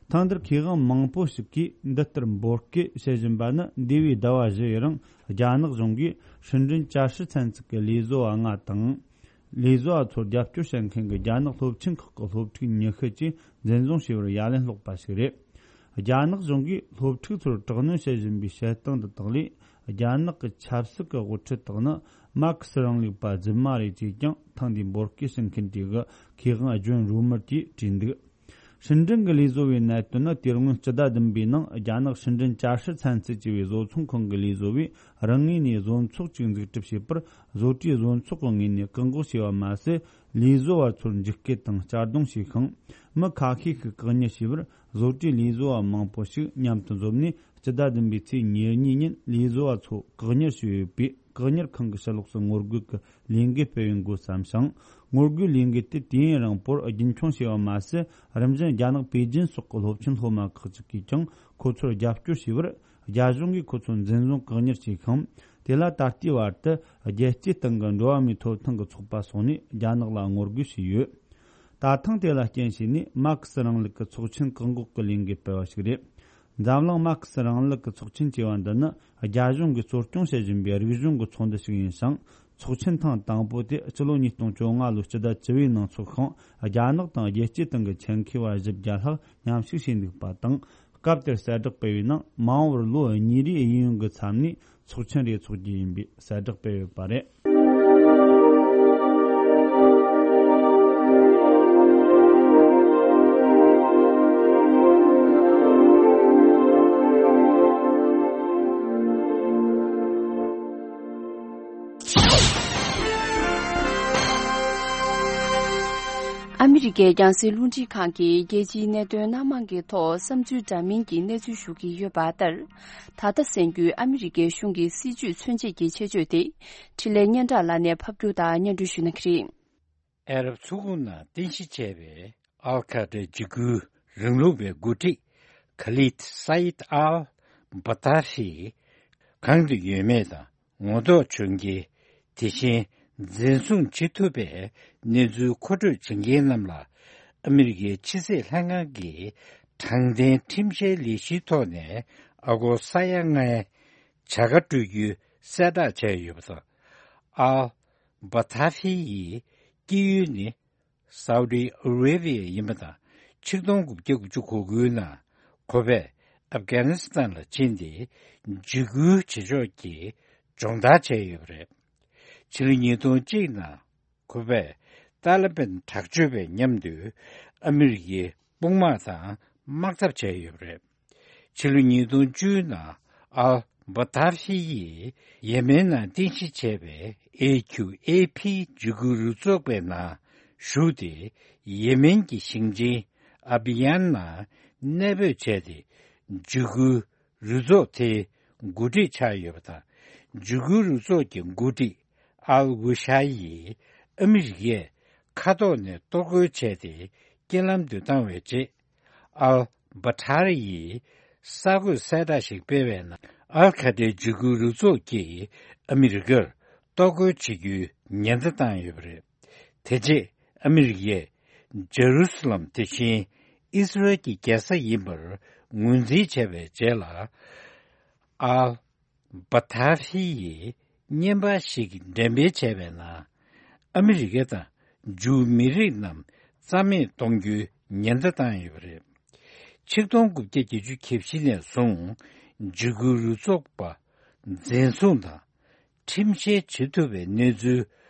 ཐེངས་འདིར་མཁས་དབང་མང་པོ་ཞིག་གིས་འདི་ལྟར་འབོད་སྐུལ་བྱེད་བཞིན་པ་ནི། འདས་པའི་ཟླ་བ་བཞི་ཡི་རིང་རྒྱ་ནག་གཞུང་གིས་ཧྲིན་ཀྲིན་ཅ་ཧྲི་ཚན་རྩལ་གྱི་ལས་བཟོ་བ་ལྔ་དང་། ལས་བཟོ་བ་ཚོར་རྒྱབ་སྐྱོར་བྱེད་མཁན་གྱི་རྒྱ་ནག་སློབ་ཆེན་ཁག་གི་སློབ་ཕྲུག་ཉི་ཤུ་བཅས་འཛིན་བཟུང་བྱས་པར་ཡ་ལན་སློག་པ་ཞིག་རེད། རྒྱ་ནག་གཞུང་གིས་སློབ་ཕྲུག་ཚོར་དྲག་གནོན་བྱེད་བཞིན་པའི་བྱེད་སྟངས་འདི་དག་ལས། རྒྱ་ནག་གི་ཆབ་སྲིད་ཀྱི་དབུ་ཁྲིད་དག་ནི་མར་ཁེ་སི་རིང་ལུགས་པ་རྫུན་མ་རེད་ཅེས་ཀྱང་ཐེངས་འདིའི་འབོད་སྐུལ་ཞུ་མཁན་དེ་གི་མཁས་དབང་ཇོན་རུ་མར་གྱིས་བྲིས་འདུག་ཧྲིན་ཀྲིན་གྱི་ལས་བཟོ་བའི་གནད་དོན་ནི། དེ་སྔོན་སྤྱི་ཟླ་བདུན་པའི་ནང་རྒྱ་ནག་ཧྲིན་ཀྲིན་ཅ་ཧྲི་ཚན་རྩལ་ཅེས་པའི་བཟོ་ཚོང་ཁང་གི་ལས་བཟོ་བས་རང་ངོས་ནས་བཟོ་ཚོགས་ཅིག་འཛུགས་སྐྲུན་བྱས་པར། བཟོ་གྲྭའི་བཟོ་ཚོགས་ཀྱི་ངོས་ནས་བཀག་འགོག་བྱས་པ་མ་ཟད། ལས་བཟོ་བ་ཚོར་འཇིགས་སྐུལ་དང་གཅར་རྡུང་བྱས་ཤིང་། མི་ཁ་ཤས་ཤིག་བཀག་ཉར་བྱས་པར། བཟོ་གྲྭའི་ལས་བཟོ་བ་མང་པོ་ཞིག་མཉམ་དུ་འཛོམས་ནས། སྤྱི་ཟླ་བདུན་པའི་ཚེས་ཉེར་གཉིས་ཉིན་ལས་བཟོ་བ་ཚོ་བཀག་ཉར་བྱས་ཡོད་པས། བཀག་ཉར་ཁང་གི་ཕྱི་ལོགས་སུ་ངོ་རྒོལ་གྱི་ལས་འགུལ་སྤེལ་བའི་འགོ་བརྩམས་ཤིང་། ངོ་རྒོལ་ལས་འགུལ་དེ་དུས་ཡུན་རིང་པོར་རྒྱུན་འཁྱོངས་བྱས་པ་མ་ཟད། རིམ་བཞིན་རྒྱ་ནག་པེ་ཅིན་སོགས་ཀྱི་སློབ་ཆེན་སློབ་མ་ཁག་ཅིག་གིས་ཀྱང་ཁོ་ཚོར་རྒྱབ་སྐྱོར་བྱས་པར། རྒྱ་གཞུང་གིས་ཁོ་ཚོ་འཛིན་བཟུང་བཀག་ཉར་བྱས་ཤིང་། དེ་ལ་ད་ལྟའི་བར་དུ་རྒྱལ་སྤྱིའི་སྟེང་གི་འགྲོ་བ་མིའི་ཐོབ་ཐང་གི་ཚོགས་པ་སོགས་ནས་རྒྱ་ནག་ལ་ངོ་རྒོལ་བྱས་ཡོད། ད་ཐེངས་དེ་ལ་རྐྱེན་བྱས་ནས་མར་ཁེ་སི་རིང་ལུགས་ཀྱི་ཚོགས་ཆེན་བཀག་འགོག་གི་ལས་འགུལ་སྤེལ་བ་ཞིག་རེད། འཛམ་གླིང་མར་ཁེ་སི་རིང་ལུགས་ཀྱི་ཚོགས་ཆེན་ཅེས་པ་འདི་ནི། རྒྱ་གཞུང་གིས་གཙོ་སྐྱོང་བྱེད་བཞིན་པའི་རིག་གཞུང་གི་ཚོགས་འདུ་ཞིག་ཡིན་ཞིང་། ཚོགས་ཆེན་ཐེངས་དང་པོ་དེ་སྤྱི་ལོ་ཉིས་སྟོང་བཅོ་ལྔ་ལོའི་སྤྱི་ཟླ་བཅུ་པའི་ནང་ཚོགས་ཤིང་། རྒྱ་ནག་དང་རྒྱལ་སྤྱིའི་སྟེང་གི་ཆེད་མཁས་པ་བཞི་བརྒྱ་ལྷག་མཉམ་ཞུགས་བྱས་འདུག་པ་དང་། སྐབས་དེར་གསལ་བསྒྲགས་སྤེལ་བའི་ནང་། མ་འོངས་པར་ལོ་གཉིས་རེའི་གཡས་གཡོན་གྱི་མཚམས་ནས་ཚོགས་ཆེན་རེ་འཚོགས་རྒྱུ་ཡིན་པའི་གསལ་བསྒྲགས་སྤེལ་ཡོད་པ་རེད། ཨ་མི་རི་ཀའི་རྒྱང་སྲིང་རླུང་འཕྲིན་ཁང་གིས་རྒྱལ་སྤྱིའི་གནད་དོན་སྣ་མང་གི་ཐོག་བསམ་ཚུལ་འདྲ་མིན་གྱི་གནས་ཚུལ་ཞུ་གི་ཡོད་པ་ལྟར། ད་ལྟ་གསན་རྒྱུའི་ཨ་མི་རི་ཀའི་གཞུང་གི་སྲིད་ཇུས་མཚོན་བྱེད་ཀྱི་ཆེད་བརྗོད་དེ། འཕྲིན་ལས་སྙན་གྲགས་ལགས་ནས་ཕབ་སྒྱུར་དང་སྙན་སྒྲོན་ཞུ་གནང་གི་རེད། ཨ་རབ་མཚོ་ཁུག་ནང་རྟེན་གཞི་བྱས་པའི་ཨལ་ཁ་ཏྲའི་འཇིགས་སྐུལ་རིང་ལུགས་པའི་འགོ་ཁྲིད་ཁ་ལིད་སཱ་ཡིད་ཨལ་བ་ཏཱ་ཧི་གང་དུ་ཡོད་མེད་དང་། ངོ་ཐོག་བྱུང་རྐྱེན། དེ་བཞིན་འཛིན་བཟུང་བྱེད་ཐུབ་པའི་གནས་ཚུལ་མཁོ་སྤྲོད་བྱེད་མཁན་རྣམས་ལ། ཨ་མི་རི་ཀའི་ཕྱི་སྲིད་ལྷན་ཁང་གི་དྲང་བདེན་ཁྲིམས་བཤེར་ལས་གཞིའི་ཐོག་ནས་ཨ་སྒོར་ས་ཡ་ལྔའི་བྱ་དགའ་སྤྲོད་རྒྱུའི་གསལ་བསྒྲགས་བྱས་ཡོད་པ་དང་། ཨལ་བ་ཏཱ་ཧི་ཡི་སྐྱེས་ཡུལ་ནི། སའུ་ཏི་ཨ་རེ་བྷི་ཡ་ཡིན་པ་དང་། ཆིག་སྟོང་དགུ་བརྒྱ་དགུ་བཅུ་གོ་དགུའི་ནང་ཁོ་པས་ཨབ་གྷ་ནི་སི་ཐན་ལ་ཕྱིན་ཏེ། འཇིགས་སྐུལ་བྱེད་ཕྱོགས་ཀྱི་སྦྱོང་བརྡར་བྱས་ཡོད་པ་རེད། ཕྱི་ལོ་ཉིས་སྟོང་གཅིག་ནང་ཁོ་པས་ཏཱ་ལི་བན་དྲག་སྤྱོད་པའི་མཉམ་དུ་ཨ་མི་རི་ཀའི་དཔུང་དམག་དང་དམག་འཐབ་བྱས་ཡོད་པ་རེད། ཕྱི་ལོ་ཉིས་སྟོང་བཅུ་ནང་ཨལ་བ་ཏཱ་ཧི་ཡིས་ཡེ་མེན་ནང་རྟེན་གཞི་བྱས་པའི་ཨེ་ཁྱུ་ཨེ་ཕི་འཇིགས་སྐུལ་རུ་ཚོགས་པའི་ནང་ཞུགས་ཏེ། ཡེ་མེན་གྱི་ཞིང་ཆེན་ཨ་བི་ཡན་ནང་གནས་སྤོས་བྱས་ཏེ། འཇིགས་སྐུལ་རུ་ཚོགས་དེའི་འགོ་ཁྲིད་ཆགས་ཡོད་པ་དང་། འཇིགས་སྐུལ་རུ་ཚོགས་ཀྱི་འགོ་ཁྲིད་ཨལ་ཝུ་ཤ་ཡིས་ཨ་མི་རི་ཀས་མཁའ་ཐོག་ནས་གཏོར་རྒོལ་བྱས་ཏེ་རྐྱེན་ལམ་དུ་བཏང་བའི་རྗེས། ཨལ་བྷ་ཐར་ཡིས་གསར་འགོད་གསལ་བསྒྲགས་ཤིག་སྤེལ་བའི་ནང་། ཨལ་ཁ་ཏའི་འཇིགས་སྐུལ་རུ་ཚོགས་ཀྱིས་ཨ་མི་རི་ཀར་གཏོར་རྒོལ་བྱེད་རྒྱུའི་ཉེན་བརྡ་བཏང་ཡོད་པ་རེད། དེ་རྗེས་ཨ་མི་རི་ཀས་ཇེ་རུ་སི་ལམ་དེ་བཞིན་ཨིས་རལ་གྱི་རྒྱལ་ས་ཡིན་པར་ངོས་འཛིན་བྱས་པའི་རྗེས་ལ། ཨལ་བྷ་ཐར་ཧི་ཡིས་བརྙན་པར་ཞིག་འགྲེམས་སྤེལ་བྱས་པའི་ནང་། ཨ་མི་རི་ཀ་དང་ཇུའུ་མི་རིགས་རྣམས་རྩ་མེད་གཏོང་རྒྱུའི་ཉེན་བརྡ་བཏང་ཡོད་པ་རེད། ཆིག་སྟོང་དགུ་བརྒྱ་བརྒྱད་ཅུ་གྱ་བཞི་ནས་བཟུང་འཇིགས་སྐུལ་རུ་ཚོགས་པ་འཛིན་བཟུང་དང་ཁྲིམས་བཤེར་བྱེད་ཐུབ་པའི་གནས་ཚུལ་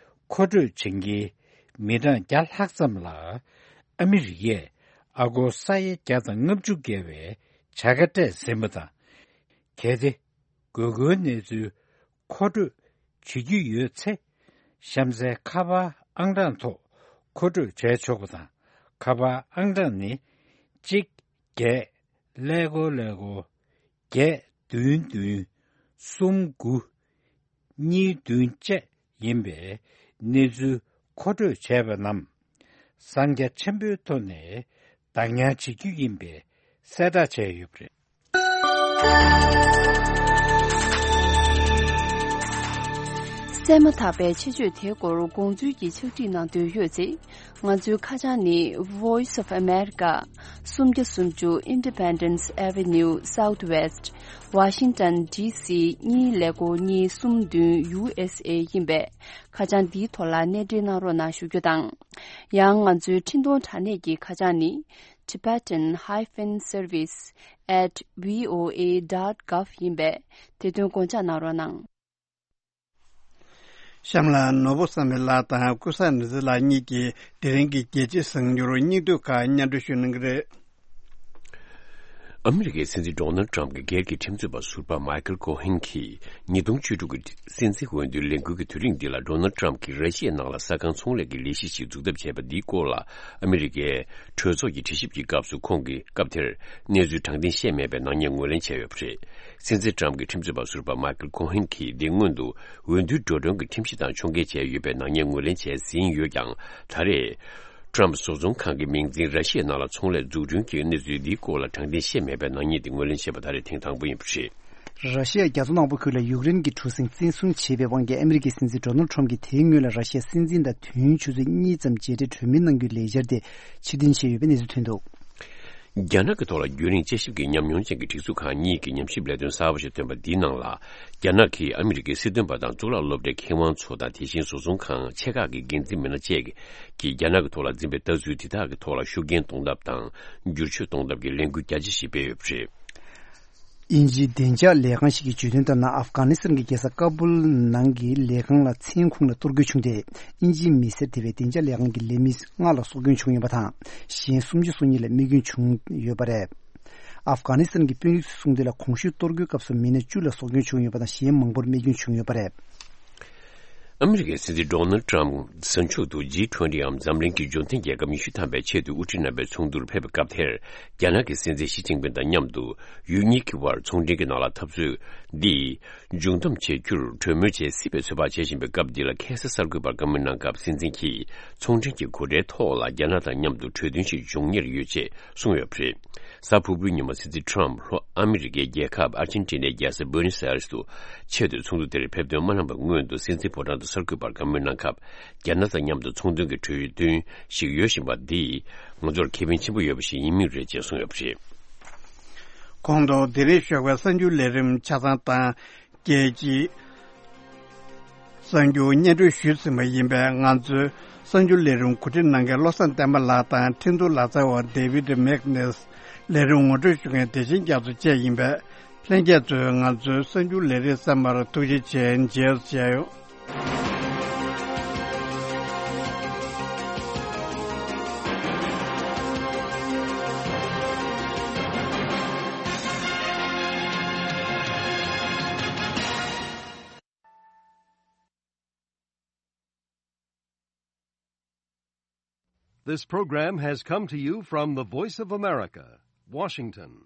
མཁོ་སྤྲོད་བྱེད་མཁན་མི་གྲངས་བརྒྱ་ལྷག་ཙམ་ལ་ཨ་མི་རི་ཀས་ཨ་སྒོར་ས་ཡ་བརྒྱ་དང་ལྔ་བཅུ་བརྒལ་བའི་བྱ་དགའ་སྤྲད་ཟིན་པ་དང་། གལ་ཏེ། དགོས་མཁོའི་གནས་ཚུལ་མཁོ་སྤྲོད་བྱེད་རྒྱུ་ཡོད་ཚེ། གཤམ་གསལ་ཁ་པར་ཨང་གྲངས་ཐོག་མཁོ་སྤྲོད་བྱས་ཆོག་པ་དང་། ཁ་པར་ཨང་གྲངས་ནི། གཅིག་བརྒྱད་ཀླད་ཀོར་ཀླད་ཀོར་བརྒྱད་བདུན་བདུན་གསུམ་དགུ་གཉིས་བདུན་བཅས་ཡིན་པས། གནས་ཚུལ་མཁོ་སྤྲོད་བྱས་པ་རྣམས་གསང་རྒྱ་ཆེན་པོའི་ཐོག་ནས་བདག་ཉར་བྱེད་རྒྱུ་ཡིན་པའི་གསལ་བསྒྲགས་བྱས་ཡོད་པ་རེད། གསན་མ་ཐག་པའི་ཆེད་བརྗོད་དེའི་སྐོར་དགོངས་ཚུལ་གྱི་ཕྱག་བྲིས་གནང་འདོད་ཡོད་ཚེ། ང་ཚོའི་ཁ་བྱང་ནི། Voice of America། སུམ་བརྒྱ་སུམ་ཅུ། Independence Avenue Southwest། Washington D C གཉིས་ཀླད་ཀོར་གཉིས་གསུམ་བདུན། U S A ཡིན་པས། ཁ་བྱང་འདིའི་ཐོག་ལ་གནས་འབྲེལ་གནང་རོགས་གནང་ཞུ་རྒྱུ་དང་། ཡང་ང་ཚོའི་འཕྲིན་གཏོང་དྲ་གནས་ཀྱི་ཁ་བྱང་ནི། Tibetan hyphen service at V O A dot gov ཡིན་པས། དེ་དོན་དགོངས་འཇགས་གནང་རོགས་གནང་། གཤམ་ལ་ནོར་བུ་བསམ་འཕེལ་ལགས་དང་ཀུན་བཟང་ནེ་ཙེ་ལགས་གཉིས་ཀྱིས་དེ་རིང་གི་རྒྱལ་སྤྱིའི་གསར་འགྱུར་སྙིང་བསྡུས་ཁག་སྙན་སྒྲོན་ཞུ་གནང་གི་རེད། ཨ་མི་རི་ཀའི་སྲིད་འཛིན་ཌོ་ནལ་ཊམ་གྱི་སྒེར་གྱི་ཁྲིམས་རྩོད་པ་ཟུར་པ་མའི་ཁལ་ཁོ་ཧན་གྱིས་ཉིས་སྟོང་བཅུ་དྲུག་གི་སྲིད་འཛིན་འོས་བསྡུའི་ལས་འགུལ་གྱི་དུས་རིང་འདི་ལ་ཌོ་ནལ་ཊམ་གྱིས་ར་ཤི་ཡའི་ནང་ལ་ས་ཁང་ཚོང་ལས་ཀྱི་ལས་གཞི་ཞིག་འཛུགས་ཐབས་བྱས་པ་འདིའི་སྐོར་ལ་ཨ་མི་རི་ཀའི་གྲོས་ཚོགས་ཀྱི་དྲི་ཞིབ་ཀྱི་སྐབས་སུ་ཁོང་གིས་སྐབས་དེར་གནས་ཚུལ་དྲང་བདེན་བཤད་མེད་པའི་ནག་ཉེས་ངོས་ལེན་བྱས་ཡོད་པ་རེད། སྲིད་འཛིན་ཊམ་གྱི་ཁྲིམས་རྩོད་པ་ཟུར་པ་མའི་ཁལ་ཁོ་ཧན་གྱིས་འདི་སྔོན་དུ་འོས་བསྡུའི་འགྲོ་གྲོན་གྱི་ཁྲིམས་གཞི་དང་ཕྱོགས་འགལ་བྱས་ཡོད་པའི་ནག་ཉེས་ངོས་ལེན་བྱས་ཟིན་ཡོད་ཀྱང་། ད་རེས་ཊམ་བཟོ་ཚོང་ཁང་གི་མིང་འཛིན་ར་ཤི་ཡའི་ནང་ལ་ཚོང་ལས་འཛུགས་སྐྲུན་གྱི་གནས་ཚུལ་འདིའི་སྐོར་ལ་དྲང་བདེན་བཤད་མེད་པའི་ནག་ཉེས་འདི་ངོས་ལེན་བྱས་པ་ད་རེས་ཐེངས་དང་པོ་ཡིན་པ་རེད། ར་ཤི་ཡ་རྒྱ་མཚོ་ནག་པོ་ཁུལ་ལ་ཡུཀ་རེན་གྱི་གྲུ་གཟིངས་བཙན་བཟུང་བྱས་པའི་དབང་གིས་ཨ་མི་རི་ཀའི་སྲིད་འཛིན་ཌོ་ནལ་ཊམ་གྱིས་དེའི་སྔོན་ལ་ར་ཤི་ཡའི་སྲིད་འཛིན་དང་དུས་ཡུན་ཆུ་ཚོད་གཉིས་ཙམ་མཇལ་འཕྲད་གྲོས་མོལ་གནང་རྒྱུའི་ལས་འཆར་དེ་ཕྱིར་འཐེན་བྱས་ཡོད་པའི་གནས་ཚུལ་ཐོན་འདུག་རྒྱ་ནག་གི་ཐོག་ལ་རྒྱུན་རིང་དཔྱད་ཞིབ་ཀྱི་ཉམས་མྱོང་ཅན་གྱི་སྒྲིག་འཛུགས་ཁག་གཉིས་ཀྱི་ཉམས་ཞིབ་ལས་དོན་གསར་པ་ཞིག་ཐོན་པ་འདིའི་ནང་ལ། རྒྱ་ནག་གིས་ཨ་མི་རི་ཀའི་སྲིད་དོན་པ་དང་གཙུག་ལག་སློབ་གྲྭའི་མཁས་དབང་ཚོ་དང་། དེ་བཞིན་བཟོ་ཚོང་ཁང་ཆེ་ཁག་གི་འགན་འཛིན་མི་སྣ་བཅས་ཀྱིས་རྒྱ་ནག་གི་ཐོག་ལ་འཛིན་པའི་ལྟ་ཚུལ་དེ་དག་གི་ཐོག་ལ་ཤུགས་རྐྱེན་གཏོང་ཐབས་དང་བསྒྱུར་བཅོས་གཏོང་ཐབས་ཀྱི་ལས་འགུལ་རྒྱ་ཆེ་ཞིག་སྤེལ་ཡོད་པ་རེད། དབྱིན་ཇིའི་བདེ་འཇགས་ལས་ཁང་ཞིག་གིས་བརྗོད་དོན་ལྟར་ན། ཨབ་གྷ་ནི་སི་ཐན་གྱི་རྒྱལ་ས་ཀ་སྦུལ་ནང་གི་ལས་ཁང་ལ་མཚན་ཁུངས་ལ་གཏོར་རྒོལ་བྱུང་སྟེ། དབྱིན་ཇིའི་མི་སེར་དེ་བས་བདེ་འཇགས་ལས་ཁང་གི་ལས་མི་ལྔ་ལ་སྲོག་སྐྱོན་བྱུང་ཡོད་པ་དང་། གཞན་སུམ་ཅུ་སོ་གཉིས་ལ་རྨས་སྐྱོན་བྱུང་ཡོད་པ་རེད། ཨབ་གྷ་ནི་སི་ཐན་གྱི་དཔོན་རིགས་ཚོས་གསུངས་དོན་ལ། གོང་ཞུས་གཏོར་རྒོལ་སྐབས་སུ་མི་སྣ་བཅུ་ལ་སྲོག་སྐྱོན་བྱུང་ཡོད་པ་དང་། གཞན་མང་པོར་རྨས་སྐྱོན་བྱུང་ཡོད་པ་རེད། ཨ་མི་རི་ཀའི་སྲིད་འཛིན་ཌོ་ནལ་ཊམ་གཟའ་མཇུག་ཏུ་ཇི་ཊུ་ཝེན་ཊི་འམ་འཛམ་གླིང་གི་འབྱོར་ལྡན་རྒྱལ་ཁབ་ཉི་ཤུ་ཐམ་པའི་ཆེས་མཐོའི་དབུ་ཁྲིད་རྣམ་པའི་ཚོགས་འདུར་ཕེབས་པའི་སྐབས་དེར། རྒྱ་ནག་གི་སྲིད་འཛིན་ཞི་ཅིན་ཕིན་དང་མཉམ་དུ་ཡུལ་གཉིས་ཀྱི་དབར་ཚོང་འབྲེལ་གྱི་ནང་ལ་འཐབ་རྩོད་འདི་མཇུག་བསྡོམས་བྱེད་རྒྱུར་གྲོས་མོལ་བྱེད་སྲིད་པའི་ཚོད་དཔག་བྱེད་བཞིན་པའི་སྐབས་འདི་ལ། ཁ་སང་གསར་འགོད་པར་བཀའ་མོལ་གནང་སྐབས། སྲིད་འཛིན་གྱིས་ཚོང་འབྲེལ་གྱི་སྒོ་ཁྲལ་ཐོག་ལ་རྒྱ་ནག་དང་མཉམ་དུ་གྲོས་མཐུན་ཞིག་འབྱུང་ཉེར་ཡོད་ཅེས་གསུངས་ཡོད་པ་རེད། གཟའ་ཕུར་བུའི་ཉིན་མོ་སྲིད་འཛིན་ཊམ་ལྷོ་ཨ་མི་རི་ཀའི་རྒྱལ་ཁབ་ཨར་ཇེན་ཊི་ནའི་རྒྱལ་ས་བུ་ཨེ་ནོས་ཨེ་རེས་སུ་ཆེས་མཐོའི་ཚོགས་འདུ་དེར་ཕེབས་ཐོན་མ་གནང་བའི་སྔོན་དུ། སྲིད་འཛིན་ཕོ་བྲང་དུ་གསར་འགོད་པར་བཀའ་མོལ་གནང་སྐབས། རྒྱ་ནག་དང་མཉམ་དུ་ཚོང་དོན་གྱི་གྲོས་མཐུན་ཞིག་ཡོད་བཞིན་པ་འདིས་ང་ཚོར་ཁེ་ཕན་ཆེན་པོ་ཡོད་པ་ཞིག་ཡིན་མུས་རེད་ཅེས་གསུངས་ཡོད་པ་རེད། གོང་དུ་དེ་རིང་ཞོགས་པའི་གསར་འགྱུར་ལས་རིམ་ཆ་ཚང་དང་། རྒྱལ་སྤྱིའི་གསར་འགྱུར་སྙན་སྒྲོན་ཞུས་ཟིན་པ་ཡིན་པས། ང་ཚོའི་གསར་འགྱུར་ལས་རིམ་གོ་སྒྲིག་གནང་མཁན་བློ་བཟང་བསྟན་པ་ལགས་དང་། འཕྲིན་གཏོང་ལག་རྩལ་བ་ཌེ་ཝིད་མེག་ནེས། ལས་རིམ་ངོ་སྤྲོད་ཞུ་མཁན་བདེ་ཆེན་རྒྱ་མཚོ་བཅས་ཡིན་པས། ལྷན་རྒྱས་ཚོས་ང་ཚོའི་གསར་འགྱུར་ལས་རིམ་གསན་པར་ཐུགས་རྗེ་ཆེ། མཇལ་ཡོང་། This program has come to you from the Voice of America, Washington.